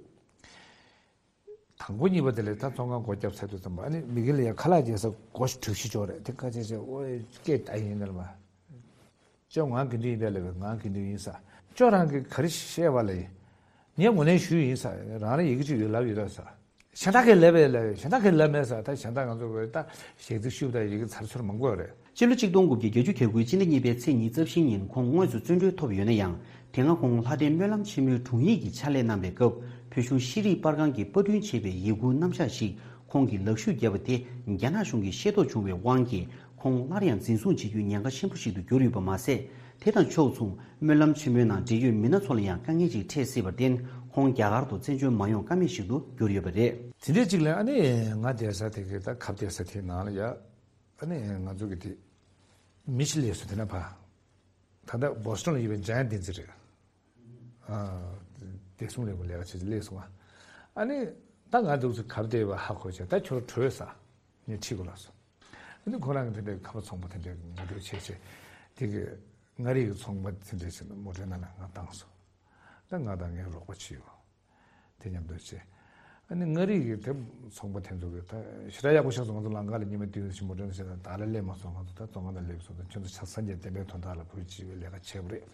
དང་པོ་གཉིས་པ་དེ་ལ་ད་བཙོན་ཁང་སྒོ་བརྒྱབ་ཚར་དུས་ཙམ་པ། ཨ་ནི་མི་གི་ལ་ཡ་ཁ་ལག་བརྗེ་ས་སྒོ་དྲུག་བཞི་ཅོག་རེད། དེ་ཁ་ཆེ་ཆེ་ཨོ་སྐད་ད་ཡིན་ནར་མ། ཅོ་ངའི་དགེ་འདུན་ཡིན་པས་ལབ་པས། ངའི་དགེ་འདུན་ཡིན་ས། ཅོ་རང་གིས་ག་རེ་བཤད་པ་ལ་ཡིན། ངས་ངོས་ལེན་ཞུས་ཡིན་ས། རང་རེ་ཡི་གེ་ཅིག་ཡོད་ལབ་ཡོད་ད་ས། གཞན་དག་གིས་ལབ་པས་ལབ། གཞན་དག་གིས་ལབ་མེད་ས། ད་གཞན་དག་ང་ཚོ་གི་ད་ཞལ་གཟིགས་ཞུས་པ་དང་ཡི་གེ་ཚར་ཚུར་མང་པོ་ཡོད་རེད། སྤྱི་ལོ་གཅིག་སྟོང་དགུ་བརྒྱ་བརྒྱད་ཅུ་གྱ་དགུའི་སྤྱི་ཟླ་གཉིས་པའི་ཚེས་ཉི་ཤུ་རྩ་བཞིའི་ཉིན་ཁོང་དངོས་སུ་བཙོན་གྲོལ་ཐོབ་ཡོད་ན་ཡང་། དེ་སྔ་ཁོང་ལྷ་ལྡན་སྨོན་ལམ་ཆེན་མོའི་དྲུང་ཡིག་གི་ཕྱག་ལས་གནང་བའི་སྐབས། བོད་གཞུང་ཤེས་རིག་པར་ཁང་གིས་པར་སྐྲུན་བྱས་པའི་ཡི་གུའི་རྣམ་གཞག་ཞིག་ཁོང་གིས་ལག་བཤུས་བརྒྱབ་པ་དེ་རྒྱ་ནག་གཞུང་གིས་ཤེས་རྟོགས་བྱུང་བའི་དབང་གིས། ཁོང་སླར་ཡང་འཛིན་བཟུང་བྱེད་རྒྱུའི་ཉེན་ཁ་ཆེན་པོ་ཞིག་ཏུ་གྱུར་ཡོད་པ་མ་ཟད། དེ་དང་ཕྱོགས་མཚུངས་སྨོན་ལམ་ཆེན་མོའི་ནང་འབྲེལ་ཡོད་མི་སྣ་ཚོ་ལ་ཡང་དཀའ་ངལ་ཅིག་འཕྲད་སྲིད་པར་བརྟེན། ཁོང་རྒྱ་གར་དུ་བཙན་བྱོལ་མ་ཡོང་ཀ་མེད་ཞིག་ཏུ་གྱུར་ཡོད་པ་རེད། དེ་འདྲའི་ཅིག་ལ་ཨ་ནི་ང་བསྡད་ས་དེ་གི་ད་ཁབ་བསྡད་ས་དེའི་ནང་ལ་ཡ། ཨ་ནི་ང་ཚོ་གི་དེ་མི་ཞིག་སླེབས་སོང་། དེ་ན་ཕ། ད་ལྟ་བོ་སི་ཊོན་ལ་ཡོད་པའི་འཇམ་དབྱངས་བསྟན་འཛིན་རེད། ཨ། བདེ་སྲུང་ལས་ཁུངས་ལས་ཀ་བྱེད་ཅིག་སླེབས་སོང་བ། ཨ་ནི་ད་ང་འདུག་ཚེ་ཁབ་བསྡད་པ་ཧ་གོ་བྱས། ད་ཁྱོད་བྲོས་ས། ངས་ཁྲིད་དགོས་ལབ་སོང་། ཨ་ནི་ཁོ་རང་གི་དེ་འདྲའི་ཁ་པར་ཚོང་པ་དེ་འདྲའི་ངོ་སྤྲོད་བྱས་བྱས། དེ་གི་མངའ་རིས་ཀྱི་ཚོང་པ་དེ་འདྲའི་ཞིག་མོ་ཊའི་ནང་ལ་ང་བཏང་སོང་། ད་ང་དང་ངའི་རོགས་པ་བྱེད་ཡོད། དེ་མཉམ་དུ་བྱས། ཨ་ནི་མངའ་རིས་ཀྱི་དེ་ཚོང་པ་དེ་ཚོ་གི་ད་ཞེ་དྲག་ཡག་པོ་ཤག་སོང་། ང་ཚོ་ལམ་ཁ་ལ་ཉི་མ་བདུན་ཞིག་མོ་ཊའི་ནང་བྱས་ན་བདག་ལ་སླེབས་མ་སོང་། ང་ཚོ་ད་བཙོན་ཁང་ནང་སླེབས་སོང་། ད་ཁྱོད་ཚོ་ཆ་སངས་རྒྱས་བསྟན་པའི་དོན་དག་ལ་བོད་སྤྱི་པའི་ལས་ཀ་བྱས་པ་རེད།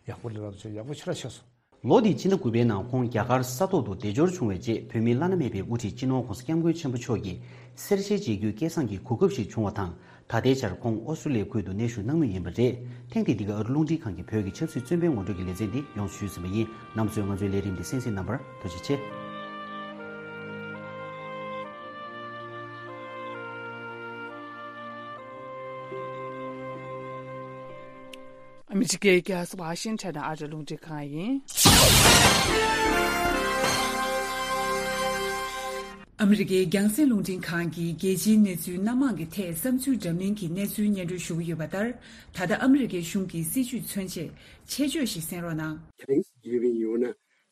ཡག་པོ་ལས་རོགས་བྱས། ཡག་པོ་ཞེ་དྲག་ཤག་སོང་། ལོ་འདིའི་ཕྱི་ཟླ་དགུ་པའི་ནང་ཁོང་རྒྱ་གར་ས་ཐོག་ཏུ་བདེ་འབྱོར་བྱུང་བའི་རྗེས། བོད་མི་བླ་ན་མེད་པའི་དབུ་ཁྲིད་སྤྱི་ནོར་༸གོང་ས་༸སྐྱབས་མགོན་ཆེན་པོ་མཆོག་གིས་སེར་བྱེས་མཇལ་རྒྱུའི་སྐལ་བཟང་གི་གོ་སྐབས་ཤིག་བྱུང་བ་དང་། ད་ལྟའི་ཆར་ཁོང་ཨོ་སི་ཀྲུ་ལི་ཡའི་ཁུལ་དུ་གནས་བཞུགས་གནང་མུས་ཡིན་པ་རེད། ཐེངས་འདིའི་འདི་ག་ཨ་རི་རླུང་འཕྲིན་ཁང་གི་བོད་ཀྱི་ཆབ་སྲིད་བཙོན་པའི་ངོ་སྤྲོད་ཀྱི་ལེ་ཚན་འདི་ཡོངས་སུ་ཞུས་ཟིན་པ་ཡིན། རྣམ་པ་ཚོས་ང་ཚོའི་ལས་རིམ་འདི་གསན་གཟིགས་གནང་བར་ཐུགས་རྗེ་ཆེ། ཨ་མི་རི་ཀའི་རྒྱལ་ས་ཝ་ཤིང་ཊོན་ནས་ཨ་རི་རླུང་འཕྲིན་ཁང་ཡིན། ཨ་མི་རི་ཀའི་རྒྱང་སྲིང་རླུང་འཕྲིན་ཁང་གིས་རྒྱལ་སྤྱིའི་གནས་ཚུལ་སྣ་མང་གི་ཐད་བསམ་ཚུལ་འདྲ་མིན་གྱི་གནས་ཚུལ་སྙན་སྒྲོན་ཞུ་གི་ཡོད་པ་ལྟར། ད་ལྟ་ཨ་མི་རི་ཀའི་གཞུང་གི་སྲིད་བྱུས་མཚོན་ཆེད་ཆེད་བརྗོད་ཞིག་གསན་རོགས་གནང་། Thanksgiving ཡང་ན་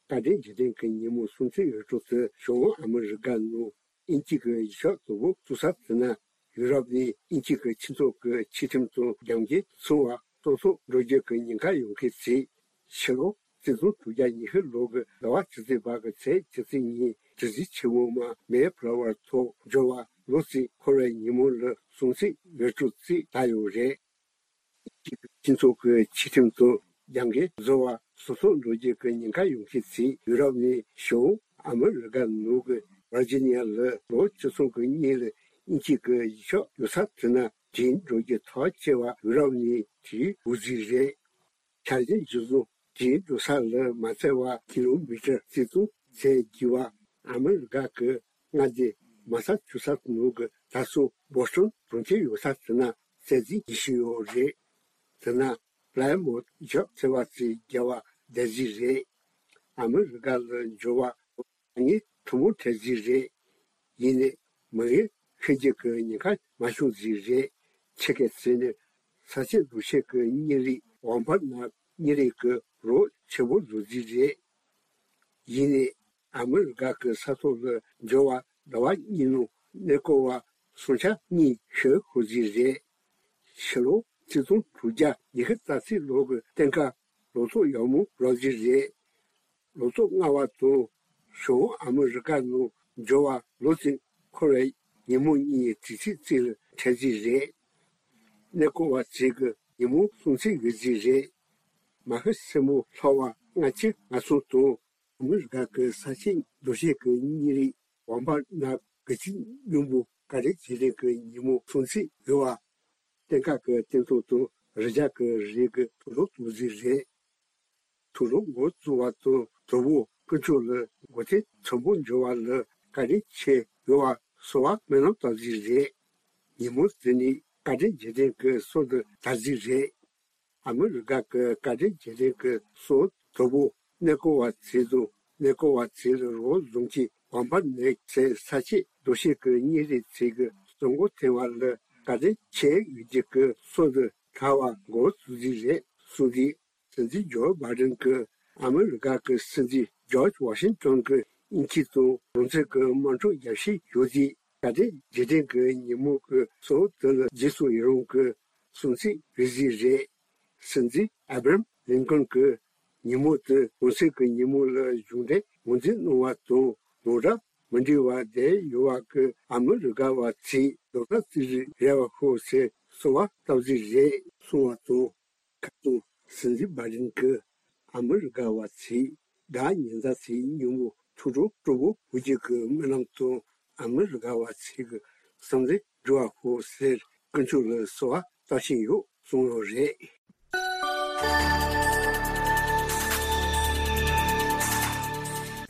དགའ་ལྡན་འཇིག་རྟེན་གྱི་ཉིན་མོ་སྲུང་བརྩི་ཡོད་གྲོགས་ཚོས་ཞོགས་པ་ཨ་མི་རི་ཀ་ནང་དབྱིན་ཇི་གི་གཞིས་ཆགས་གཙོ་བོ་སུད་སི་ཟེར་ན། ཡུ་རོབ་ནས་དབྱིན་ཇི་གི་སྤྱི་ཚོགས་ཀྱི་ཆོས་ཁྲིམས་དང་རྒྱབ་འགལ་སོང་བ་སོ་སོར་འགྲོ་རྒྱུ་གི་ཉེན་ཁ་ཡོང་མཁན་ཚོས། ཕྱི་ལོ་གཅིག་སྟོང་དྲུག་བརྒྱ་ཉི་ཤུ་ལོ་གི་ཟླ་བ་བཅུ་གཅིག་པ་གི་ཚེས་བཅུ་གཅིག་ཉིན་གྲུ་གཟིངས་ཆེན་མོ་མ་མེ་ཕ་ལ་ཝར་ཐོག་འབྱོར་བ་ལོ་གཅིག་འཁོར་བའི་ཉིན་མོ་ལ་སྲུང་བརྩི་ཡོད་གྲོགས་ཚོས་ལྟ་ཡོད་རེད། སྤྱི་ཚོགས་ཀྱི་ཆོས་ཁྲིམས་དང་རྒྱབ་འགལ་བཟོ་བ་སོ་སོར་འགྲོ་རྒྱུ་གི་ཉེན་ཁ་ཡོང་མཁན་ཚོས་ཡུ་རོབ་ནས་ཞོགས་ཨ་མི་རི་ཀ་ནང་གི་ཝར་ཇི་ནི་ཡ་ལ་ལོ་བཅུ་གསུམ་གྱི་སྔོན་ལ་ དབྱིན་ཇི་གི་ཡུལ་ཕྱོགས་ཡོད་ས་དེ་ན་དྲན་འགྲོ་རྒྱུ་ཐག་ཆེ་བ་ཡུ་རོབ་ནས་དེའི་འོག་ཟིག་རེད། ཆ་རྐྱེན་གཞིར་བཟུང་དེའི་འགྲོ་ས་ལ་མ་ཚད་པ་ཀི་ལོ་མི་ཊར་ཆིག་སྟོང་ཟིན་རྒྱུ་བ། ཨ་མི་རི་ཀ་གི་མངའ་སྡེ་མ་ས་ཆུ་ས་ནོར་གི་དར་སྲོལ་བོ་སི་ཊོན་གྲོང་ཁྱེར་ཡོད་ས་དེ་ན་གསར་རྩིས་བྱེད་བཞིན་ཡོད་རེད། དེ་ན་པི་ལའི་མོ་ཐི་ཡུལ་ཕྱོགས་ཟེར་བ་ཚོའི་རྒྱལ་བ་སྡེ་རྩིས་རེད། ཨ་མི་རི་ཀ་ལ་འབྱོར་བ་ངས་ཐུན་མོང་ཁྲལ་རྩིས་རེད། ཡིན་ནའི་མི་ངན་ཤི་རྒྱུ་གི་ཉེན་ཁ་མ་བྱུང་རྩིས་རེད། ཆི་གེ་ཟེར་ནས་ས་ཆའི་འདུ་ཤེས་ཀྱི་གཉེར་རིས་འོག་འབར་ནག་གཉེར་རིས་ཀྱི་རོགས་ཆེན་པོ་བཟོ་རྩིས་རེད། ཡིན་ནའི་ཨ་མི་རི་ཀ་གི་ས་ཐོག་ལ་འབྱོར་བ་ཟླ་བ་གཉིས་ནང་གནས་སྐོར་བ་སུམ་ཆ་གཉིས་ཤོར་ཤོར་རྩིས་རེད། ཕྱི་ལོ་ཆིག་སྟོང་དྲུག་བརྒྱ་ཉི་ཤུ་རྩ་གཅིག་ལོ་གི་སྟོན་ཁ་ལོ་ཐོག་ཡག་མོ་རག་རྩིས་རེད། ལོ་ཐོག་ལྔ་བ་དང་བྱང་ཨ་མི་རི་ཀ་ནང་འབྱོར་བ་ལོ་གཅིག་འཁོར་བའི་ཉིན་མོ་གཉིས་དུས་ཚིགས་གཅིག་ལ་འཕྲད་རྩིས་རེད། གནས་སྐོར་བ་ཚོས་ཀྱི་ཉིན་མོ་སྲུང་བརྩི་ཡོད་རྩིས་རེད། མ་ཤི་སེར་མོ་ལྷག་པ་ལྔ་བཅུ་ང་གསུམ་དང་ཨ་མི་རི་ཀ་གི་ས་ཆའི་འདུ་ཤེས་ཀྱི་གཉེར་རིས་འོག་འབར་ནག་དགུ་བཅུ་གཉིས་པོ་བཀའ་དྲིན་རྗེས་དྲན་གྱི་ཉིན་མོ་སྲུང་བརྩི་ཡོད་པ། སྟོན་ཁ་གི་སྟོན་ཐོག་ཏུ་རི་རྒྱ་གི་རི་གི་དུག་སྦྲུལ་བཙུགས་རྩིས་རེད། དུག་སྦྲུལ་འགོ་བཙུགས་པ་དང་དུ་བོ་དཀོན་མཆོག་ལ་མགོ་རྟིང་མཐོན་པོ་འབྱོར་བ་ལ་བཀའ་དྲིན་ཆེ་ཡོད་པ་གསོལ་བ་སྨོན་ལམ་བཏབ་རྩིས་རེད། ཉིན་མོ་དེ་ནི་བཀའ་དྲིན་རྗེས་དྲན་གྱི་སྲོལ་དུ་དར་རྩིས་རེད། ཨ་མི་རི་ཀ་གི་བཀའ་དྲིན་རྗེས་དྲན་གྱི་སྲོལ་དུ་བོ་གནས་སྐོར་བ་ཚོས་དང་གནས་སྐོར་བ་ཚོས་རོགས་འཛོམས་ཀྱི་འོག་འབར་ནག་ཟེར་ས་ཆའི་འདུ་ཤེས་ཀྱི་གཉེར་རིས་ཚོས་ཀྱི་གསོལ་མགོ་འཐེན་པ་ལ་བཀའ་དྲིན་ཆེ་ཡོད་རྒྱུ་གི་སྲོལ་དུ་དར་བ་འགོ་བཙུགས་རྩིས་རེད་གསུངས་ཏེ། སྲིད་འཛིན་ཇོ་བྷའི་ཌེན་གྱིས་ཨ་མི་རི་ཀ་གི་སྲིད་འཛིན་ཇོརྗ་ཝ་ཤིང་ཏོན་གྱི་དབྱིན་ཇི་དང་རང་བཙན་གྱི་དམག་འཁྲུག་རྒྱབ་བཤིག་ཡོད་དུས་བཀའ་དྲིན་རྗེས་དྲན་གྱི་ཉིན་མོ་གི་སྲོལ་དེ་ལ་རྗེས་སུ་ཡི་རང་གི་སྲུང་བརྩི་ཡོད་རྩིས་རེད། སྲིད་འཛིན་ཨབ་ར་ཧམ་ལིན་ཀོན་གྱིས་ཉིན་མོ་དེ་རང་བཙན་གྱི་ཉིན་མོ་ལ་གཞུང་འབྲེལ་ངོས་འཛིན་གནང་བ་དང་ནོར་འཁྲུལ་མི་འདྲ་བ་བསྡད་ཡོད་པ་གི་ཨ་མི་རི་ཀ་བ་ཚོས་རྡོག་རྩ་གཅིག་སྒྲིལ་རེ་བ་ཤོག་ཟེར་གསོལ་བ་བཏབ་རྩིས་རེད་གསུངས་པ་དང་། ཁ་སང་སྲིད་འཛིན་བྷའི་ཌེན་གྱིས་ཨ་མི་རི་ཀ་བ་ཚོས་བདག་ཉེ་འདབས་ཚོའི་ཉིན་མོ་ཐུགས་སྤྲོ་སྤྲོ་པོ་འབུལ་རྒྱུ་གི་སྨོན་ལམ་དང་ཨ་མི་རི་ཀ་བ་ཚོས་ཀྱི་བསམ་འདུན་འགྲུབ་པ་ཤོག་ཟེར་དཀོན་མཆོག་ལ་གསོལ་བ་བཏབ་བཞིན་ཡོད་གསུངས་ཡོད་རེད།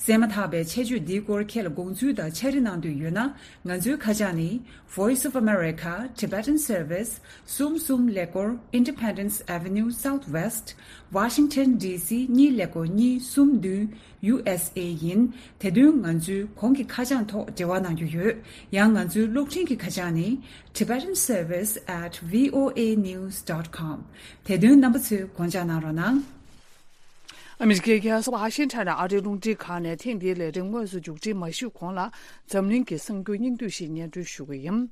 གསན་མ་ཐག་པའི་ཆེད་བརྗོད་འདིའི་སྐོར་ཁྱེད་ལ་དགོངས་ཚུལ་དང་འཆད་རེ་གནང་འདོད་ཡོད་ན། ང་ཚོའི་ཁ་བྱང་ནི། Voice of America Tibetan Service གསུམ་གསུམ་ཀླད་ཀོར་Independence Avenue Southwest Washington D C གཉིས་ཀླད་ཀོར་གཉིས་གསུམ་བདུན་U S A ཡིན། དེ་དོན་ང་ཚོའི་གོང་གི་ཁ་བྱང་ཐོག་འབྲེལ་བ་གནང་རྒྱུ་ཡོད། ཡང་ང་ཚོའི་གློག་འཕྲིན་གྱི་ཁ་བྱང་ནི། Tibetan Service at V O A news dot com དེ་དོན་རྣམ་པ་ཚོས་དགོངས་འཇགས་གནང་རོགས་གནང་། ཨ་མི་རི་ཀའི་རྒྱལ་ས་ཝ་ཤིང་ཊོན་ནས་ཨ་རིའི་རླུང་འཕྲིན་ཁང་ནས་ཐེངས་འདིའི་ལས་རིམ་དངོས་སུ་མཇུག་སྒྲིལ་མ་ཞུས་གོང་ལ། འཛམ་གླིང་གི་གསར་འགྱུར་སྙིང་བསྡུས་ཤིག་སྙན་སྒྲོན་ཞུ་གི་ཡིན།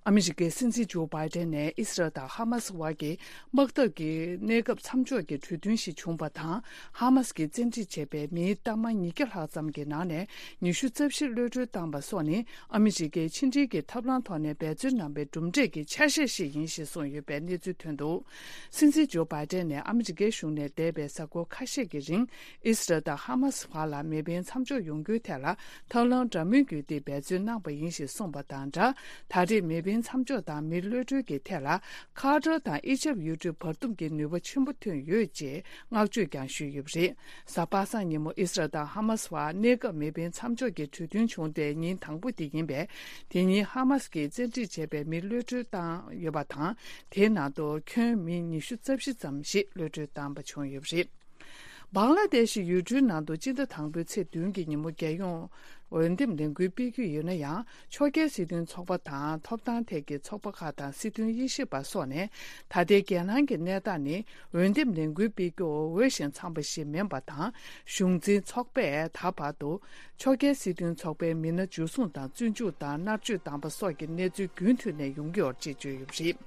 ཨ་མི་རི་ཀའི་སྲིད་འཛིན་ཇོ་བྷའི་ཏན་ནས་ཨི་སི་རལ་དང་ཧ་མ་སི་བར་གྱི་དམག་འཐབ་ཀྱི་གནས་སྐབས་མཚམས་འཇོག་གི་གྲོས་མཐུན་ཞིག་བྱུང་བ་དང་། ཧ་མ་སི་གིས་བཙན་ཁྲིད་བྱས་པའི་མིའི་གཏའ་མ་ཉིས་བརྒྱ་ལྷག་ཙམ་གྱི་ནང་ནས་ཉི་ཤུ་རྩ་བཞི་གློད་གྲོལ་བཏང་བ་སོགས་ནི། ཨ་མི་རི་ཀའི་ཕྱི་འབྲེལ་གྱི་ཐབས་ལམ་ཐོག་ནས་འབད་བརྩོན་གནང་བའི་གྲུབ་འབྲས་ཀྱི་ཆ་ཤས་ཤིག་ཡིན་ཞེས་གསུངས་ཡོད་པའི་གནས་ཚུལ་ཐོན་འདུག། སྲིད་འཛིན་ཇོ་བྷའི་ཏན་ནས་ཨ་མི་རི་ཀའི་གཞུང་ནས་འདས་པའི་གཟའ་འཁོར་ཁ་ཤས་ཀྱི་རིང་ཨི་སི་རལ་དང་ཧ་མ་སི་བར་ལ་མེ་འཕེན་མཚམས་འཇོག་ཡོང་རྒྱུའི་ཐད་ལ་ཐབས་ལམ་འདྲ་མིན་བརྒྱུད་དེ་འབད་བརྩོན་གནང་བ་ཡིན་ཞེས་གསུངས་པ་དང་སྦྲགས། ད་རེས་མེ་འཕེན་མཚམས་འཇོག་དང་མི་གློད་གྲོལ་གྱི་ཐད་ལ་ཁ་ཏར་དང་ཨི་ཇེབ་ཡུལ་གྲུའི་བར་འདུམ་གྱི་ནུས་པ་ཆེན་པོ་ཐོན་ཡོད་ཅེས་བསྔགས་བརྗོད་ཀྱང་ཞུས་ཡོད་པ་རེད། གཟའ་པ་སངས་ཉིན་མོ་ཨི་སི་རལ་དང་ཧ་མ་སི་བར་གནས་སྐབས་མེ་འཕེན་མཚམས་འཇོག་གི་གྲོས་མཐུན་བྱུང་སྟེ་ཉིན་དང་པོ་དེ་ཡིན་པས། དེ་ཉིན་ཧ་མ་སི་གིས་བཙན་ཁྲིད་བྱས་པའི་མི་གློད་གྲོལ་བཏང་ཡོད་པ་དང་། དེའི་ནང་དུ་ཁྱོན་མི་ཉི་ཤུ་རྩ་བཞི་ཙམ་ཞིག་གློད་གྲོལ་བཏང་པ་བྱུང་ཡོད་པ་རེད། བང་ལ་དེ་ཤི་ཡུལ་གྲུའི་ནང་དུ་སྤྱི་ཟླ་དང་པོའི་ཚེས་བདུན་གྱི་ཉིན་མོ་རྒྱལ་ཡོངས་འོས་འདེམས་ལས་འགུལ་སྤེལ་རྒྱུ་ཡོད་ན་ཡང་། ཕྱོགས་འགལ་སྲིད་དོན་ཚོགས་པ་དང་ཐོབ་ཐང་ཐད་ཀྱི་ཚོགས་པ་ཁག་དང་སྲིད་དོན་དབྱེ་ཞིབ་པ་སོགས་ནས། ད་ལྟའི་རྒྱལ་ནང་གི་གནས་སྟངས་ནི་འོས་འདེམས་ལས་འགུལ་སྤེལ་རྒྱུ་འོས་ཤིང་འཚམས་པ་ཞིག་མིན་པ་དང་། གཞུང་འཛིན་ཚོགས་པས་ད་བར་དུ་ཕྱོགས་འགལ་སྲིད་དོན་ཚོགས་པའི་མི་སྣ་འཇུ་བཟུང་དང་བཙོན་འཇུག་དང་མནར་གཅོད་བཏང་པ་སོགས་ཀྱི་གནས་ཚུལ་རྒྱུན་མཐུད་ནས་ཡོང་གི་ཡོད་ཅེས་བརྗོད་ཡོད་པ་རེད།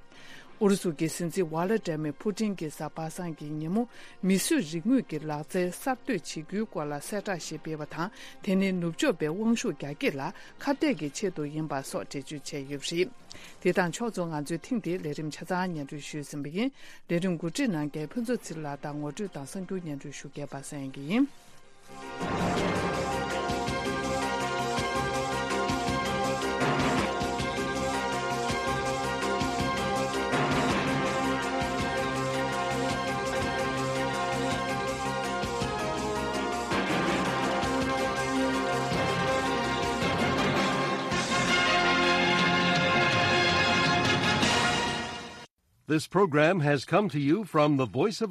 ཨུ་རུ་སུ་གི་སྲིད་འཛིན་ཝ་ལ་ཏྲ་མི་ཕུ་ཏིན་གྱིས་གཟའ་པ་སངས་ཀྱི་ཉིན་མོ་མིས་བཟོས་རིག་དངོས་ཀྱི་ལག་རྩལ་གསར་གཏོད་བྱེད་རྒྱུའི་སྐོར་ལ་གསལ་བསྒྲགས་ཤིག་སྤེལ་བ་དང་། དེ་ནི་ནུབ་ཕྱོགས་པའི་དབང་ཤུགས་རྒྱ་སྐྱེད་ལ་ཁ་གཏད་ཀྱི་ཆེད་དུ་ཡིན་པ་སོགས་འགྲེལ་བརྗོད་བྱས་ཡོད་པ་རེད། དེ་དང་ཕྱོགས་མཚུངས་ང་ཚོའི་ཐེངས་འདིའི་ལས་རིམ་ཆ་ཚང་སྙན་སྒྲོན་ཞུས་ཟིན་པ་ཡིན། ལས་རིམ་གོ་སྒྲིག་གནང་མཁན་ཕུན་ཚོགས་ཚེ་རིང་ལགས་དང་ངོ་སྤྲོད་དང་གསར་འགྱུར་སྙན་སྒྲོན་ཞུ་མཁན་པ་སངས་དབྱངས་སྐྱིད་ཡིན། This program has come to you from the Voice of